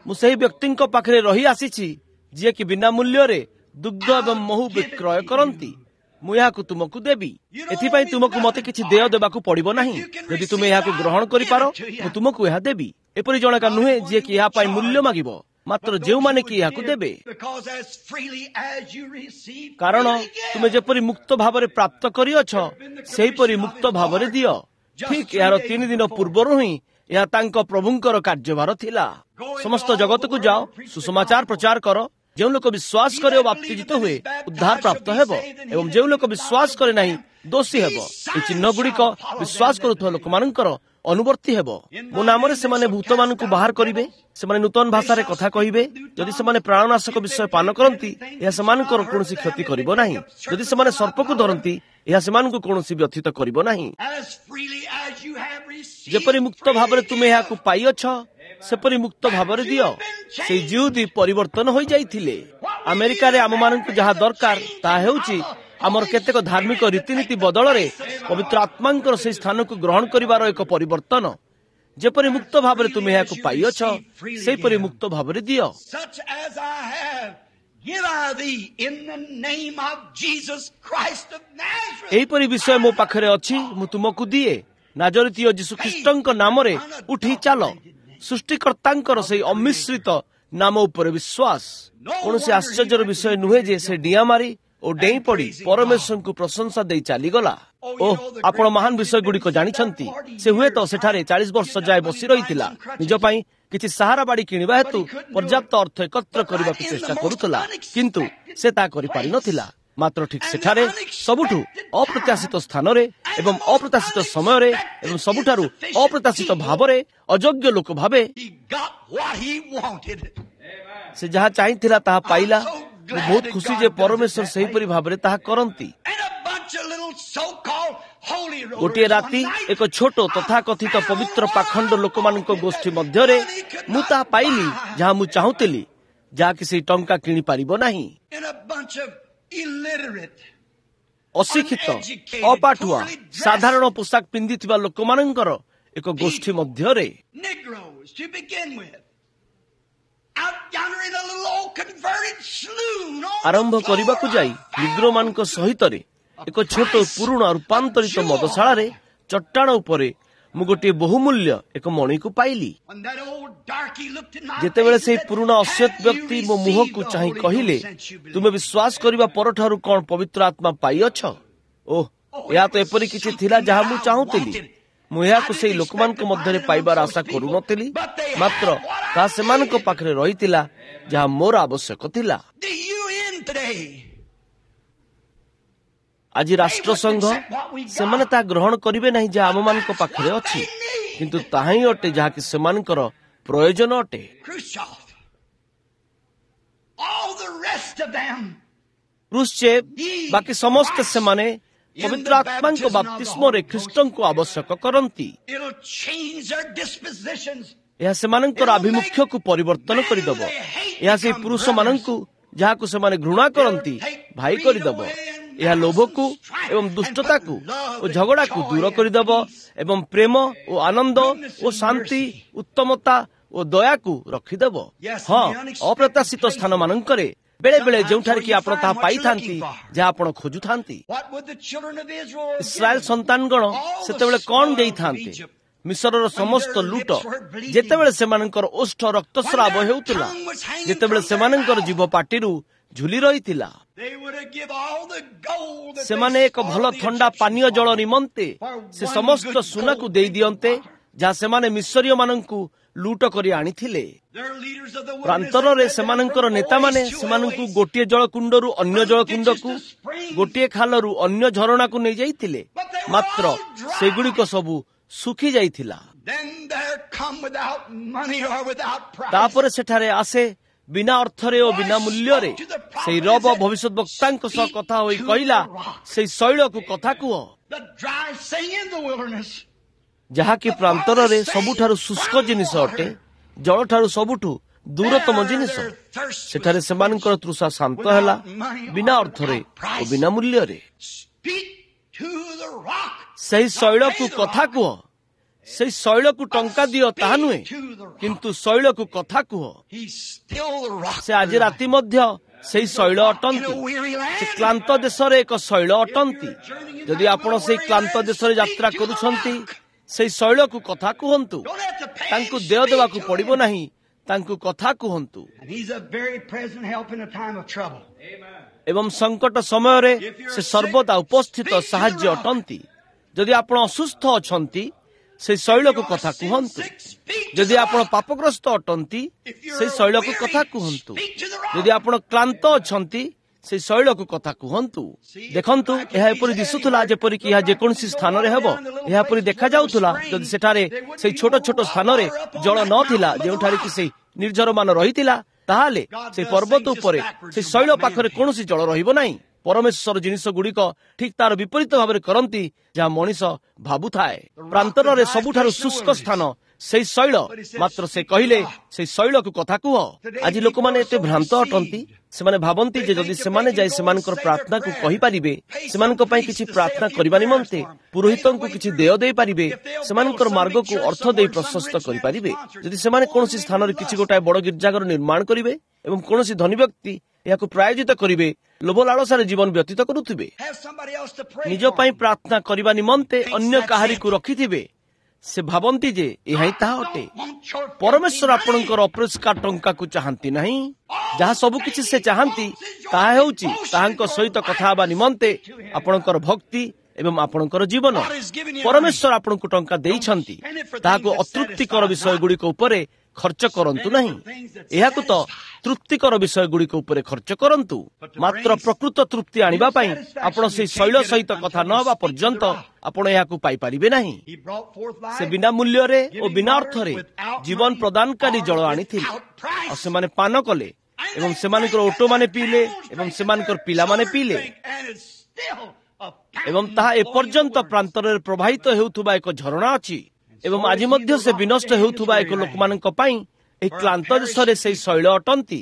ମୁଁ ସେହି ବ୍ୟକ୍ତିଙ୍କ ପାଖରେ ରହି ଆସିଛି ଯିଏକି ବିନା ମୂଲ୍ୟରେ ଦୁଗ୍ଧ ଏବଂ ମହୁ ବିକ୍ରୟ କରନ୍ତି। ମୁଁ ଏହାକୁ ତୁମକୁ ଦେବି। ଏଥିପାଇଁ ତୁମକୁ ମୋତେ କିଛି ଦେୟ ଦେବାକୁ ପଡ଼ିବ ନାହିଁ। ଯଦି ତୁମେ ଏହାକୁ ଗ୍ରହଣ କରିପାର, ମୁଁ ତୁମକୁ ଏହା ଦେବି। ଏପରି ଜଣକା ନୁହେଁ ଯିଏକି ଏହା ପାଇଁ ମୂଲ୍ୟ ମାଗିବ, ମାତ୍ର ଯେଉଁମାନେ କି ଏହାକୁ ଦେବେ। କାରଣ ତୁମେ ଯେପରି ମୁକ୍ତ ଭାବରେ ପ୍ରାପ୍ତ କରିଅଛ, ସେହିପରି ମୁକ୍ତ ଭାବରେ ଦିଅ। ଠିକ୍ ଏହାର 3 ଦିନ ପୂର୍ବରୁ ହିଁ ଏହା ତାଙ୍କ ପ୍ରଭୁଙ୍କର କାର୍ଯ୍ୟଭାର ଥିଲା। ସମସ୍ତ ଜଗତକୁ ଯାଅ, ସୁସମାଚାର ପ୍ରଚାର କର, ଯେଉଁ ଲୋକ ବିଶ୍ୱାସ କରେ ଓ ବାପ୍ତିଜିତ ହୁଏ ଉଦ୍ଧାର ପ୍ରାପ୍ତ ହେବ, ଏବଂ ଯେଉଁ ଲୋକ ବିଶ୍ୱାସ କରେ ନାହିଁ ଦୋଷୀ ହେବ। ଏହି ଚିହ୍ନ ଗୁଡ଼ିକ ବିଶ୍ୱାସ କରୁଥିବା ଲୋକମାନଙ୍କର ଅନୁବର୍ତ୍ତୀ ହେବ। ମୋ ନାମରେ ସେମାନେ ଭୂତମାନଙ୍କୁ ବାହାର କରିବେ, ସେମାନେ ନୂତନ ଭାଷାରେ କଥା କହିବେ। ଯଦି ସେମାନେ ପ୍ରାଣନାଶକ ବିଷୟ ପାନ କରନ୍ତି, ଏହା ସେମାନଙ୍କର କୌଣସି କ୍ଷତି କରିବ ନାହିଁ। ଯଦି ସେମାନେ ସର୍ପକୁ ଧରନ୍ତି, ଏହା ସେମାନଙ୍କୁ କୌଣସି ବ୍ୟଥିତ କରିବ ନାହିଁ। ଯେପରି ମୁକ୍ତ ଭାବରେ ତୁମେ ଏହାକୁ ପାଇଅଛ, ସେପରି ମୁକ୍ତ ଭାବରେ ଦିଅ। ସେଇ ଜିହୁଦୀ ପରିବର୍ତ୍ତନ ହୋଇଯାଇଥିଲେ। ଆମେରିକାରେ ଆମମାନଙ୍କୁ ଯାହା ଦରକାର ତାହା ହେଉଛି ଆମର କେତେକ ଧାର୍ମିକ ରୀତିନୀତି ବଦଳରେ ପବିତ୍ର ଆତ୍ମାଙ୍କର ସେହି ସ୍ଥାନକୁ ଗ୍ରହଣ କରିବାର ଏକ ପରିବର୍ତ୍ତନ। ଯେପରି ମୁକ୍ତ ଭାବରେ ତୁମେ ଏହାକୁ ପାଇଅଛ, ସେହିପରି ମୁକ୍ତ ଭାବରେ ଦିଅ। ଏହିପରି ବିଷୟ ମୋ ପାଖରେ ଅଛି, ମୁଁ ତୁମକୁ ଦିଏ। ନାଜରିତୀୟ ଯୀଶୁଖ୍ରୀଷ୍ଟଙ୍କ ନାମରେ ଉଠି ଚାଲ। ସୃଷ୍ଟିକର୍ତ୍ତାଙ୍କର ସେଇ ଅମିଶ୍ରିତ ନାମ ଉପରେ ବିଶ୍ୱାସ। କୌଣସି ଆଶ୍ଚର୍ଯ୍ୟର ବିଷୟ ନୁହେଁ ଯେ ସେ ଡିଆଁ ମାରି ଓ ଡେଇଁ ପଡ଼ି ପରମେଶ୍ୱରଙ୍କୁ ପ୍ରଶଂସା ଦେଇ ଚାଲିଗଲା। ଓହ, ଆପଣ ମହାନ ବିଷୟ ଗୁଡ଼ିକ ଜାଣିଛନ୍ତି। ସେ ହୁଏତ ସେଠାରେ 40 ବର୍ଷ ଯାଏ ବସି ରହିଥିଲା, ନିଜ ପାଇଁ କିଛି ସାହାରା ବାଡ଼ି କିଣିବା ହେତୁ ପର୍ଯ୍ୟାପ୍ତ ଅର୍ଥ ଏକତ୍ର କରିବାକୁ ଚେଷ୍ଟା କରୁଥିଲା, କିନ୍ତୁ ସେ ତାହା କରିପାରିନଥିଲା। ମାତ୍ର ଠିକ୍ ସେଠାରେ ସବୁଠୁ ଅପ୍ରତ୍ୟାଶିତ ସ୍ଥାନରେ ଏବଂ ଅପ୍ରତ୍ୟାଶିତ ସମୟରେ ଏବଂ ସବୁଠାରୁ ଅପ୍ରତ୍ୟାଶିତ ଭାବରେ ଅଯୋଗ୍ୟ ଲୋକ ଭାବେ ସେ ଯାହା ଚାହିଁଥିଲା ତାହା ପାଇଲା। ମୁଁ ବହୁତ ଖୁସି ଯେ ପରମେଶ୍ୱର ସେହିପରି ଭାବରେ ତାହା କରନ୍ତି। ଗୋଟିଏ ରାତି ଏକ ଛୋଟ ତଥାକଥିତ ପବିତ୍ର ପାଖଣ୍ଡ ଲୋକମାନଙ୍କ ଗୋଷ୍ଠୀ ମଧ୍ୟରେ ମୁଁ ତାହା ପାଇଲି ଯାହା ମୁଁ ଚାହୁଁଥିଲି, ଯାହାକି ସେଇ ଟଙ୍କା କିଣିପାରିବ ନାହିଁ। ଅଶିକ୍ଷିତ, ଅପାଠୁଆ, ସାଧାରଣ ପୋଷାକ ପିନ୍ଧିଥିବା ଲୋକମାନଙ୍କର ଏକ ଗୋଷ୍ଠୀ ମଧ୍ୟରେ ଆରମ୍ଭ କରିବାକୁ ଯାଇ ନିଗ୍ରୋମାନଙ୍କ ସହିତରେ ଏକ ଛୋଟ ପୁରୁଣା ରୂପାନ୍ତରିତ ମଦଶାଳାରେ ଚଟ୍ଟାଣ ଉପରେ ମୁଁ ଗୋଟିଏ ବହୁମୂଲ୍ୟ ଏକ ମଣିକୁ ପାଇଲି। ଯେତେବେଳେ ସେହି ପୁରୁଣା ଅଶ୍ଵେତ ବ୍ୟକ୍ତି ମୋ ମୁହଁକୁ ଚାହିଁ କହିଲେ, ତୁମେ ବିଶ୍ୱାସ କରିବା ପରଠାରୁ କଣ ପବିତ୍ର ଆତ୍ମା ପାଇଅଛ? ଓହ, ଏହା ତ ଏପରି କିଛି ଥିଲା ଯାହା ମୁଁ ଚାହୁଁଥିଲି। ମୁଁ ଏହାକୁ ସେଇ ଲୋକମାନଙ୍କ ମଧ୍ୟରେ ପାଇବାର ଆଶା କରୁନଥିଲି, ମାତ୍ର ତାହା ସେମାନଙ୍କ ପାଖରେ ରହିଥିଲା ଯାହା ମୋର ଆବଶ୍ୟକ ଥିଲା। ଆଜି ରାଷ୍ଟ୍ରସଂଘ ସେମାନେ ତାହା ଗ୍ରହଣ କରିବେ ନାହିଁ ଯାହା ଆମମାନଙ୍କ ପାଖରେ ଅଛି, କିନ୍ତୁ ତାହା ହିଁ ଅଟେ ଯାହାକି ସେମାନଙ୍କର ପ୍ରୟୋଜନ ଅଟେ। କ୍ରୁଶ୍ଚେଭ, ବାକି ସମସ୍ତେ ସେମାନେ ପବିତ୍ର ଆତ୍ମାଙ୍କ ବାପ୍ତିସ୍ମରେ ଖ୍ରୀଷ୍ଟଙ୍କୁ ଆବଶ୍ୟକ କରନ୍ତି। ଏହା ସେମାନଙ୍କର ଆଭିମୁଖ୍ୟକୁ ପରିବର୍ତ୍ତନ କରିଦେବ। ଏହା ସେହି ପୁରୁଷମାନଙ୍କୁ ଯାହାକୁ ସେମାନେ ଘୃଣା କରନ୍ତି ଭାଇ କରିଦେବ। ଏହା ଲୋଭକୁ ଏବଂ ଦୁଷ୍ଟତାକୁ ଓ ଝଗଡ଼ାକୁ ଦୂର କରିଦେବ ଏବଂ ପ୍ରେମ ଓ ଆନନ୍ଦ ଓ ଶାନ୍ତି, ଉତ୍ତମତା ଓ ଦୟାକୁ ରଖିଦେବ। ହଁ, ଅପ୍ରତ୍ୟାଶିତ ସ୍ଥାନମାନଙ୍କରେ ବେଳେବେଳେ ଯେଉଁଠାରେ କି ଆପଣ ତାହା ପାଇଥାନ୍ତି ଯାହା ଆପଣ ଖୋଜୁଥାନ୍ତି। ଇସ୍ରାଏଲ ସନ୍ତାନଗଣ ସେତେବେଳେ କଣ ଦେଇଥାନ୍ତେ? ମିଶରର ସମସ୍ତ ଲୁଟ, ଯେତେବେଳେ ସେମାନଙ୍କର ଓଷ୍ଠ ରକ୍ତସ୍ରାବ ହେଉଥିଲା, ଯେତେବେଳେ ସେମାନଙ୍କର ଜିଭ ପାଟିରୁ ଝୁଲି ରହିଥିଲା, ସେମାନେ ଏକ ଭଲ ଥଣ୍ଡା ପାନୀୟ ଜଳ ନିମନ୍ତେ ସେ ସମସ୍ତ ସୁନାକୁ ଦେଇ ଦିଅନ୍ତେ ଯାହା ସେମାନେ ମିଶରୀୟମାନଙ୍କୁ ଲୁଟ କରି ଆଣିଥିଲେ। ପ୍ରାନ୍ତରରେ ସେମାନଙ୍କର ନେତାମାନେ ସେମାନଙ୍କୁ ଗୋଟିଏ ଜଳକୁଣ୍ଡରୁ ଅନ୍ୟ ଜଳକୁଣ୍ଡକୁ, ଗୋଟିଏ ଖାଲରୁ ଅନ୍ୟ ଝରଣାକୁ ନେଇଯାଇଥିଲେ, ମାତ୍ର ସେଗୁଡ଼ିକ ସବୁ ଶୁଖି ଯାଇଥିଲା। ତାପରେ ସେଠାରେ ଆସେ ବିନା ଅର୍ଥରେ ଓ ବିନା ମୂଲ୍ୟରେ ସେଇ ରବ ଭବିଷ୍ୟତ ବକ୍ତାଙ୍କ ସହ କଥା ହୋଇ କହିଲା, ସେଇ ଶୈଳକୁ କଥା କୁହ ଯାହାକି ପ୍ରାନ୍ତରରେ ସବୁଠାରୁ ଶୁଷ୍କ ଜିନିଷ ଅଟେ, ଜଳଠାରୁ ସବୁଠୁ ଦୂରତମ ଜିନିଷ। ସେଠାରେ ସେମାନଙ୍କର ତୃଷା ଶାନ୍ତ ହେଲା ବିନା ଅର୍ଥରେ ଓ ବିନା ମୂଲ୍ୟରେ। ସେହି ଶୈଳକୁ କଥା କୁହ, ସେଇ ଶୈଳକୁ ଟଙ୍କା ଦିଅ ତାହା ନୁହେଁ, କିନ୍ତୁ ଶୈଳକୁ କଥା କୁହ। ସେ ଆଜି ରାତି ମଧ୍ୟ ସେଇ ଶୈଳ ଅଟନ୍ତି। ସେ କ୍ଳାନ୍ତ ଦେଶରେ ଏକ ଶୈଳ ଅଟନ୍ତି। ଯଦି ଆପଣ ସେଇ କ୍ଳାନ୍ତ ଦେଶରେ ଯାତ୍ରା କରୁଛନ୍ତି, ସେଇ ଶୈଳକୁ କଥା କୁହନ୍ତୁ। ତାଙ୍କୁ ଦେୟ ଦେବାକୁ ପଡ଼ିବ ନାହିଁ, ତାଙ୍କୁ କଥା କୁହନ୍ତୁ। ଏବଂ ସଙ୍କଟ ସମୟରେ ସେ ସର୍ବଦା ଉପସ୍ଥିତ ସାହାଯ୍ୟ ଅଟନ୍ତି। ଯଦି ଆପଣ ଅସୁସ୍ଥ ଅଛନ୍ତି, ସେଇ ଶୈଳକୁ କଥା କୁହନ୍ତୁ। ଯଦି ଆପଣ ପାପଗ୍ରସ୍ତ ଅଟନ୍ତି, ସେଇ ଶୈଳକୁ କଥା କୁହନ୍ତୁ। ଯଦି ଆପଣ କ୍ଳାନ୍ତ ଅଛନ୍ତି, ସେଇ ଶୈଳକୁ କଥା କୁହନ୍ତୁ। ଦେଖନ୍ତୁ, ଏହା ଏପରି ଦିଶୁଥିଲା ଯେପରିକି ଏହା ଯେକୌଣସି ସ୍ଥାନରେ ହେବ। ଏହା ପରି ଦେଖାଯାଉଥିଲା ଯଦି ସେଠାରେ ସେଇ ଛୋଟ ଛୋଟ ସ୍ଥାନରେ ଜଳ ନଥିଲା, ଯେଉଁଠାରେ କି ସେଇ ନିର୍ଝରମାନ ରହିଥିଲା, ତାହେଲେ ସେଇ ପର୍ବତ ଉପରେ ସେଇ ଶୈଳ ପାଖରେ କୌଣସି ଜଳ ରହିବ ନାହିଁ। ପରମେଶ୍ୱର ଜିନିଷ ଗୁଡ଼ିକ ଠିକ ତାର ବିପରୀତ ଭାବରେ କରନ୍ତି ଯାହା ମଣିଷ ଭାବୁଥାଏ। ପ୍ରାନ୍ତରରେ ସବୁଠାରୁ ଶୁଷ୍କ ସ୍ଥାନ ସେଇ ଶୈଳ, ମାତ୍ର ସେ କହିଲେ ସେଇ ଶୈଳକୁ କଥା କୁହ। ଆଜି ଲୋକମାନେ ଏତେ ଭ୍ରାନ୍ତ ଅଟନ୍ତି। ସେମାନେ ଭାବନ୍ତି ଯେ ଯଦି ସେମାନେ ଯାଇ ସେମାନଙ୍କର ପ୍ରାର୍ଥନାକୁ କହିପାରିବେ, ସେମାନଙ୍କ ପାଇଁ କିଛି ପ୍ରାର୍ଥନା କରିବା ନିମନ୍ତେ ପୁରୋହିତଙ୍କୁ କିଛି ଦେୟ ଦେଇପାରିବେ, ସେମାନଙ୍କର ମାର୍ଗକୁ ଅର୍ଥ ଦେଇ ପ୍ରଶସ୍ତ କରିପାରିବେ, ଯଦି ସେମାନେ କୌଣସି ସ୍ଥାନରେ କିଛି ଗୋଟାଏ ବଡ଼ ଗିର୍ଜାଘର ନିର୍ମାଣ କରିବେ ଏବଂ କୌଣସି ଧନୀ ବ୍ୟକ୍ତି ଏହାକୁ ପ୍ରାୟୋଜିତ କରିବେ, ଲୋଭ ଲାଳସାରେ ଜୀବନ ବ୍ୟତୀତ କରୁଥିବେ, ନିଜ ପାଇଁ ପ୍ରାର୍ଥନା କରିବା ନିମନ୍ତେ ଅନ୍ୟ କାହାରିକୁ ରଖିଥିବେ, ସେ ଭାବନ୍ତି ଯେ ଏହା ହିଁ ତାହା ଅଟେ। ପରମେଶ୍ୱର ଆପଣଙ୍କର ଅପରିଷ୍କାର ଟଙ୍କାକୁ ଚାହାନ୍ତି ନାହିଁ। ଯାହା ସବୁକିଛି ସେ ଚାହାନ୍ତି ତାହା ହେଉଛି ତାହାଙ୍କ ସହିତ କଥା ହେବା ନିମନ୍ତେ ଆପଣଙ୍କର ଭକ୍ତି ଏବଂ ଆପଣଙ୍କର ଜୀବନ। ପରମେଶ୍ୱର ଆପଣଙ୍କୁ ଟଙ୍କା ଦେଇଛନ୍ତି, ତାହାକୁ ଅତୃପ୍ତିକର ବିଷୟଗୁଡ଼ିକ ଉପରେ ଖର୍ଚ୍ଚ କରନ୍ତୁ ନାହିଁ। ଏହାକୁ ତ ତୃପ୍ତିକର ବିଷୟଗୁଡ଼ିକ ଉପରେ ଖର୍ଚ୍ଚ କରନ୍ତୁ। ମାତ୍ର ପ୍ରକୃତ ତୃପ୍ତି ଆଣିବା ପାଇଁ ଆପଣ ସେଇ ଶୈଳ ସହିତ କଥା ନ ହେବା ପର୍ଯ୍ୟନ୍ତ ଆପଣ ଏହାକୁ ପାଇପାରିବେ ନାହିଁ। ସେ ବିନା ମୂଲ୍ୟରେ ଓ ବିନା ଅର୍ଥରେ ଜୀବନ ପ୍ରଦାନକାରୀ ଜଳ ଆଣିଥିଲେ, ଆଉ ସେମାନେ ପାନ କଲେ ଏବଂ ସେମାନଙ୍କର ଓଟମାନେ ପିଇଲେ ଏବଂ ସେମାନଙ୍କର ପିଲାମାନେ ପିଇଲେ, ଏବଂ ତାହା ଏପର୍ଯ୍ୟନ୍ତ ପ୍ରାନ୍ତରରେ ପ୍ରବାହିତ ହେଉଥିବା ଏକ ଝରଣା ଅଛି। ଏବଂ ଆଜି ମଧ୍ୟ ସେ ବିନଷ୍ଟ ହେଉଥିବା ଏକ ଲୋକମାନଙ୍କ ପାଇଁ ଏହି କ୍ଳାନ୍ତ ଦେଶରେ ସେଇ ଶୈଳ ଅଟନ୍ତି।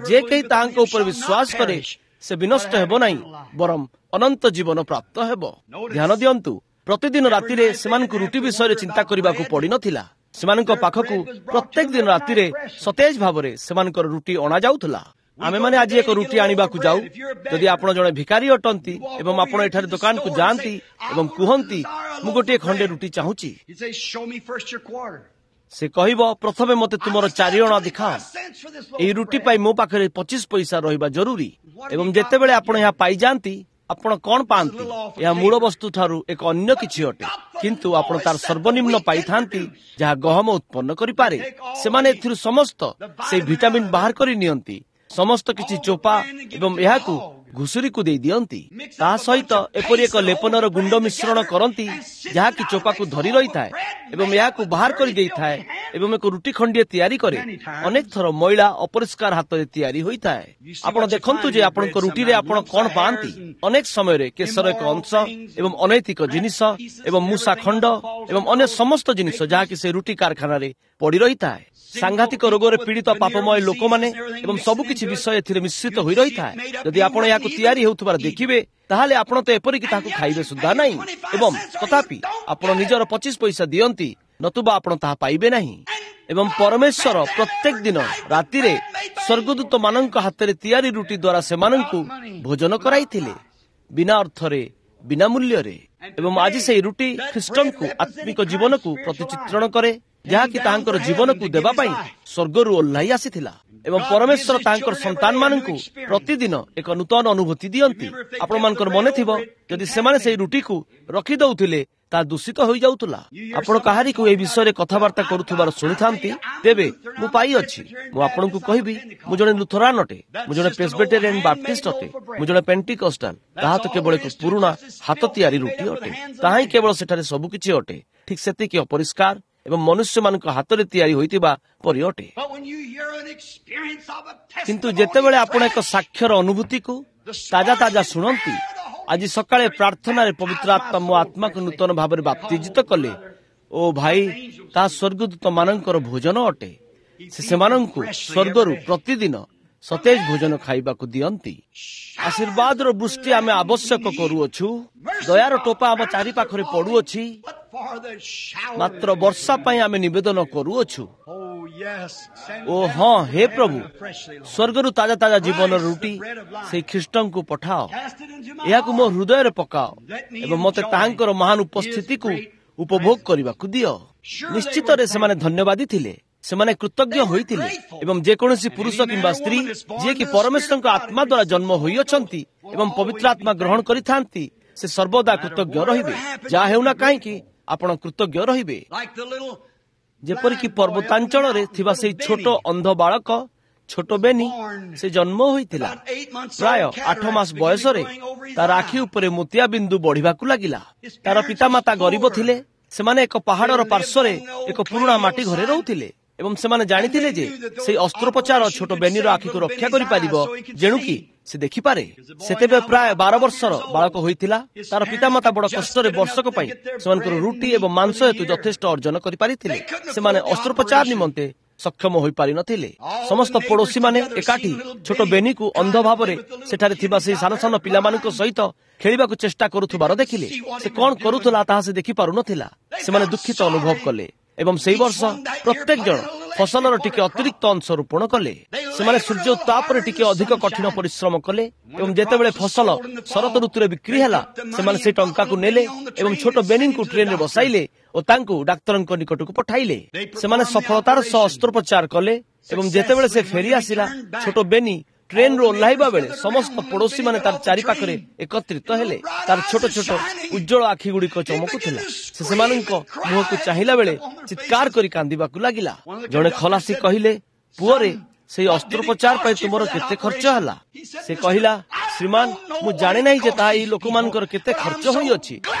ଯେ କେହି ତାହାଙ୍କ ଉପରେ ବିଶ୍ୱାସ କରେ ସେ ବିନଷ୍ଟ ହେବ ନାହିଁ, ବରଂ ଅନନ୍ତ ଜୀବନ ପ୍ରାପ୍ତ ହେବ। ଧ୍ୟାନ ଦିଅନ୍ତୁ, ପ୍ରତିଦିନ ରାତିରେ ସେମାନଙ୍କୁ ରୁଟି ବିଷୟରେ ଚିନ୍ତା କରିବାକୁ ପଡ଼ିନଥିଲା। ସେମାନଙ୍କ ପାଖକୁ ପ୍ରତ୍ୟେକ ଦିନ ରାତିରେ ସତେଜ ଭାବରେ ସେମାନଙ୍କର ରୁଟି ଅଣାଯାଉଥିଲା। ଆମେମାନେ ଆଜି ଏକ ରୁଟି ଆଣିବାକୁ ଯାଉ। ଯଦି ଆପଣ ଜଣେ ଭିକାରୀ ଅଟନ୍ତି ଏବଂ ଆପଣ ଏଠାରେ ଦୋକାନକୁ ଯାଆନ୍ତି ଏବଂ କୁହନ୍ତି, ମୁଁ ଗୋଟିଏ ଖଣ୍ଡେ ରୁଟି ଚାହୁଁଛି, ସେ କହିବ, ପ୍ରଥମେ ମୋତେ ତୁମର 4 ଅଣା ଦେଖାଅ। ଏହି ରୁଟି ପାଇଁ ମୋ ପାଖରେ 25 ପଇସା ରହିବା ଜରୁରୀ। ଏବଂ ଯେତେବେଳେ ଆପଣ ଏହା ପାଇଯାଆନ୍ତି, ଆପଣ କଣ ପାଆନ୍ତି? ଏହା ମୂଳ ବସ୍ତୁ ଠାରୁ ଏକ ଅନ୍ୟ କିଛି ଅଟେ, କିନ୍ତୁ ଆପଣ ତାର ସର୍ବନିମ୍ନ ପାଇଥାନ୍ତି ଯାହା ଗହମ ଉତ୍ପନ୍ନ କରିପାରେ। ସେମାନେ ଏଥିରୁ ସମସ୍ତ ସେଇ ଭିଟାମିନ୍ ବାହାର କରି ନିଅନ୍ତି, ସମସ୍ତ କିଛି ଚୋପା, ଏବଂ ଏହାକୁ ଘୁଷୁରୀକୁ ଦେଇ ଦିଅନ୍ତି। ତା ସହିତ ଏପରି ଏକ ଲେପନର ଗୁଣ୍ଡ ମିଶ୍ରଣ କରନ୍ତି ଯାହାକି ଚୋପାକୁ ଧରି ରହିଥାଏ ଏବଂ ଏହାକୁ ବାହାର କରି ଦେଇଥାଏ ଏବଂ ଏକ ରୁଟି ଖଣ୍ଡିଏ ତିଆରି କରେ। ଅନେକ ଥର ମଇଳା ଅପରିଷ୍କାର ହାତରେ ତିଆରି ହୋଇଥାଏ। ଆପଣ ଦେଖନ୍ତୁ ଯେ ଆପଣଙ୍କ ରୁଟିରେ ଆପଣ କଣ ପାଆନ୍ତି। ଅନେକ ସମୟରେ କେଶର ଏକ ଅଂଶ ଏବଂ ଅନୈତିକ ଜିନିଷ ଏବଂ ମୂଷା ଖଣ୍ଡ ଏବଂ ଅନ୍ୟ ସମସ୍ତ ଜିନିଷ ଯାହାକି ସେ ରୁଟି କାରଖାନାରେ ପଡ଼ି ରହିଥାଏ। ସାଂଘାତିକ ରୋଗରେ ପୀଡ଼ିତ ପାପମୟ ଲୋକମାନେ ଏବଂ ସବୁକିଛି ବିଷୟ ଏଥିରେ ମିଶ୍ରିତ ହୋଇ ରହିଥାଏ। ଯଦି ଆପଣ ଏହାକୁ ତିଆରି ହେଉଥିବାର ଦେଖିବେ, ତାହେଲେ ଆପଣ ତ ଏପରିକି ତାହାକୁ ଖାଇବେ ସୁଦ୍ଧା ନାହିଁ। ଏବଂ ତଥାପି ଆପଣ ନିଜର 25 ପଇସା ଦିଅନ୍ତି, ନତୁବା ଆପଣ ତାହା ପାଇବେ ନାହିଁ। ଏବଂ ପରମେଶ୍ୱର ପ୍ରତ୍ୟେକ ଦିନ ରାତିରେ ସ୍ୱର୍ଗଦୂତମାନଙ୍କ ହାତରେ ତିଆରି ରୁଟି ଦ୍ୱାରା ସେମାନଙ୍କୁ ଭୋଜନ କରାଇଥିଲେ, ବିନା ଅର୍ଥରେ, ବିନା ମୂଲ୍ୟରେ। ଏବଂ ଆଜି ସେହି ରୁଟି ଖ୍ରୀଷ୍ଟଙ୍କୁ ଆତ୍ମିକ ଜୀବନକୁ ପ୍ରତିଚିତ୍ରଣ କରେ, ଯାହାକି ତାହାଙ୍କର ଜୀବନକୁ ଦେବା ପାଇଁ ସ୍ୱର୍ଗରୁ ଓହ୍ଲାଇ ଆସିଥିଲା। ଏବଂ ପରମେଶ୍ୱର ତାହାଙ୍କର ସନ୍ତାନମାନଙ୍କୁ ପ୍ରତିଦିନ ଏକ ନୂତନ ଅନୁଭୂତି ଦିଅନ୍ତି। ଆପଣମାନଙ୍କର ମନେ ଥିବ, ଯଦି ସେମାନେ ସେହି ରୁଟିକୁ ରଖିଦଉଥିଲେ ତାହା ଦୂଷିତ ହୋଇଯାଉଥିଲା। ଆପଣ କାହାରିକୁ ଏହି ବିଷୟରେ କଥାବାର୍ତ୍ତା କରୁଥିବାର ଶୁଣିଥାନ୍ତି, ତେବେ ମୁଁ ପାଇଅଛି। ମୁଁ ଆପଣଙ୍କୁ କହିବି, ମୁଁ ଜଣେ ଲୁଥରାନ ଅଟେ, ମୁଁ ଜଣେ ପ୍ରେସବିଟେରିଆନ ବାପ୍ଟିଷ୍ଟ ଅଟେ, ମୁଁ ଜଣେ ପେଣ୍ଟିକଷ୍ଟାଲ। ତାହା ତ କେବଳ ଏକ ପୁରୁଣା ହାତ ତିଆରି ରୁଟି ଅଟେ। ତାହା ହିଁ କେବଳ ସେଠାରେ ସବୁକିଛି ଅଟେ, ଠିକ୍ ସେତିକି ଅପରିଷ୍କାର ଏବଂ ମନୁଷ୍ୟମାନଙ୍କ ହାତରେ ତିଆରି ହୋଇଥିବା ପରି ଅଟେ। କିନ୍ତୁ ଯେତେବେଳେ ଆପଣ ଏକ ସାକ୍ଷ୍ୟର ଅନୁଭୂତିକୁ ତାଜା ତାଜା ଶୁଣନ୍ତି, ଆଜି ସକାଳେ ପ୍ରାର୍ଥନାରେ ପବିତ୍ର ଆତ୍ମା ମୋ ଆତ୍ମାକୁ ନୂତନ ଭାବରେ ବାପ୍ତିଜିତ କଲେ। ଓ ଭାଇ, ତାହା ସ୍ୱର୍ଗଦୂତମାନଙ୍କର ଭୋଜନ ଅଟେ। ସେ ସେମାନଙ୍କୁ ସ୍ୱର୍ଗରୁ ପ୍ରତିଦିନ ସତେଜ ଭୋଜନ ଖାଇବାକୁ ଦିଅନ୍ତି। ଆଶୀର୍ବାଦର ବୃଷ୍ଟି ଆମେ ଆବଶ୍ୟକ କରୁଅଛୁ। ଦୟାର ଟୋପା ଆମ ଚାରିପାଖରେ ପଡୁଅଛି, ମାତ୍ର ବର୍ଷା ପାଇଁ ଆମେ ନିବେଦନ କରୁଅଛୁ। ଓ ହଁ, ହେ ପ୍ରଭୁ, ସ୍ୱର୍ଗରୁ ତାଜା ତାଜା ଜୀବନର ରୁଟି ସେଇ ଖ୍ରୀଷ୍ଟଙ୍କୁ ପଠାଅ। ଏହାକୁ ମୋ ହୃଦୟରେ ପକାଅ ଏବଂ ମୋତେ ତାହାଙ୍କର ମହାନ ଉପସ୍ଥିତିକୁ ଉପଭୋଗ କରିବାକୁ ଦିଅ। ନିଶ୍ଚିତରେ ସେମାନେ ଧନ୍ୟବାଦୀ ଥିଲେ, ସେମାନେ କୃତଜ୍ଞ ହୋଇଥିଲେ। ଏବଂ ଯେକୌଣସି ପୁରୁଷ କିମ୍ବା ସ୍ତ୍ରୀ ଯିଏକି ପରମେଶ୍ୱରଙ୍କ ଆତ୍ମା ଦ୍ୱାରା ଜନ୍ମ ହୋଇଅଛନ୍ତି ଏବଂ ପବିତ୍ର ଆତ୍ମା ଗ୍ରହଣ କରିଥାନ୍ତି, ସେ ସର୍ବଦା କୃତଜ୍ଞ ରହିବେ। ଯାହା ହେଉନା କାହିଁକି, ଆପଣ କୃତଜ୍ଞ ରହିବେ। ଯେପରିକି ପର୍ବତାଞ୍ଚଳରେ ଥିବା ସେଇ ଛୋଟ ଅନ୍ଧ ବାଳକ, ଛୋଟ ବେନି, ସେ ଜନ୍ମ ହୋଇଥିଲା ପ୍ରାୟ 8 ମାସ ବୟସରେ। ତାର ଆଖି ଉପରେ ମୋତିଆ ବିନ୍ଦୁ ବଢିବାକୁ ଲାଗିଲା। ତାର ପିତାମାତା ଗରିବ ଥିଲେ। ସେମାନେ ଏକ ପାହାଡର ପାର୍ଶ୍ୱରେ ଏକ ପୁରୁଣା ମାଟି ଘରେ ରହୁଥିଲେ ଏବଂ ସେମାନେ ଜାଣିଥିଲେ ଯେ ସେଇ ଅସ୍ତ୍ରୋପଚାର ଛୋଟ ବେନିର ଆଖିକୁ ରକ୍ଷା କରିପାରିବ, ଯେଣୁକି ସେ ଦେଖିପାରେ। ସେତେବେଳେ ପ୍ରାୟ 12 ବର୍ଷର ବାଳକ ହୋଇଥିଲା। ତାର ପିତାମାତା ବଡ କଷ୍ଟରେ ବର୍ଷକ ପାଇଁ ସେମାନଙ୍କର ରୁଟି ଏବଂ ମାଂସ ହେତୁ ଯଥେଷ୍ଟ ଅର୍ଜନ କରିପାରିଥିଲେ। ସେମାନେ ଅସ୍ତ୍ରୋପଚାର ନିମନ୍ତେ ସକ୍ଷମ ହୋଇପାରିନଥିଲେ। ସମସ୍ତ ପଡୋଶୀମାନେ ଏକାଠି ଛୋଟ ବେନିକୁ ଅନ୍ଧ ଭାବରେ ସେଠାରେ ଥିବା ସେହି ସାନ ସାନ ପିଲାମାନଙ୍କ ସହିତ ଖେଳିବାକୁ ଚେଷ୍ଟା କରୁଥିବାର ଦେଖିଲେ। ସେ କଣ କରୁଥିଲା ତାହା ସେ ଦେଖିପାରୁନଥିଲା। ସେମାନେ ଦୁଃଖିତ ଅନୁଭବ କଲେ ଏବଂ ସେହି ବର୍ଷ ପ୍ରତ୍ୟେକ ଜଣ ଫସଲର ଟିକେ ଅତିରିକ୍ତ ଅଂଶ ରୋପଣ କଲେ। ସେମାନେ ସୂର୍ଯ୍ୟ ଉତ୍ତାପରେ ଟିକେ ଅଧିକ କଠିନ ପରିଶ୍ରମ କଲେ ଏବଂ ଯେତେବେଳେ ଫସଲ ଶରତ ଋତୁରେ ବିକ୍ରି ହେଲା, ସେମାନେ ସେହି ଟଙ୍କାକୁ ନେଲେ ଏବଂ ଛୋଟ ବେନିଙ୍କୁ ଟ୍ରେନରେ ବସାଇଲେ ଓ ତାଙ୍କୁ ଡାକ୍ତରଙ୍କ ନିକଟକୁ ପଠାଇଲେ। ସେମାନେ ସଫଳତାର ସହ ଅସ୍ତ୍ରୋପଚାର କଲେ ଏବଂ ଯେତେବେଳେ ସେ ଫେରି ଆସିଲା, ଛୋଟ ବେନି ଟ୍ରେନରୁ ଓହ୍ଲାଇବା ବେଳେ ସମସ୍ତ ପଡୋଶୀମାନେ ତାର ଚାରିପାଖରେ ଏକତ୍ରିତ ହେଲେ। ତାର ଛୋଟ ଛୋଟ ଉଜ୍ଜଳ ଆଖି ଗୁଡିକ ଚମକୁଥିଲା। ସେ ସେମାନଙ୍କ ମୁହଁକୁ ଚାହିଁଲା ବେଳେ ଚିତ୍କାର କରି କାନ୍ଦିବାକୁ ଲାଗିଲା। ଜଣେ ଖଲାସୀ କହିଲେ, ପୁଅରେ, ସେଇ ଅସ୍ତ୍ରୋପଚାର ପାଇଁ ତୁମର କେତେ ଖର୍ଚ୍ଚ ହେଲା? ସେ କହିଲା, ଶ୍ରୀମାନ, ମୁଁ ଜାଣେ ନାହିଁ ଯେ ତାହା ଏହି ଲୋକମାନଙ୍କର କେତେ ଖର୍ଚ୍ଚ ହୋଇଅଛି,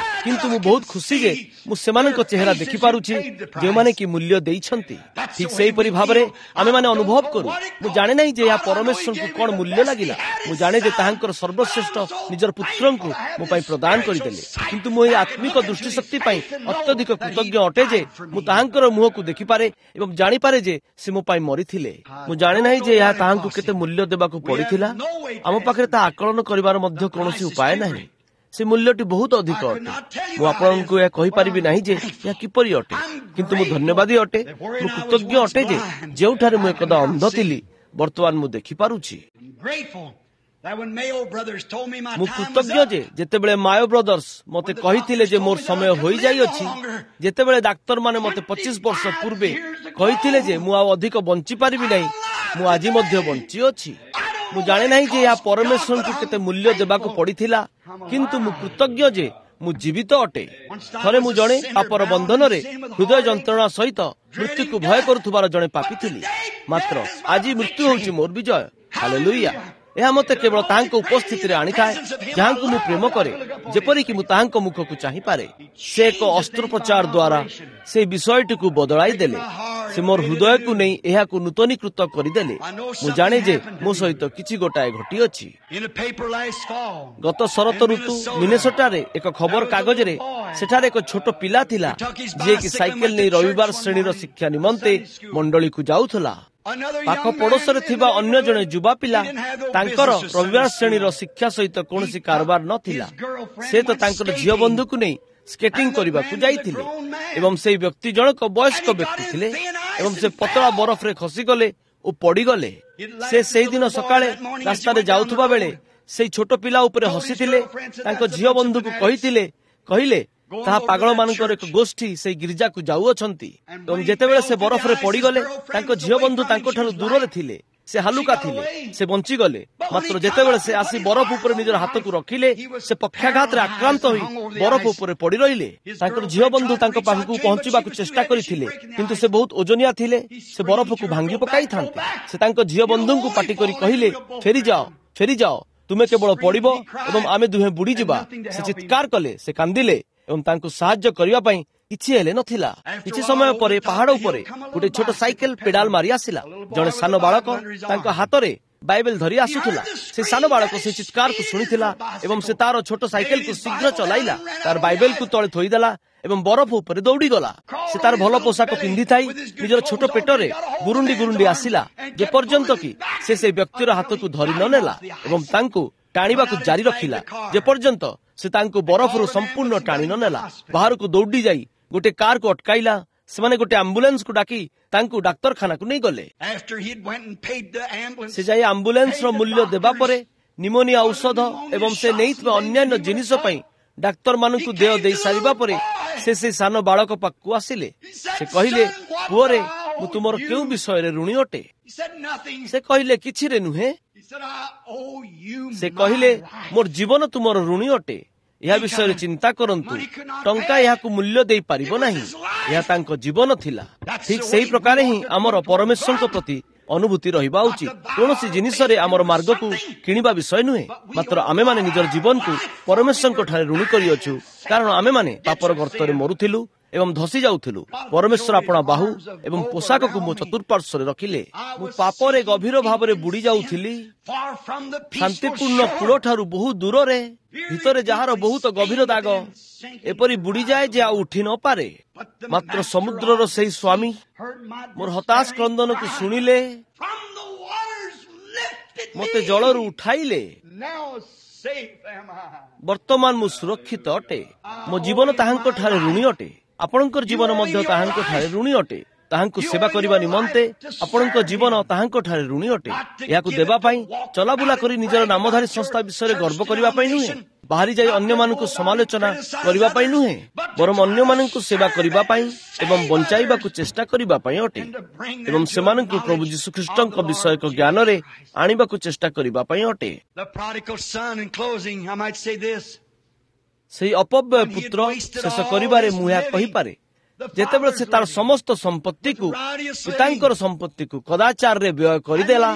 କିନ୍ତୁ ମୁଁ ବହୁତ ଖୁସି ଯେ ମୁଁ ସେମାନଙ୍କ ଚେହେରା ଦେଖିପାରୁଛି ଯେଉଁମାନେ କି ମୂଲ୍ୟ ଦେଇଛନ୍ତି। ଠିକ୍ ସେହିପରି ଭାବରେ ଆମେମାନେ ଅନୁଭବ କରୁ। ମୁଁ ଜାଣେ ନାହିଁ ଯେ ଏହା ପରମେଶ୍ୱରଙ୍କୁ କଣ ମୂଲ୍ୟ ଲାଗିଲା। ମୁଁ ଜାଣେ ଯେ ତାହାଙ୍କର ସର୍ବଶ୍ରେଷ୍ଠ ନିଜର ପୁତ୍ରଙ୍କୁ ମୋ ପାଇଁ ପ୍ରଦାନ କରିଦେଲେ, କିନ୍ତୁ ମୁଁ ଏହି ଆତ୍ମିକ ଦୃଷ୍ଟିଶକ୍ତି ପାଇଁ ଅତ୍ୟଧିକ କୃତଜ୍ଞ ଅଟେ ଯେ ମୁଁ ତାହାଙ୍କର ମୁହଁକୁ ଦେଖିପାରେ ଏବଂ ଜାଣିପାରେ ଯେ ସେ ମୋ ପାଇଁ ମରିଥିଲେ। ମୁଁ ଜାଣେ ନାହିଁ ଯେ ଏହା ତାହାଙ୍କୁ କେତେ ମୂଲ୍ୟ ଦେବାକୁ ପଡିଥିଲା। ଆମ ପାଖରେ ତାହା ଆକଳନ କରିବାର ମଧ୍ୟ କୌଣସି ଉପାୟ ନାହିଁ। ସେ ମୂଲ୍ୟଟି ବହୁତ ଅଧିକ ଅଟେ। ମୁଁ ଆପଣଙ୍କୁ ଏହା କହିପାରିବି ନାହିଁ ଯେ ଏହା କିପରି ଅଟେ, କିନ୍ତୁ ମୁଁ ଧନ୍ୟବାଦୀ ଅଟେ, ମୁଁ କୃତଜ୍ଞ ଅଟେ ଯେ ଯେଉଁଠାରେ ମୁଁ ଏକଦା ଅନ୍ଧ ଥିଲି, ବର୍ତ୍ତମାନ ମୁଁ ଦେଖିପାରୁଛି। ମୁଁ କୃତଜ୍ଞ ଯେ ଯେତେବେଳେ ମାୟୋ ବ୍ରଦର୍ସ ମୋତେ କହିଥିଲେ ଯେ ମୋର ସମୟ ହୋଇଯାଇଅଛି, ଯେତେବେଳେ ଡାକ୍ତରମାନେ ମୋତେ 25 ବର୍ଷ ପୂର୍ବେ କହିଥିଲେ ଯେ ମୁଁ ଆଉ ଅଧିକ ବଞ୍ଚିପାରିବି ନାହିଁ, ମୁଁ ଆଜି ମଧ୍ୟ ବଞ୍ଚିଅଛି। ମୁଁ ଜାଣେ ନାହିଁ ଯେ ଏହା ପରମେଶ୍ୱରଙ୍କୁ କେତେ ମୂଲ୍ୟ ଦେବାକୁ ପଡିଥିଲା, କିନ୍ତୁ ମୁଁ କୃତଜ୍ଞ ଯେ ମୁଁ ଜୀବିତ ଅଟେ। ଥରେ ମୁଁ ଜଣେ ପାପର ବନ୍ଧନରେ ହୃଦୟ ଯନ୍ତ୍ରଣା ସହିତ ମୃତ୍ୟୁକୁ ଭୟ କରୁଥିବାର ଜଣେ ପାପୀ ଥିଲି, ମାତ୍ର ଆଜି ମୃତ୍ୟୁ ହେଉଛି ମୋର ବିଜୟ। ହାଲେଲୁୟା! ଏହା ମୋତେ କେବଳ ତାହାଙ୍କ ଉପସ୍ଥିତିରେ ଆଣିଥାଏ, ଯାହାଙ୍କୁ ମୁଁ ପ୍ରେମ କରେ, ଯେପରିକି ମୁଁ ତାହାଙ୍କ ମୁଖକୁ ଚାହିଁପାରେ। ସେ ଏକ ଅସ୍ତ୍ରୋପଚାର ଦ୍ୱାରା ସେହି ବିଷୟଟିକୁ ବଦଳାଇ ଦେଲେ। ସେ ମୋର ହୃଦୟକୁ ନେଇ ଏହାକୁ ନୂତନୀକୃତ କରିଦେଲେ। ମୁଁ ଜାଣେ ଯେ ମୋ ସହିତ କିଛି ଗୋଟାଏ ଘଟିଅଛି। ଗତ ଶରତ ଋତୁ ମିନେସୋଟାରେ ଏକ ଖବର କାଗଜରେ ସେଠାରେ ଏକ ଛୋଟ ପିଲା ଥିଲା, ଯିଏକି ସାଇକେଲ ନେଇ ରବିବାର ଶ୍ରେଣୀର ଶିକ୍ଷା ନିମନ୍ତେ ମଣ୍ଡଳୀକୁ ଯାଉଥିଲା। ପାଖ ପଡ଼ୋଶରେ ଥିବା ଅନ୍ୟ ଜଣେ ଯୁବା ପିଲା, ତାଙ୍କର ରବିବାର ଶ୍ରେଣୀର ଶିକ୍ଷା ସହିତ କୌଣସି କାରବାର ନଥିଲା। ସେ ତ ତାଙ୍କର ଝିଅ ବନ୍ଧୁକୁ ନେଇ ସ୍କେଟିଂ କରିବାକୁ ଯାଇଥିଲେ ଏବଂ ସେହି ବ୍ୟକ୍ତି ଜଣକ ବୟସ୍କ ବ୍ୟକ୍ତି ଥିଲେ ଏବଂ ସେ ପତଳା ବରଫରେ ଖସିଗଲେ ଓ ପଡ଼ିଗଲେ। ସେ ସେହିଦିନ ସକାଳେ ରାସ୍ତାରେ ଯାଉଥିବା ବେଳେ ସେଇ ଛୋଟ ପିଲା ଉପରେ ହସିଥିଲେ। ତାଙ୍କ ଝିଅ ବନ୍ଧୁକୁ କହିଲେ, ତାହା ପାଗଳମାନଙ୍କର ଏକ ଗୋଷ୍ଠୀ ସେଇ ଗିର୍ଜାକୁ ଯାଉଅଛନ୍ତି। ଏବଂ ଯେତେବେଳେ ସେ ବରଫରେ ପଡ଼ିଗଲେ, ତାଙ୍କ ଝିଅ ବନ୍ଧୁ ତାଙ୍କଠାରୁ ଦୂରରେ ଥିଲେ। ସେ ହାଲୁକା ଥିଲେ, ସେ ବଞ୍ଚିଗଲେ। ମାତ୍ର ଯେତେବେଳେ ସେ ଆସି ବରଫ ଉପରେ ନିଜର ହାତକୁ ରଖିଲେ, ସେ ପକ୍ଷାଘାତରେ ଆକ୍ରାନ୍ତ ହୋଇ ବରଫ ଉପରେ ପଡ଼ି ରହିଲେ। ତାଙ୍କର ଝିଅ ବନ୍ଧୁ ତାଙ୍କ ପାଖକୁ ପହଞ୍ଚିବାକୁ ଚେଷ୍ଟା କରିଥିଲେ, କିନ୍ତୁ ସେ ବହୁତ ଓଜନିଆ ଥିଲେ, ସେ ବରଫକୁ ଭାଙ୍ଗି ପକାଇଥାନ୍ତେ। ସେ ତାଙ୍କ ଝିଅ ବନ୍ଧୁଙ୍କୁ ପାଟି କରି କହିଲେ, ଫେରିଯାଅ, ଫେରିଯାଅ, ତୁମେ କେବଳ ପଡ଼ିବ ଏବଂ ଆମେ ଦୁହେଁ ବୁଡ଼ିଯିବା। ସେ ଚିତ୍କାର କଲେ, ସେ କାନ୍ଦିଲେ ଏବଂ ତାଙ୍କୁ ସାହାଯ୍ୟ କରିବା ପାଇଁ କିଛି ହେଲେ ନଥିଲା। କିଛି ସମୟ ପରେ ପାହାଡ ଉପରେ ଗୋଟେ ଛୋଟ ସାଇକେଲ ପେଡାଲ ମାରି ଆସିଲା। ଜଣେ ସାନ ବାଳକ ତାଙ୍କ ହାତରେ ବାଇବେଲ ଧରି ଆସୁଥିଲା। ସେ ସାନ ବାଳକ ସେ ଚିତ୍କାରକୁ ଶୁଣିଥିଲା ଏବଂ ସେ ତାର ଛୋଟ ସାଇକେଲକୁ ଶୀଘ୍ର ଚଲାଇଲା, ତାର ବାଇବେଲକୁ ତଳେ ଥୋଇଦେଲା ଏବଂ ବରଫ ଉପରେ ଦୌଡ଼ିଗଲା। ସେ ତାର ଭଲ ପୋଷାକ ପିନ୍ଧିଥାଇ ନିଜର ଛୋଟ ପେଟରେ ଗୁରୁଣ୍ଡି ଗୁରୁଣ୍ଡି ଆସିଲା, ଯେପର୍ଯ୍ୟନ୍ତ କି ସେ ସେହି ବ୍ୟକ୍ତିର ହାତକୁ ଧରି ନ ନେଲା ଏବଂ ତାଙ୍କୁ ଟାଣିବାକୁ ଜାରି ରଖିଲା, ଯେପର୍ଯ୍ୟନ୍ତ ସେ ତାଙ୍କୁ ବରଫରୁ ସମ୍ପୂର୍ଣ୍ଣ ଟାଣି ନ ନେଲା। ବାହାରକୁ ଦୌଡ଼ି ଯାଇ ଗୋଟେ କାରକୁ ଅଟକାଇଲା। ସେମାନେ ଗୋଟେ ଆମ୍ବୁଲାନ୍ସକୁ ଡାକି ତାଙ୍କୁ ଡାକ୍ତରଖାନାକୁ ନେଇଗଲେ। ସେ ଯାଇ ଆମ୍ବୁଲାନ୍ସର ମୂଲ୍ୟ ଦେବା ପରେ ନିମୋନିଆ ଔଷଧ ଏବଂ ସେ ନେଇଥିବା ଅନ୍ୟାନ୍ୟ ଜିନିଷ ପାଇଁ ଡାକ୍ତରମାନଙ୍କୁ ଦେୟ ଦେଇ ସାରିବା ପରେ ସେ ସେ ସାନ ବାଳକ ପାଖକୁ ଆସିଲେ। ସେ କହିଲେ, ପୁଅରେ, ମୁଁ ତୁମର କେଉଁ ବିଷୟରେ ଋଣୀ ଅଟେ? ସେ କହିଲେ, କିଛିରେ ନୁହେଁ। ସେ କହିଲେ, ମୋର ଜୀବନ ତୁମର ଋଣୀ ଅଟେ। ଏହା ବିଷୟରେ ଚିନ୍ତା କରନ୍ତୁ, ଟଙ୍କା ଏହାକୁ ମୂଲ୍ୟ ଦେଇପାରିବ ନାହିଁ। ଏହା ତାଙ୍କ ଜୀବନ ଥିଲା। ଠିକ୍ ସେହି ପ୍ରକାରେ ହିଁ ଆମର ପରମେଶ୍ୱରଙ୍କ ପ୍ରତି ଅନୁଭୂତି ରହିବା ଉଚିତ। କୌଣସି ଜିନିଷରେ ଆମର ମାର୍ଗକୁ କିଣିବା ବିଷୟ ନୁହେଁ, ମାତ୍ର ଆମେମାନେ ନିଜର ଜୀବନକୁ ପରମେଶ୍ୱରଙ୍କ ଠାରେ ଋଣୀ କରିଅଛୁ, କାରଣ ଆମେମାନେ ପାପର ଗର୍ତ୍ତରେ ମରୁଥିଲୁ ଏବଂ ଧସି ଯାଉଥିଲୁ। ପରମେଶ୍ୱର ଆପଣା ବାହୁ ଏବଂ ପୋଷାକକୁ ମୋ ଚତୁଃପାର୍ଶ୍ୱରେ ରଖିଲେ। ମୁଁ ପାପରେ ଗଭୀର ଭାବରେ ବୁଡ଼ି ଯାଉଥିଲି, ଶାନ୍ତିପୂର୍ଣ୍ଣ କୂଳଠାରୁ ବହୁ ଦୂରରେ, ଭିତରେ ଯାହାର ବହୁତ ଗଭୀର ଦାଗ, ଏପରି ବୁଡ଼ିଯାଏ ଯେ ଆଉ ଉଠି ନପାରେ। ମାତ୍ର ସମୁଦ୍ରର ସେହି ସ୍ୱାମୀ ମୋର ହତାଶ କ୍ରନ୍ଦନକୁ ଶୁଣିଲେ, ମୋତେ ଜଳରୁ ଉଠାଇଲେ। ବର୍ତ୍ତମାନ ମୁଁ ସୁରକ୍ଷିତ ଅଟେ। ମୋ ଜୀବନ ତାହାଙ୍କ ଠାରେ ଋଣୀ ଅଟେ। ଆପଣଙ୍କର ଜୀବନ ମଧ୍ୟ ତାହାଙ୍କ ଠାରେ ଋଣୀ ଅଟେ। ତାହାଙ୍କୁ ସେବା କରିବା ନିମନ୍ତେ ଆପଣଙ୍କ ଜୀବନ ତାହାଙ୍କ ଠାରେ ଋଣୀ ଅଟେ। ଏହାକୁ ଦେବା ପାଇଁ, ଚଲାବୁଲା କରି ନିଜର ନାମଧାରୀ ସଂସ୍ଥା ବିଷୟରେ ଗର୍ବ କରିବା ପାଇଁ ନୁହେଁ, ବାହାରି ଯାଇ ଅନ୍ୟମାନଙ୍କୁ ସମାଲୋଚନା କରିବା ପାଇଁ ନୁହେଁ, ବରଂ ଅନ୍ୟମାନଙ୍କୁ ସେବା କରିବା ପାଇଁ ଏବଂ ବଞ୍ଚାଇବାକୁ ଚେଷ୍ଟା କରିବା ପାଇଁ ଅଟେ, ଏବଂ ସେମାନଙ୍କୁ ପ୍ରଭୁ ଯୀଶୁଖ୍ରୀଷ୍ଟଙ୍କ ବିଷୟକ ଜ୍ଞାନରେ ଆଣିବାକୁ ଚେଷ୍ଟା କରିବା ପାଇଁ ଅଟେ। ସେହି ଅପବ୍ୟୟ ପୁତ୍ର, ଶେଷ କରିବାରେ ମୁଁ ଏହା କହିପାରେ, ଯେତେବେଳେ ସେ ତାର ସମସ୍ତ ସମ୍ପତ୍ତିକୁ, ପିତାଙ୍କର ସମ୍ପତ୍ତିକୁ କଦାଚାରରେ ବ୍ୟୟ କରିଦେଲା,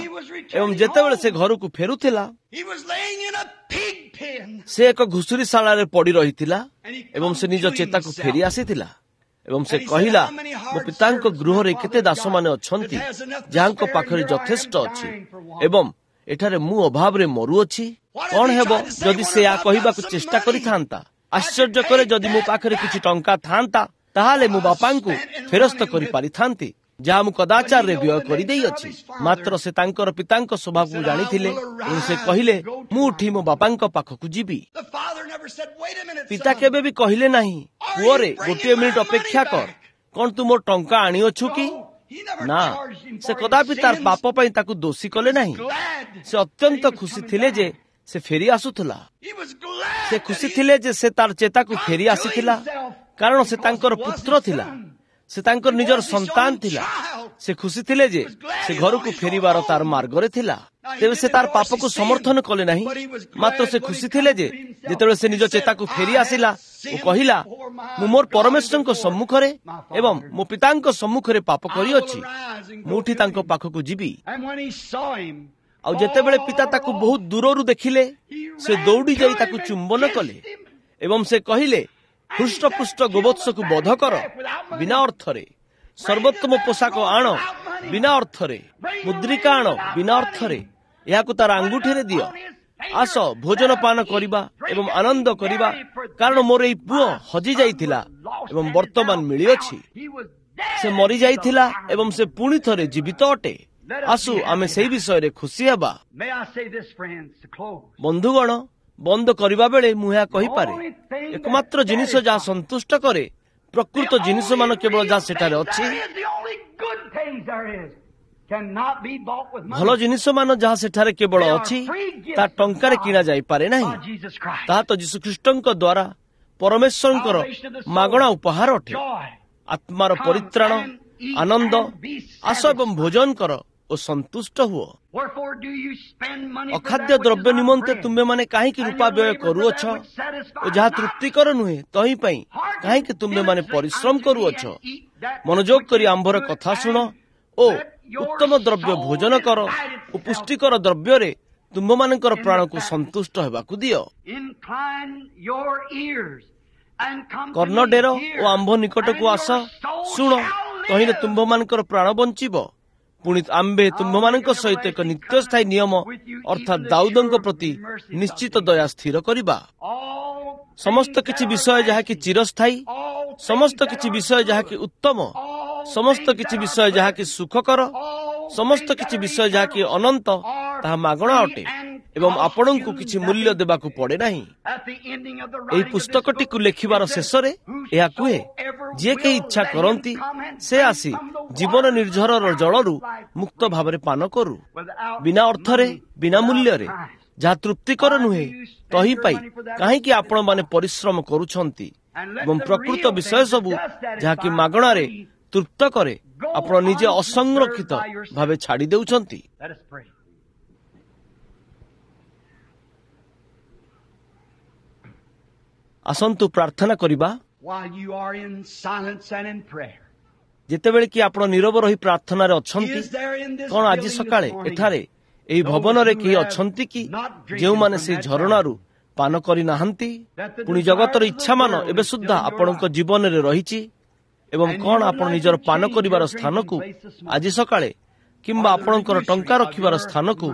ଏବଂ ଯେତେବେଳେ ସେ ଘରକୁ ଫେରୁଥିଲା, ସେ ଏକ ଘୁଷୁରୀଶାଳାରେ ପଡ଼ି ରହିଥିଲା ଏବଂ ସେ ନିଜ ଚେତାକୁ ଫେରି ଆସିଥିଲା ଏବଂ ସେ କହିଲା, ମୋ ପିତାଙ୍କ ଗୃହରେ କେତେ ଦାସମାନେ ଅଛନ୍ତି ଯାହାଙ୍କ ପାଖରେ ଯଥେଷ୍ଟ ଅଛି, ଏବଂ ଏଠାରେ ମୁଁ ଅଭାବରେ ମରୁଅଛି। କଣ ହେବ ଯଦି ସେ ଏହା କହିବାକୁ ଚେଷ୍ଟା କରିଥାନ୍ତା? ଆଶ୍ଚର୍ଯ୍ୟ କରେ, ଯଦି ମୋ ପାଖରେ କିଛି ଟଙ୍କା ଥାନ୍ତା, ତାହେଲେ ମୁଁ ବାପାଙ୍କୁ ଫେରସ୍ତ କରିପାରିଥାନ୍ତି, ଯାହା ମୁଁ କଦାଚାରରେ ବ୍ୟୟ କରିଦେଇଅଛି। ମାତ୍ର ସେ ତାଙ୍କର ପିତାଙ୍କ ସ୍ୱଭାବକୁ ଜାଣିଥିଲେ ଏବଂ ସେ କହିଲେ, ମୁଁ ଉଠି ମୋ ବାପାଙ୍କ ପାଖକୁ ଯିବି। ପିତା କେବେ ବି କହିଲେ ନାହିଁ, ପୁଅରେ ଗୋଟିଏ ମିନିଟ୍ ଅପେକ୍ଷା କର, କଣ ତୁ ମୋ ଟଙ୍କା ଆଣିଅଛୁ କି? ନା, ସେ କଦାପି ତାର ପାପ ପାଇଁ ତାକୁ ଦୋଷୀ କଲେ ନାହିଁ। ସେ ଅତ୍ୟନ୍ତ ଖୁସି ଥିଲେ ଯେ ସେ ଫେରି ଆସୁଥିଲା। ସେ ଖୁସି ଥିଲେ ଯେ ସେ ତାର ଚେତାକୁ ଫେରି ଆସିଥିଲା, କାରଣ ସେ ତାଙ୍କର ପୁତ୍ର ଥିଲା, ସେ ତାଙ୍କର ନିଜର ସନ୍ତାନ ଥିଲା। ସେ ଖୁସି ଥିଲେ ଯେ ସେ ଘରକୁ ଫେରିବାର ତାର ମାର୍ଗରେ ଥିଲା। ତେବେ ସେ ତାର ପାପକୁ ସମର୍ଥନ କଲେ ନାହିଁ, ମାତ୍ର ସେ ଖୁସି ଥିଲେ ଯେ ଯେତେବେଳେ ସେ ନିଜ ଚେତାକୁ ଫେରି ଆସିଲା ଓ କହିଲା, ମୁଁ ମୋର ପରମେଶ୍ୱରଙ୍କ ସମ୍ମୁଖରେ ଏବଂ ମୋ ପିତାଙ୍କ ସମ୍ମୁଖରେ ପାପ କରିଅଛି, ମୁଁ ଉଠି ତାଙ୍କ ପାଖକୁ ଯିବି। ଆଉ ଯେତେବେଳେ ପିତା ତାକୁ ବହୁତ ଦୂରରୁ ଦେଖିଲେ, ସେ ଦୌଡ଼ି ଯାଇ ତାକୁ ଚୁମ୍ବନ କଲେ ଏବଂ ସେ କହିଲେ, ହୃଷ୍ଟପୃଷ୍ଟ ଗୋବତ୍ସକୁ ବଧ କର ବିନା ଅର୍ଥରେ, ସର୍ବୋତ୍ତମ ପୋଷାକ ଆଣ ବିନା ଅର୍ଥରେ, ମୁଦ୍ରିକା ଆଣ ବିନା ଅର୍ଥରେ, ଏହାକୁ ତାର ଆଙ୍ଗୁଠିରେ ଦିଅ, ଆସ ଭୋଜନ ପାନ କରିବା ଏବଂ ଆନନ୍ଦ କରିବା, କାରଣ ମୋର ଏଇ ପୁଅ ହଜି ଯାଇଥିଲା ଏବଂ ବର୍ତ୍ତମାନ ମିଳିଅଛି, ସେ ମରିଯାଇଥିଲା ଏବଂ ସେ ପୁଣି ଥରେ ଜୀବିତ ଅଟେ। ଆସୁ ଆମେ ସେହି ବିଷୟରେ ଖୁସି ହେବା। ବନ୍ଧୁଗଣ, ବନ୍ଦ କରିବା ବେଳେ ମୁଁ ଏହା କହିପାରେ, ଏକମାତ୍ର ଜିନିଷ ଯାହା ସନ୍ତୁଷ୍ଟ କରେ, ପ୍ରକୃତ ଜିନିଷମାନ କେବଳ ଯାହା ସେଠାରେ ଅଛି, ଭଲ ଜିନିଷମାନ ଯାହା ସେଠାରେ କେବଳ ଅଛି, ତାହା ଟଙ୍କାରେ କିଣା ଯାଇପାରେ ନାହିଁ। ତାହା ତ ଯୀଶୁଖ୍ରୀଷ୍ଟଙ୍କ ଦ୍ୱାରା ପରମେଶ୍ୱରଙ୍କର ମାଗଣା ଉପହାର ଅଟେ। ଆତ୍ମାର ପରିତ୍ରାଣ, ଆନନ୍ଦ, ଆସ ଏବଂ ଭୋଜନ କର ଓ ସନ୍ତୁଷ୍ଟ ହୁଅ। ଅଖାଦ୍ୟ ଦ୍ରବ୍ୟ ନିମନ୍ତେ ତୁମ୍ଭେମାନେ କାହିଁକି ରୂପା ବ୍ୟୟ କରୁଅଛ, ଓ ଯାହା ତୃପ୍ତିକର ନୁହେଁ ତହିଁ ପାଇଁ କାହିଁକି ତୁମ୍ଭେମାନେ ପରିଶ୍ରମ କରୁଅଛ? ମନୋଯୋଗ କରି ଆମ୍ଭର କଥା ଶୁଣ ଓ ଉତ୍ତମ ଦ୍ରବ୍ୟ ଭୋଜନ କର ଓ ପୁଷ୍ଟିକର ଦ୍ରବ୍ୟରେ ତୁମ୍ଭମାନଙ୍କର ପ୍ରାଣକୁ ସନ୍ତୁଷ୍ଟ ହେବାକୁ ଦିଅ। କର୍ଣ୍ଣ ଡେର ଓ ଆମ୍ଭ ନିକଟକୁ ଆସ, ଶୁଣ, ତହିଁରେ ତୁମ୍ଭମାନଙ୍କର ପ୍ରାଣ ବଞ୍ଚିବ। ପୁଣି ଆମ୍ଭେ ତୁମ୍ଭମାନଙ୍କ ସହିତ ଏକ ନିତ୍ୟସ୍ଥାୟୀ ନିୟମ, ଅର୍ଥାତ୍ ଦାଉଦଙ୍କ ପ୍ରତି ନିଶ୍ଚିତ ଦୟା ସ୍ଥିର କରିବା। ସମସ୍ତ କିଛି ବିଷୟ ଯାହାକି ଚିରସ୍ଥାୟୀ, ସମସ୍ତ କିଛି ବିଷୟ ଯାହାକି ଉତ୍ତମ, ସମସ୍ତ କିଛି ବିଷୟ ଯାହାକି ସୁଖକର, ସମସ୍ତ କିଛି ବିଷୟ ଯାହାକି ଅନନ୍ତ, ତାହା ମାଗଣା ଅଟେ ଏବଂ ଆପଣଙ୍କୁ କିଛି ମୂଲ୍ୟ ଦେବାକୁ ପଡ଼େ ନାହିଁ। ଏହି ପୁସ୍ତକଟିକୁ ଲେଖିବାର ଶେଷରେ ଏହା କୁହେ, ଯିଏ କେହି ଇଚ୍ଛା କରନ୍ତି ସେ ଆସି ଜୀବନ ନିର୍ଝରର ଜଳରୁ ମୁକ୍ତ ଭାବରେ ପାନ କରୁ, ବିନା ଅର୍ଥରେ, ବିନା ମୂଲ୍ୟରେ, ଯାହା ତୃପ୍ତିକର ନୁହେଁ ତହିଁ ପାଇଁ କାହିଁକି ଆପଣମାନେ ପରିଶ୍ରମ କରୁଛନ୍ତି? ଏବଂ ପ୍ରକୃତ ବିଷୟ ସବୁ ଯାହାକି ମାଗଣାରେ ତୃପ୍ତ କରେ, ଆପଣ ନିଜେ ଅସଂରକ୍ଷିତ ଭାବେ ଛାଡ଼ି ଦେଉଛନ୍ତି। ଆସନ୍ତୁ ପ୍ରାର୍ଥନା କରିବା। ଯେତେବେଳେ କି ଆପଣ ନିରବ ରହି ପ୍ରାର୍ଥନାରେ ଅଛନ୍ତି, କଣ ଆଜି ସକାଳେ ଏଠାରେ ଏହି ଭବନରେ କେହି ଅଛନ୍ତି କି ଯେଉଁମାନେ ସେହି ଝରଣାରୁ ପାନ କରିନାହାନ୍ତି? ପୁଣି ଜଗତର ଇଚ୍ଛାମାନ ଏବେ ସୁଦ୍ଧା ଆପଣଙ୍କ ଜୀବନରେ ରହିଛି, ଏବଂ କଣ ଆପଣ ନିଜର ପାନ କରିବାର ସ୍ଥାନକୁ ଆଜି ସକାଳେ କିମ୍ବା ଆପଣଙ୍କର ଟଙ୍କା ରଖିବାର ସ୍ଥାନକୁ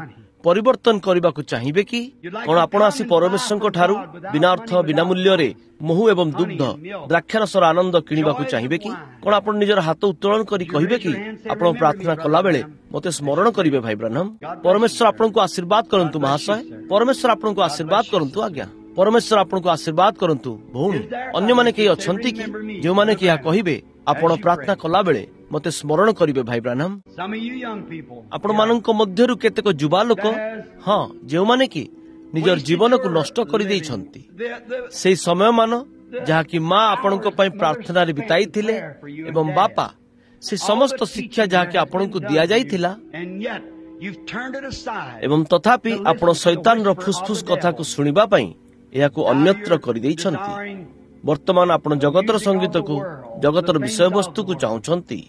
ପରିବର୍ତ୍ତନ କରିବାକୁ ଚାହିଁବେ କି? କଣ ଆପଣ ଆସି ପରମେଶ୍ୱରଙ୍କ ଠାରୁ ବିନା ଅର୍ଥ, ବିନା ମୂଲ୍ୟରେ ମହୁ ଏବଂ ଦୁଗ୍ଧ, ଦ୍ରାକ୍ଷାରସର ଆନନ୍ଦ କିଣିବାକୁ ଚାହିଁବେ କି? କଣ ଆପଣ ନିଜର ହାତ ଉତ୍ତୋଳନ କରି କହିବେ କି, ଆପଣ ପ୍ରାର୍ଥନା କଲାବେଳେ ମୋତେ ସ୍ମରଣ କରିବେ ଭାଇ ବ୍ରାହ୍ମ? ପରମେଶ୍ୱର ଆପଣଙ୍କୁ ଆଶୀର୍ବାଦ କରନ୍ତୁ ମହାଶୟ। ପରମେଶ୍ୱର ଆପଣଙ୍କୁ ଆଶୀର୍ବାଦ କରନ୍ତୁ ଆଜ୍ଞା। ପରମେଶ୍ୱର ଆପଣଙ୍କୁ ଆଶୀର୍ବାଦ କରନ୍ତୁ ଭଉଣୀ। ଅନ୍ୟମାନେ କେହି ଅଛନ୍ତି କି ଯେଉଁମାନେ କି ଏହା କହିବେ, ଆପଣ ପ୍ରାର୍ଥନା କଲାବେଳେ ମୋତେ ସ୍ମରଣ କରିବେ ଭାଇ ବ୍ରାହ୍ମ? ଆପଣମାନଙ୍କ ମଧ୍ୟରୁ କେତେକ ଯୁବା ଲୋକ, ହଁ, ଯେଉଁମାନେ କି ନିଜର ଜୀବନକୁ ନଷ୍ଟ କରିଦେଇଛନ୍ତି, ସେଇ ସମୟମାନ ଯାହାକି ମା ଆପଣଙ୍କ ପାଇଁ ପ୍ରାର୍ଥନାରେ ବିତାଇଥିଲେ ଏବଂ ବାପା, ସେ ସମସ୍ତ ଶିକ୍ଷା ଯାହାକି ଆପଣଙ୍କୁ ଦିଆଯାଇଥିଲା, ଏବଂ ତଥାପି ଆପଣ ଶୈତାନର ଫୁସଫୁସ କଥାକୁ ଶୁଣିବା ପାଇଁ ଏହାକୁ ଅନ୍ୟତ୍ର କରିଦେଇଛନ୍ତି। ବର୍ତ୍ତମାନ ଆପଣ ଜଗତର ସଙ୍ଗୀତକୁ, ଜଗତର ବିଷୟବସ୍ତୁକୁ ଚାହୁଁଛନ୍ତି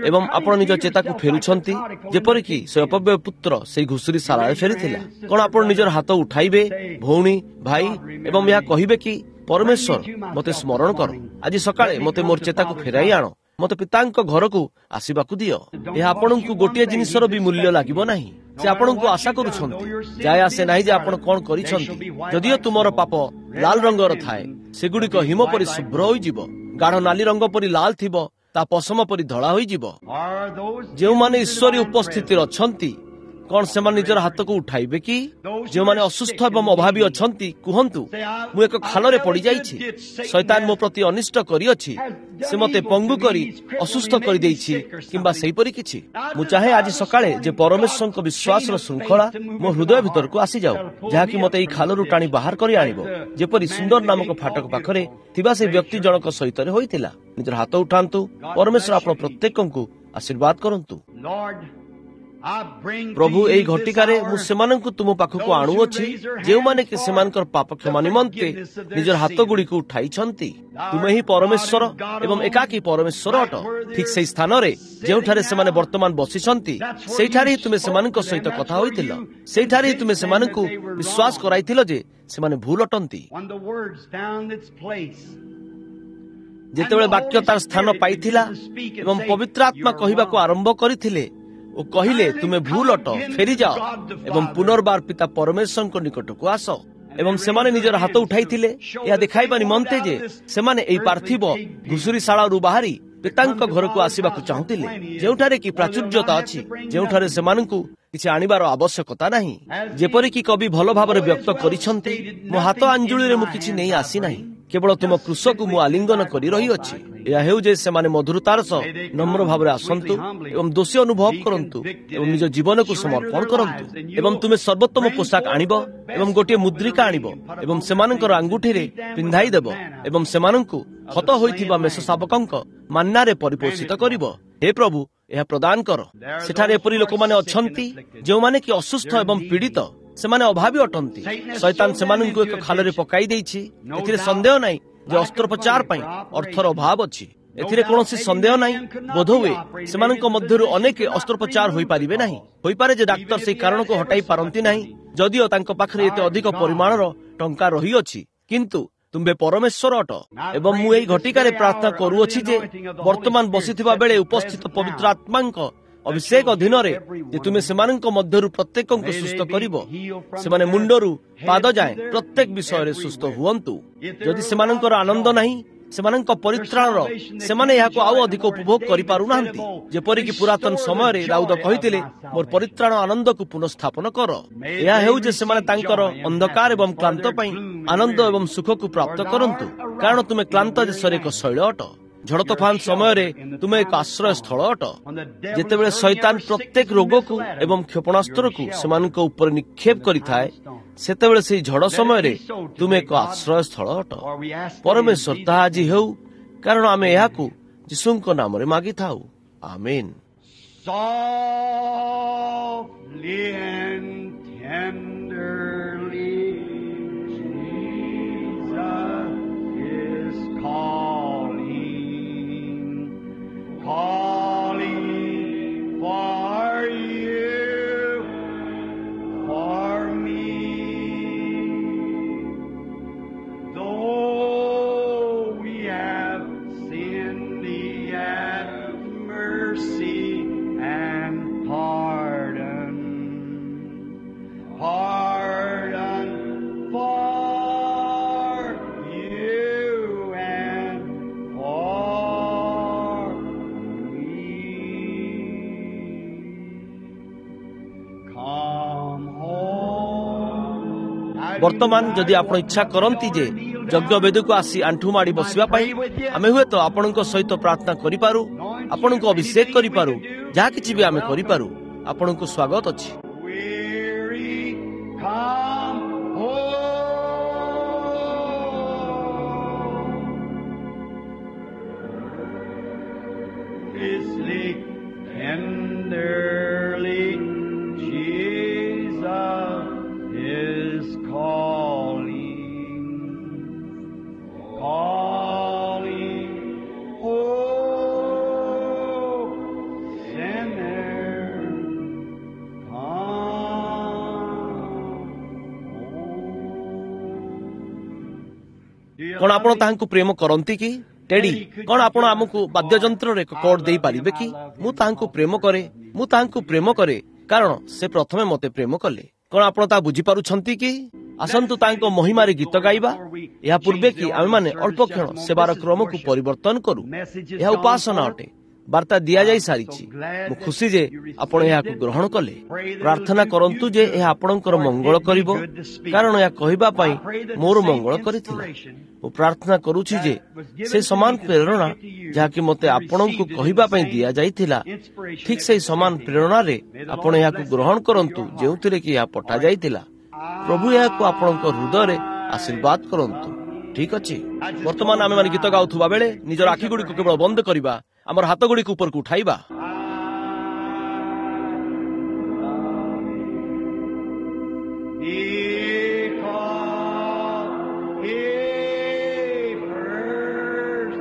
ଏବଂ ଆପଣ ନିଜ ଚେତାକୁ ଫେରୁଛନ୍ତି, ଯେପରିକି ସେ ଅପବ୍ୟୟ ପୁତ୍ର ସେଇ ଘୁଷୁରୀ ଶାଳାରେ ଫେରିଥିଲା। କଣ ଆପଣ ନିଜର ହାତ ଉଠାଇବେ ଭଉଣୀ, ଭାଇ, ଏବଂ ଏହା କହିବେ କି, ପରମେଶ୍ୱର ମୋତେ ସ୍ମରଣ କର, ଆଜି ସକାଳେ ମୋତେ ମୋର ଚେତାକୁ ଫେରାଇ ଆଣ, ମୋତେ ପିତାଙ୍କ ଘରକୁ ଆସିବାକୁ ଦିଅ। ଏହା ଆପଣଙ୍କୁ ଗୋଟିଏ ଜିନିଷର ବି ମୂଲ୍ୟ ଲାଗିବ ନାହିଁ। ସେ ଆପଣଙ୍କୁ ଆଶା କରୁଛନ୍ତି। ଯାଏ ଆସେ ନାହିଁ ଯେ ଆପଣ କଣ କରିଛନ୍ତି। ଯଦିଓ ତୁମର ପାପ ଲାଲ ରଙ୍ଗର ଥାଏ, ସେଗୁଡ଼ିକ ହିମ ପରି ଶୁଭ୍ର ହୋଇଯିବ। ଗାଢ଼ ନାଲି ରଙ୍ଗ ପରି ଲାଲ ଥିବ, ତା ପଶମ ପରି ଧଳା ହୋଇଯିବ। ଯେଉଁମାନେ ଈଶ୍ୱରୀୟ ଉପସ୍ଥିତିରେ ଅଛନ୍ତି, କଣ ସେମାନେ ନିଜର ହାତକୁ ଉଠାଇବେ କି? ଯେଉଁମାନେ ଅସୁସ୍ଥ ଏବଂ ଅଭାବୀ ଅଛନ୍ତି, କୁହନ୍ତୁ, ମୁଁ ଏକ ଖାଲରେ ପଡ଼ିଯାଇଛି, ଶୈତାନ ମୋ ପ୍ରତି ଅନିଷ୍ଟ କରିଅଛି, ସେ ମୋତେ ପଙ୍ଗୁ କରି ଅସୁସ୍ଥ କରିଦେଇଛି, କିମ୍ବା ସେହିପରି କିଛି। ମୁଁ ଚାହେଁ ଆଜି ସକାଳେ ଯେ ପରମେଶ୍ୱରଙ୍କ ବିଶ୍ୱାସର ଶୃଙ୍ଖଳା ମୋ ହୃଦୟ ଭିତରକୁ ଆସିଯାଉ, ଯାହାକି ମୋତେ ଏହି ଖାଲରୁ ଟାଣି ବାହାର କରି ଆଣିବ, ଯେପରି ସୁନ୍ଦର ନାମକ ଫାଟକ ପାଖରେ ଥିବା ସେ ବ୍ୟକ୍ତି ଜଣକ ସହିତରେ ହୋଇଥିଲା। ନିଜର ହାତ ଉଠାନ୍ତୁ। ପରମେଶ୍ୱର ଆପଣ ପ୍ରତ୍ୟେକଙ୍କୁ ଆଶୀର୍ବାଦ କରନ୍ତୁ। ପ୍ରଭୁ, ଏହି ଘଟିକାରେ ମୁଁ ସେମାନଙ୍କୁ ତୁମ ପାଖକୁ ଆଣୁଅଛି, ଯେଉଁମାନେ କି ସେମାନଙ୍କର ପାପ କ୍ଷମା ନିମନ୍ତେ ନିଜର ହାତ ଗୁଡ଼ିକୁ ଉଠାଇଛନ୍ତି। ତୁମେ ହିଁ ପରମେଶ୍ୱର ଏବଂ ଏକାକୀ ପରମେଶ୍ୱର ଅଟ। ଠିକ୍ ସେହି ସ୍ଥାନରେ ଯେଉଁଠାରେ ସେମାନେ ବର୍ତ୍ତମାନ ବସିଛନ୍ତି, ସେଇଠାରେ ହିଁ ତୁମେ ସେମାନଙ୍କ ସହିତ କଥା ହୋଇଥିଲ। ସେଇଠାରେ ହିଁ ତୁମେ ସେମାନଙ୍କୁ ବିଶ୍ୱାସ କରାଇଥିଲ ଯେ ସେମାନେ ଭୁଲ ଅଟନ୍ତି। ଯେତେବେଳେ ବାକ୍ୟ ତାର ସ୍ଥାନ ପାଇଥିଲା ଏବଂ ପବିତ୍ର ଆତ୍ମା କହିବାକୁ ଆରମ୍ଭ କରିଥିଲେ ଓ କହିଲେ, ତୁମେ ଭୁଲ ଅଟ, ଫେରିଯାଅ ଏବଂ ପୁନର୍ବାର ପିତା ପରମେଶ୍ୱରଙ୍କ ନିକଟକୁ ଆସ, ଏବଂ ସେମାନେ ନିଜର ହାତ ଉଠାଇଥିଲେ ଏହା ଦେଖାଇବା ନିମନ୍ତେ ଯେ ସେମାନେ ଏହି ପାର୍ଥିବ ଘୁଷୁରୀଶାଳାରୁ ବାହାରି ପିତାଙ୍କ ଘରକୁ ଆସିବାକୁ ଚାହୁଁଥିଲେ, ଯେଉଁଠାରେ କି ପ୍ରାଚୁର୍ଯ୍ୟତା ଅଛି, ଯେଉଁଠାରେ ସେମାନଙ୍କୁ କିଛି ଆଣିବାର ଆବଶ୍ୟକତା ନାହିଁ। ଯେପରିକି କବି ଭଲ ଭାବରେ ବ୍ୟକ୍ତ କରିଛନ୍ତି, ମୋ ହାତ ଆଞ୍ଜୁଳିରେ ମୁଁ କିଛି ନେଇ ଆସିନାହିଁ, କେବଳ ତୁମ କୃଷକୁ ମୁଁ ଆଲିଙ୍ଗନ କରି ରହିଅଛି। ଏହା ହେଉ ଯେ ସେମାନେ ମଧୁରତାର ସହ ନମ୍ର ଭାବରେ ଆସନ୍ତୁ ଏବଂ ଦୋଷୀ ଅନୁଭବ କରନ୍ତୁ ଏବଂ ନିଜ ଜୀବନକୁ ସମର୍ପଣ କରନ୍ତୁ। ଏବଂ ତୁମେ ସର୍ବୋତ୍ତମ ପୋଷାକ ଆଣିବ ଏବଂ ଗୋଟିଏ ମୁଦ୍ରିକା ଆଣିବ ଏବଂ ସେମାନଙ୍କର ଆଙ୍ଗୁଠିରେ ପିନ୍ଧାଇ ଦେବ ଏବଂ ସେମାନଙ୍କୁ ହତ ହୋଇଥିବା ମେଷ ଶାବକଙ୍କ ମାନ୍ନାରେ ପରିପୋଷିତ କରିବ। ହେ ପ୍ରଭୁ, ଏହା ପ୍ରଦାନ କର। ସେଠାରେ ଏପରି ଲୋକମାନେ ଅଛନ୍ତି ଯେଉଁମାନେ କି ଅସୁସ୍ଥ ଏବଂ ପୀଡ଼ିତ, ସେମାନେ ଅଭାବୀ ଅଟନ୍ତି। ଶୈତାନ ସେମାନଙ୍କୁ ଏକ ଖାଲରେ ପକାଇ ଦେଇଛି। ଏଥିରେ ସନ୍ଦେହ ନାହିଁ ଯେ ଅସ୍ତ୍ରୋପଚାର ପାଇଁ ଅର୍ଥର ଅଭାବ ଅଛି। ଏଥିରେ କୌଣସି ସନ୍ଦେହ ନାହିଁ। ବୋଧହୁଏ ସେମାନଙ୍କ ମଧ୍ୟରୁ ଅନେକ ଅସ୍ତ୍ରୋପଚାର ହୋଇପାରିବେ ନାହିଁ। ହୋଇପାରେ ଯେ ଡାକ୍ତର ସେହି କାରଣକୁ ହଟାଇ ପାରନ୍ତି ନାହିଁ, ଯଦିଓ ତାଙ୍କ ପାଖରେ ଏତେ ଅଧିକ ପରିମାଣର ଟଙ୍କା ରହିଅଛି। କିନ୍ତୁ ତୁମ୍ଭେ ପରମେଶ୍ୱର ଅଟ, ଏବଂ ମୁଁ ଏହି ଘଟିକାରେ ପ୍ରାର୍ଥନା କରୁଅଛି ଯେ ବର୍ତ୍ତମାନ ବସିଥିବା ବେଳେ ଉପସ୍ଥିତ ପବିତ୍ର ଆତ୍ମାଙ୍କ ଅଭିଷେକ ଅଧୀନରେ ଯେ ତୁମେ ସେମାନଙ୍କ ମଧ୍ୟରୁ ପ୍ରତ୍ୟେକଙ୍କୁ ସୁସ୍ଥ କରିବ। ସେମାନେ ମୁଣ୍ଡରୁ ପାଦ ଯାଏଁ ପ୍ରତ୍ୟେକ ବିଷୟରେ ସୁସ୍ଥ ହୁଅନ୍ତୁ। ଯଦି ସେମାନଙ୍କର ଆନନ୍ଦ ନାହିଁ, ସେମାନଙ୍କ ପରିତ୍ରାଣର, ସେମାନେ ଏହାକୁ ଆଉ ଅଧିକ ଉପଭୋଗ କରିପାରୁନାହାନ୍ତି। ଯେପରିକି ପୁରାତନ ସମୟରେ ଦାଉଦ କହିଥିଲେ, ମୋର ପରିତ୍ରାଣ ଆନନ୍ଦକୁ ପୁନଃସ୍ଥାପନ କର। ଏହା ହେଉ ଯେ ସେମାନେ ତାଙ୍କର ଅନ୍ଧକାର ଏବଂ କ୍ଳାନ୍ତ ପାଇଁ ଆନନ୍ଦ ଏବଂ ସୁଖକୁ ପ୍ରାପ୍ତ କରନ୍ତୁ, କାରଣ ତୁମେ କ୍ଳାନ୍ତ ଦେଶରେ ଏକ ଶୈଳ ଅଟ। ଝଡ଼ ତୋଫାନ ସମୟରେ ତୁମେ ଏକ ଆଶ୍ରୟ ସ୍ଥଳ ଅଟ। ଯେତେବେଳେ ଶୈତାନ ପ୍ରତ୍ୟେକ ରୋଗକୁ ଏବଂ କ୍ଷେପଣାସ୍ତ୍ରକୁ ସେମାନଙ୍କ ଉପରେ ନିକ୍ଷେପ କରିଥାଏ, ସେତେବେଳେ ସେହି ଝଡ଼ ସମୟରେ ତୁମେ ଏକ ଆଶ୍ରୟ ସ୍ଥଳ ଅଟ। ପରମେଶ୍ୱର, ତାହା ଆଜି ହେଉ, କାରଣ ଆମେ ଏହାକୁ ଯୀଶୁଙ୍କ ନାମରେ ମାଗିଥାଉ। ଆମେନ୍। Softly and tenderly, Jesus ବର୍ତ୍ତମାନ ଯଦି ଆପଣ ଇଚ୍ଛା କରନ୍ତି ଯେ ଯଜ୍ଞବେଦୀକୁ ଆସି ଆଣ୍ଠୁ ମାଡ଼ି ବସିବା ପାଇଁ, ଆମେ ହୁଏତ ଆପଣଙ୍କ ସହିତ ପ୍ରାର୍ଥନା କରିପାରୁ, ଆପଣଙ୍କୁ ଅଭିଷେକ କରିପାରୁ, ଯାହା କିଛି ବି ଆମେ କରିପାରୁ। ଆପଣଙ୍କୁ ସ୍ୱାଗତ ଅଛି। Weary, come home. Fiercely, tenderly, Jesus is calling, calling, oh, sinner, come home. Do you କଣ ଆପଣ love him? ତାହାଙ୍କୁ ପ୍ରେମ କରନ୍ତି କି? ଟେଡି, କଣ ଆପଣ ଆମକୁ ବାଦ୍ୟଯନ୍ତ୍ରରେ ଏକ କର୍ଡ ଦେଇପାରିବେ କି? ମୁଁ ତାହାଙ୍କୁ ପ୍ରେମ କରେ, ମୁଁ ତାହାଙ୍କୁ ପ୍ରେମ କରେ, କାରଣ ସେ ପ୍ରଥମେ ମୋତେ ପ୍ରେମ କଲେ। କଣ ଆପଣ ତାହା ବୁଝିପାରୁଛନ୍ତି କି? ଆସନ୍ତୁ ତାଙ୍କ ମହିମାରେ ଗୀତ ଗାଇବା। ଏହା ପୂର୍ବେ କି ଆମେମାନେ ଅଳ୍ପ କ୍ଷଣ ସେବାର କ୍ରମକୁ ପରିବର୍ତ୍ତନ କରୁ। ଏହା ଉପାସନା ଅଟେ। ବାର୍ତ୍ତା ଦିଆଯାଇ ସାରିଛି। ମୁଁ ଖୁସି ଯେ ଆପଣ ଏହାକୁ ଗ୍ରହଣ କଲେ। ପ୍ରାର୍ଥନା କରନ୍ତୁ ଯେ ଏହା ଆପଣଙ୍କର ମଙ୍ଗଳ କରିବ, କାରଣ ଏହା କହିବା ପାଇଁ ମୋର ମଙ୍ଗଳ କରିଥିଲା। ମୁଁ ପ୍ରାର୍ଥନା କରୁଛି ଯେ ସେ ସମାନ ପ୍ରେରଣା ଯାହାକି ମୋତେ ଆପଣଙ୍କୁ କହିବା ପାଇଁ ଦିଆଯାଇଥିଲା, ଠିକ୍ ସେହି ସମାନ ପ୍ରେରଣାରେ ଆପଣ ଏହାକୁ ଗ୍ରହଣ କରନ୍ତୁ ଯେଉଁଥିରେ କି ଏହା ପଠାଯାଇଥିଲା। ପ୍ରଭୁ ଏହାକୁ ଆପଣଙ୍କ ହୃଦୟରେ ଆଶୀର୍ବାଦ କରନ୍ତୁ। ଠିକ ଅଛି, ବର୍ତ୍ତମାନ ଆମେମାନେ ଗୀତ ଗାଉଥିବା ବେଳେ ନିଜର ଆଖିଗୁଡ଼ିକୁ କେବଳ ବନ୍ଦ କରିବା, ଆମର ହାତଗୁଡ଼ିକୁ ଉପରକୁ ଉଠାଇବା। Because he first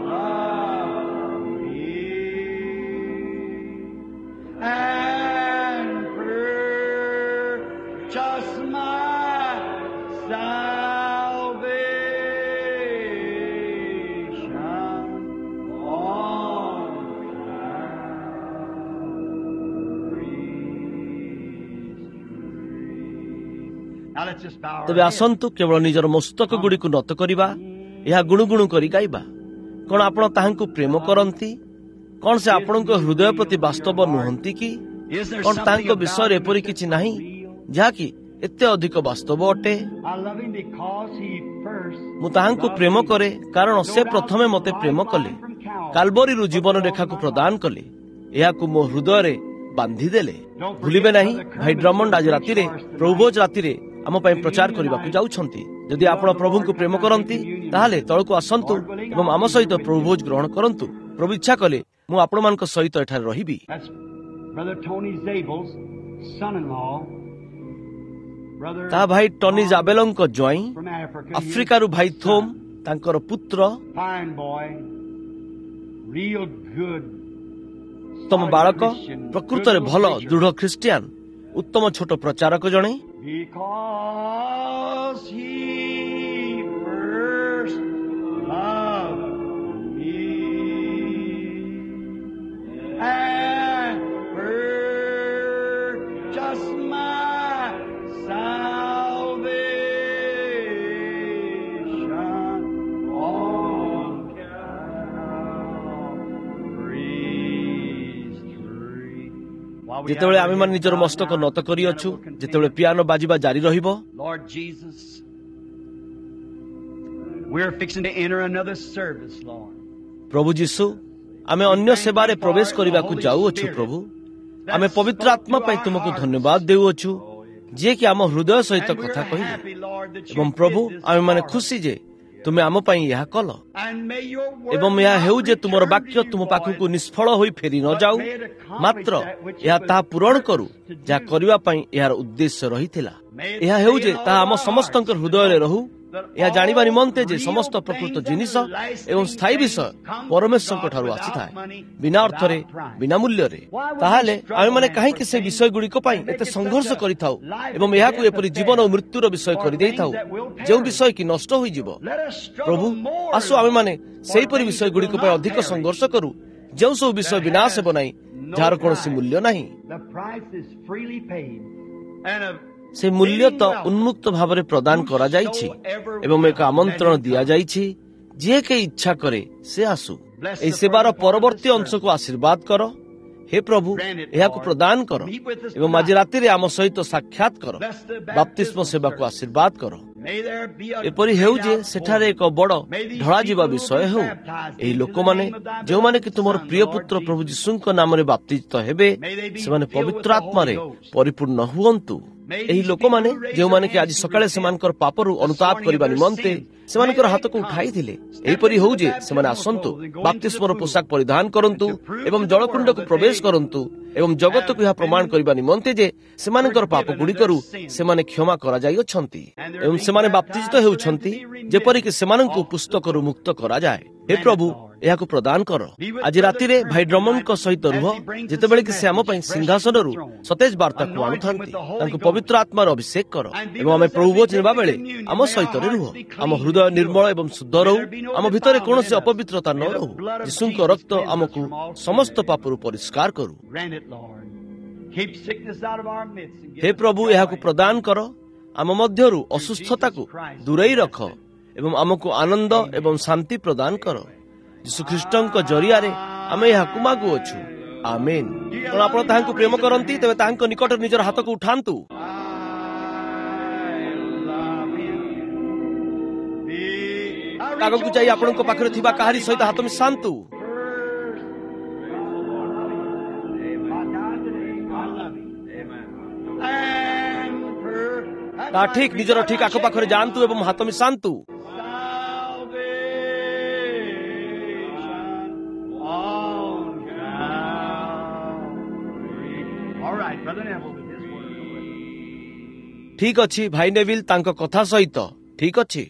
loved me and purchased my salvation on Calvary's tree. Now let's just bow our ତେବେ heads. ଆସନ୍ତୁ କେବଳ ନିଜର ମସ୍ତକ ଗୁଡ଼ିକୁ ନତ କରିବା, ଏହା ଗୁଣୁଗୁଣୁ କରି ଗାଇବା। କଣ ଆପଣ ତାହାଙ୍କୁ ପ୍ରେମ କରନ୍ତି? କଣ ସେ ଆପଣଙ୍କ ହୃଦୟ ପ୍ରତି ବାସ୍ତବ ନୁହନ୍ତି କି? Is there କଣ something ତାଙ୍କ about ବିଷୟରେ him ଏପରି that's କିଛି ନାହିଁ real? ଯାହାକି ଏତେ ଅଧିକ ବାସ୍ତବ ଅଟେ? I love him because he first ମୁଁ ତାହାଙ୍କୁ loved ପ୍ରେମ me. କରେ କାରଣ ସେ ପ୍ରଥମେ ମୋତେ ପ୍ରେମ କଲେ, କାଲବରୀରୁ ଜୀବନ ରେଖାକୁ ପ୍ରଦାନ କଲେ, ଏହାକୁ ମୋ ହୃଦୟରେ ବାନ୍ଧିଦେଲେ। ଭୁଲିବେ ନାହିଁ, ଭାଇ ଡ୍ରମଣ୍ଡ ଆଜି ରାତିରେ ପ୍ରଭୁଭୋଜ ରାତିରେ ଆମ ପାଇଁ ପ୍ରଚାର କରିବାକୁ ଯାଉଛନ୍ତି। ଯଦି ଆପଣ ପ୍ରଭୁଙ୍କୁ ପ୍ରେମ କରନ୍ତି ତାହେଲେ ତଳକୁ ଆସନ୍ତୁ ଏବଂ ଆମ ସହିତ ପ୍ରଭୁଭୋଜ ଗ୍ରହଣ କରନ୍ତୁ। ପ୍ରଭୁ ଇଚ୍ଛା କଲେ ମୁଁ ଆପଣମାନଙ୍କ ସହିତ ଏଠାରେ ରହିବି। That's Brother Tony Zabel's son-in-law, Brother ତାହା ଭାଇ ଟନି Tom ଜାବେଲଙ୍କ ଜ୍ୱାଇଁ, from Africa, his ଆଫ୍ରିକାରୁ ଭାଇ ଥୋମ୍ son. ତାଙ୍କର ପୁତ୍ର, Fine boy, real good, ଉତ୍ତମ solid ବାଳକ, Christian, good ପ୍ରକୃତରେ little ଭଲ preacher. ଦୃଢ ଖ୍ରୀଷ୍ଟିଆନ, ଉତ୍ତମ ଛୋଟ ପ୍ରଚାରକ ଜଣେ। Because he first loved me and purchased my salvation on Calvary's tree. While we have ଯେତେବେଳେ our ଆମେମାନେ heads ନିଜର bowed ମସ୍ତକ now, ନତ the piano କରିଅଛୁ, will continue. ଯେତେବେଳେ ପିଆନୋ ବାଜିବା ଜାରି ରହିବ, Lord Jesus, we're fixing to enter another service, Lord. ପ୍ରଭୁ ଯୀଶୁ, ଆମେ ଅନ୍ୟ ସେବାରେ ପ୍ରବେଶ କରିବାକୁ ଯାଉଅଛୁ। ପ୍ରଭୁ, ଆମେ That ପବିତ୍ର spoke ଆତ୍ମା to ପାଇଁ our ତୁମକୁ hearts. ଧନ୍ୟବାଦ ଦେଉଅଛୁ, ଯିଏକି ଆମ ହୃଦୟ ସହିତ And we're କଥା କହିଲେ। happy, Lord, that you ଏବଂ ପ୍ରଭୁ, did this ଆମେମାନେ for us. ଖୁସି ଯେ ତୁମେ ଆମ ପାଇଁ ଏହା କଲ। And may your word ଏବଂ ଏହା not ହେଉ ଯେ ତୁମର return to ବାକ୍ୟ you ତୁମ ପାଖକୁ void, ନିଷ୍ଫଳ ହୋଇ ଫେରି ନ but ଯାଉ, may it accomplish ମାତ୍ର that which ଏହା it was ତାହା ପୂରଣ କରୁ purposed to ଯାହା do. କରିବା ପାଇଁ ଏହାର ଉଦ୍ଦେଶ୍ୟ ରହିଥିଲା। May it ଏହା ହେଉ stay ଯେ in all ତାହା of ଆମ our ସମସ୍ତଙ୍କ hearts to ହୃଦୟରେ know ରହୁ, that ଏହା ଜାଣିବା all ନିମନ୍ତେ ଯେ real ସମସ୍ତ ପ୍ରକୃତ things and ଜିନିଷ ଏବଂ lasting ସ୍ଥାୟୀ things ବିଷୟ come from ପରମେଶ୍ୱରଙ୍କ God ଠାରୁ without ଆସିଥାଏ, money, ବିନା ଅର୍ଥରେ, without price. ବିନା ମୂଲ୍ୟରେ। Why would we ତାହେଲେ struggle ଆମେମାନେ then କାହିଁକି for ସେ things ବିଷୟଗୁଡ଼ିକ ପାଇଁ and make ଏତେ it such ସଂଘର୍ଷ a କରିଥାଉ life ଏବଂ and ଏହାକୁ death ଏପରି affair ଜୀବନ ଓ ମୃତ୍ୟୁର ବିଷୟ for କରିଦେଇଥାଉ, things that will ଯେଉଁ perish? ବିଷୟ କି ନଷ୍ଟ ହୋଇଯିବ? Let us ପ୍ରଭୁ, struggle more, ଆସୁ Lord, ଆମେମାନେ for ସେହିପରି things that ବିଷୟଗୁଡ଼ିକ will ପାଇଁ not ଅଧିକ perish, ସଂଘର୍ଷ କରୁ, ଯେଉଁ ସବୁ ବିଷୟ that ବିନାଶ has ହେବ ନାହିଁ, no ଯାହାର କୌଣସି price. ମୂଲ୍ୟ ନାହିଁ। The price is freely paid. And a ସେ ମୂଲ୍ୟ bidding ତ welcome. ଉନ୍ମୁକ୍ତ ଭାବରେ ପ୍ରଦାନ କରାଯାଇଛି Whosoever ଏବଂ ଏକ will, let ଆମନ୍ତ୍ରଣ him come. ଦିଆଯାଇଛି, ଯିଏ କେହି ଇଚ୍ଛା କରେ ସେ ଆସୁ। Bless ଏହି the ସେବାର further part of ପରବର୍ତ୍ତୀ this ଅଂଶକୁ service. ଆଶୀର୍ବାଦ କର ହେ ପ୍ରଭୁ, ଏହାକୁ ପ୍ରଦାନ କର ଏବଂ ଆଜି ରାତିରେ ଆମ ସହିତ ସାକ୍ଷାତ କର। ବାପ୍ତିସ୍ମ ସେବାକୁ ଆଶୀର୍ବାଦ କର। ଏପରି ହେଉ ଯେ ସେଠାରେ ଏକ ବଡ଼ ଢଳାଯିବା ବିଷୟ ହେଉ। ଏହି ଲୋକମାନେ ଯେଉଁମାନେ କି ତୁମର ପ୍ରିୟ ପୁତ୍ର ପ୍ରଭୁ ଯୀଶୁଙ୍କ ନାମରେ ବାପ୍ତିଜିତ ହେବେ, ସେମାନେ ପବିତ୍ର ଆତ୍ମାରେ ପରିପୂର୍ଣ୍ଣ ହୁଅନ୍ତୁ। ଏହି ଲୋକମାନେ ଯେଉଁମାନେ କି ଆଜି ସକାଳେ ସେମାନଙ୍କର ପାପରୁ ଅନୁତାପ କରିବା ନିମନ୍ତେ ସେମାନଙ୍କର ହାତକୁ ଉଠାଇଥିଲେ, ଏହିପରି ହେଉ ଯେ ସେମାନେ ଆସନ୍ତୁ, ବାପ୍ତିସ୍ମର ପୋଷାକ ପରିଧାନ କରନ୍ତୁ ଏବଂ ଜଳକୁଣ୍ଡକୁ ପ୍ରବେଶ କରନ୍ତୁ ଏବଂ ଜଗତକୁ ଏହା ପ୍ରମାଣ କରିବା ନିମନ୍ତେ ଯେ ସେମାନଙ୍କର ପାପ ଗୁଡ଼ିକରୁ ସେମାନେ କ୍ଷମା କରାଯାଇଅଛନ୍ତି ଏବଂ ସେମାନେ ବାପ୍ତିଜିତ ହେଉଛନ୍ତି, ଯେପରିକି ସେମାନଙ୍କୁ ପୁସ୍ତକରୁ ମୁକ୍ତ କରାଯାଏ। ହେ ପ୍ରଭୁ, ଏହାକୁ ପ୍ରଦାନ କର। ଆଜି ରାତିରେ ଭାଇ ଡ୍ରମଣ୍ଡଙ୍କ ସହିତ ରୁହ, ଯେତେବେଳେ କି ସେ ଆମ ପାଇଁ ସିଂହାସନରୁ ସତେଜ ବାର୍ତ୍ତାକୁ ଆଣୁଥାନ୍ତି। ତାଙ୍କୁ ପବିତ୍ର ଆତ୍ମାର ଅଭିଷେକ କର ଏବଂ ଆମେ ପ୍ରଭୁ ଭୋଜ ନେବା ବେଳେ ଆମ ସହିତ ରୁହ। ଆମ ହୃଦୟ ନିର୍ମଳ ଏବଂ ଶୁଦ୍ଧ ରହୁ, ଆମ ଭିତରେ କୌଣସି ଅପବିତ୍ରତା ନ ରହୁ। ଯୀଶୁଙ୍କ ରକ୍ତ ଆମକୁ ସମସ୍ତ ପାପରୁ ପରିଷ୍କାର କରୁ। ହେ ପ୍ରଭୁ, ଏହାକୁ ପ୍ରଦାନ କର। ଆମ ମଧ୍ୟରୁ ଅସୁସ୍ଥତାକୁ ଦୂରେଇ ରଖ ଏବଂ ଆମକୁ ଆନନ୍ଦ ଏବଂ ଶାନ୍ତି ପ୍ରଦାନ କର। ଯୀଶୁଖ୍ରୀଷ୍ଟଙ୍କ ଜରିଆରେ ଆମେ ଏହାକୁ ମାଗୁଅଛୁ, ଆମେନ୍। କଣ ଆପଣ ତାହାଙ୍କୁ ପ୍ରେମ କରନ୍ତି? ତେବେ ତାହାଙ୍କ ନିକଟରେ ନିଜର ହାତକୁ ଉଠାନ୍ତୁ। ଆଗକୁ ଯାଇ ଆପଣଙ୍କ ପାଖରେ ଥିବା କାହାରି ସହିତ ହାତ ମିଶାନ୍ତୁ। ତା ଠିକ, ନିଜର ଠିକ ଆଖପାଖରେ ଯାଆନ୍ତୁ ଏବଂ ହାତ ମିଶାନ୍ତୁ। ଠିକ ଅଛି, ଭାଇ ନେଭିଲ ତାଙ୍କ କଥା ସହିତ ଠିକ ଅଛି।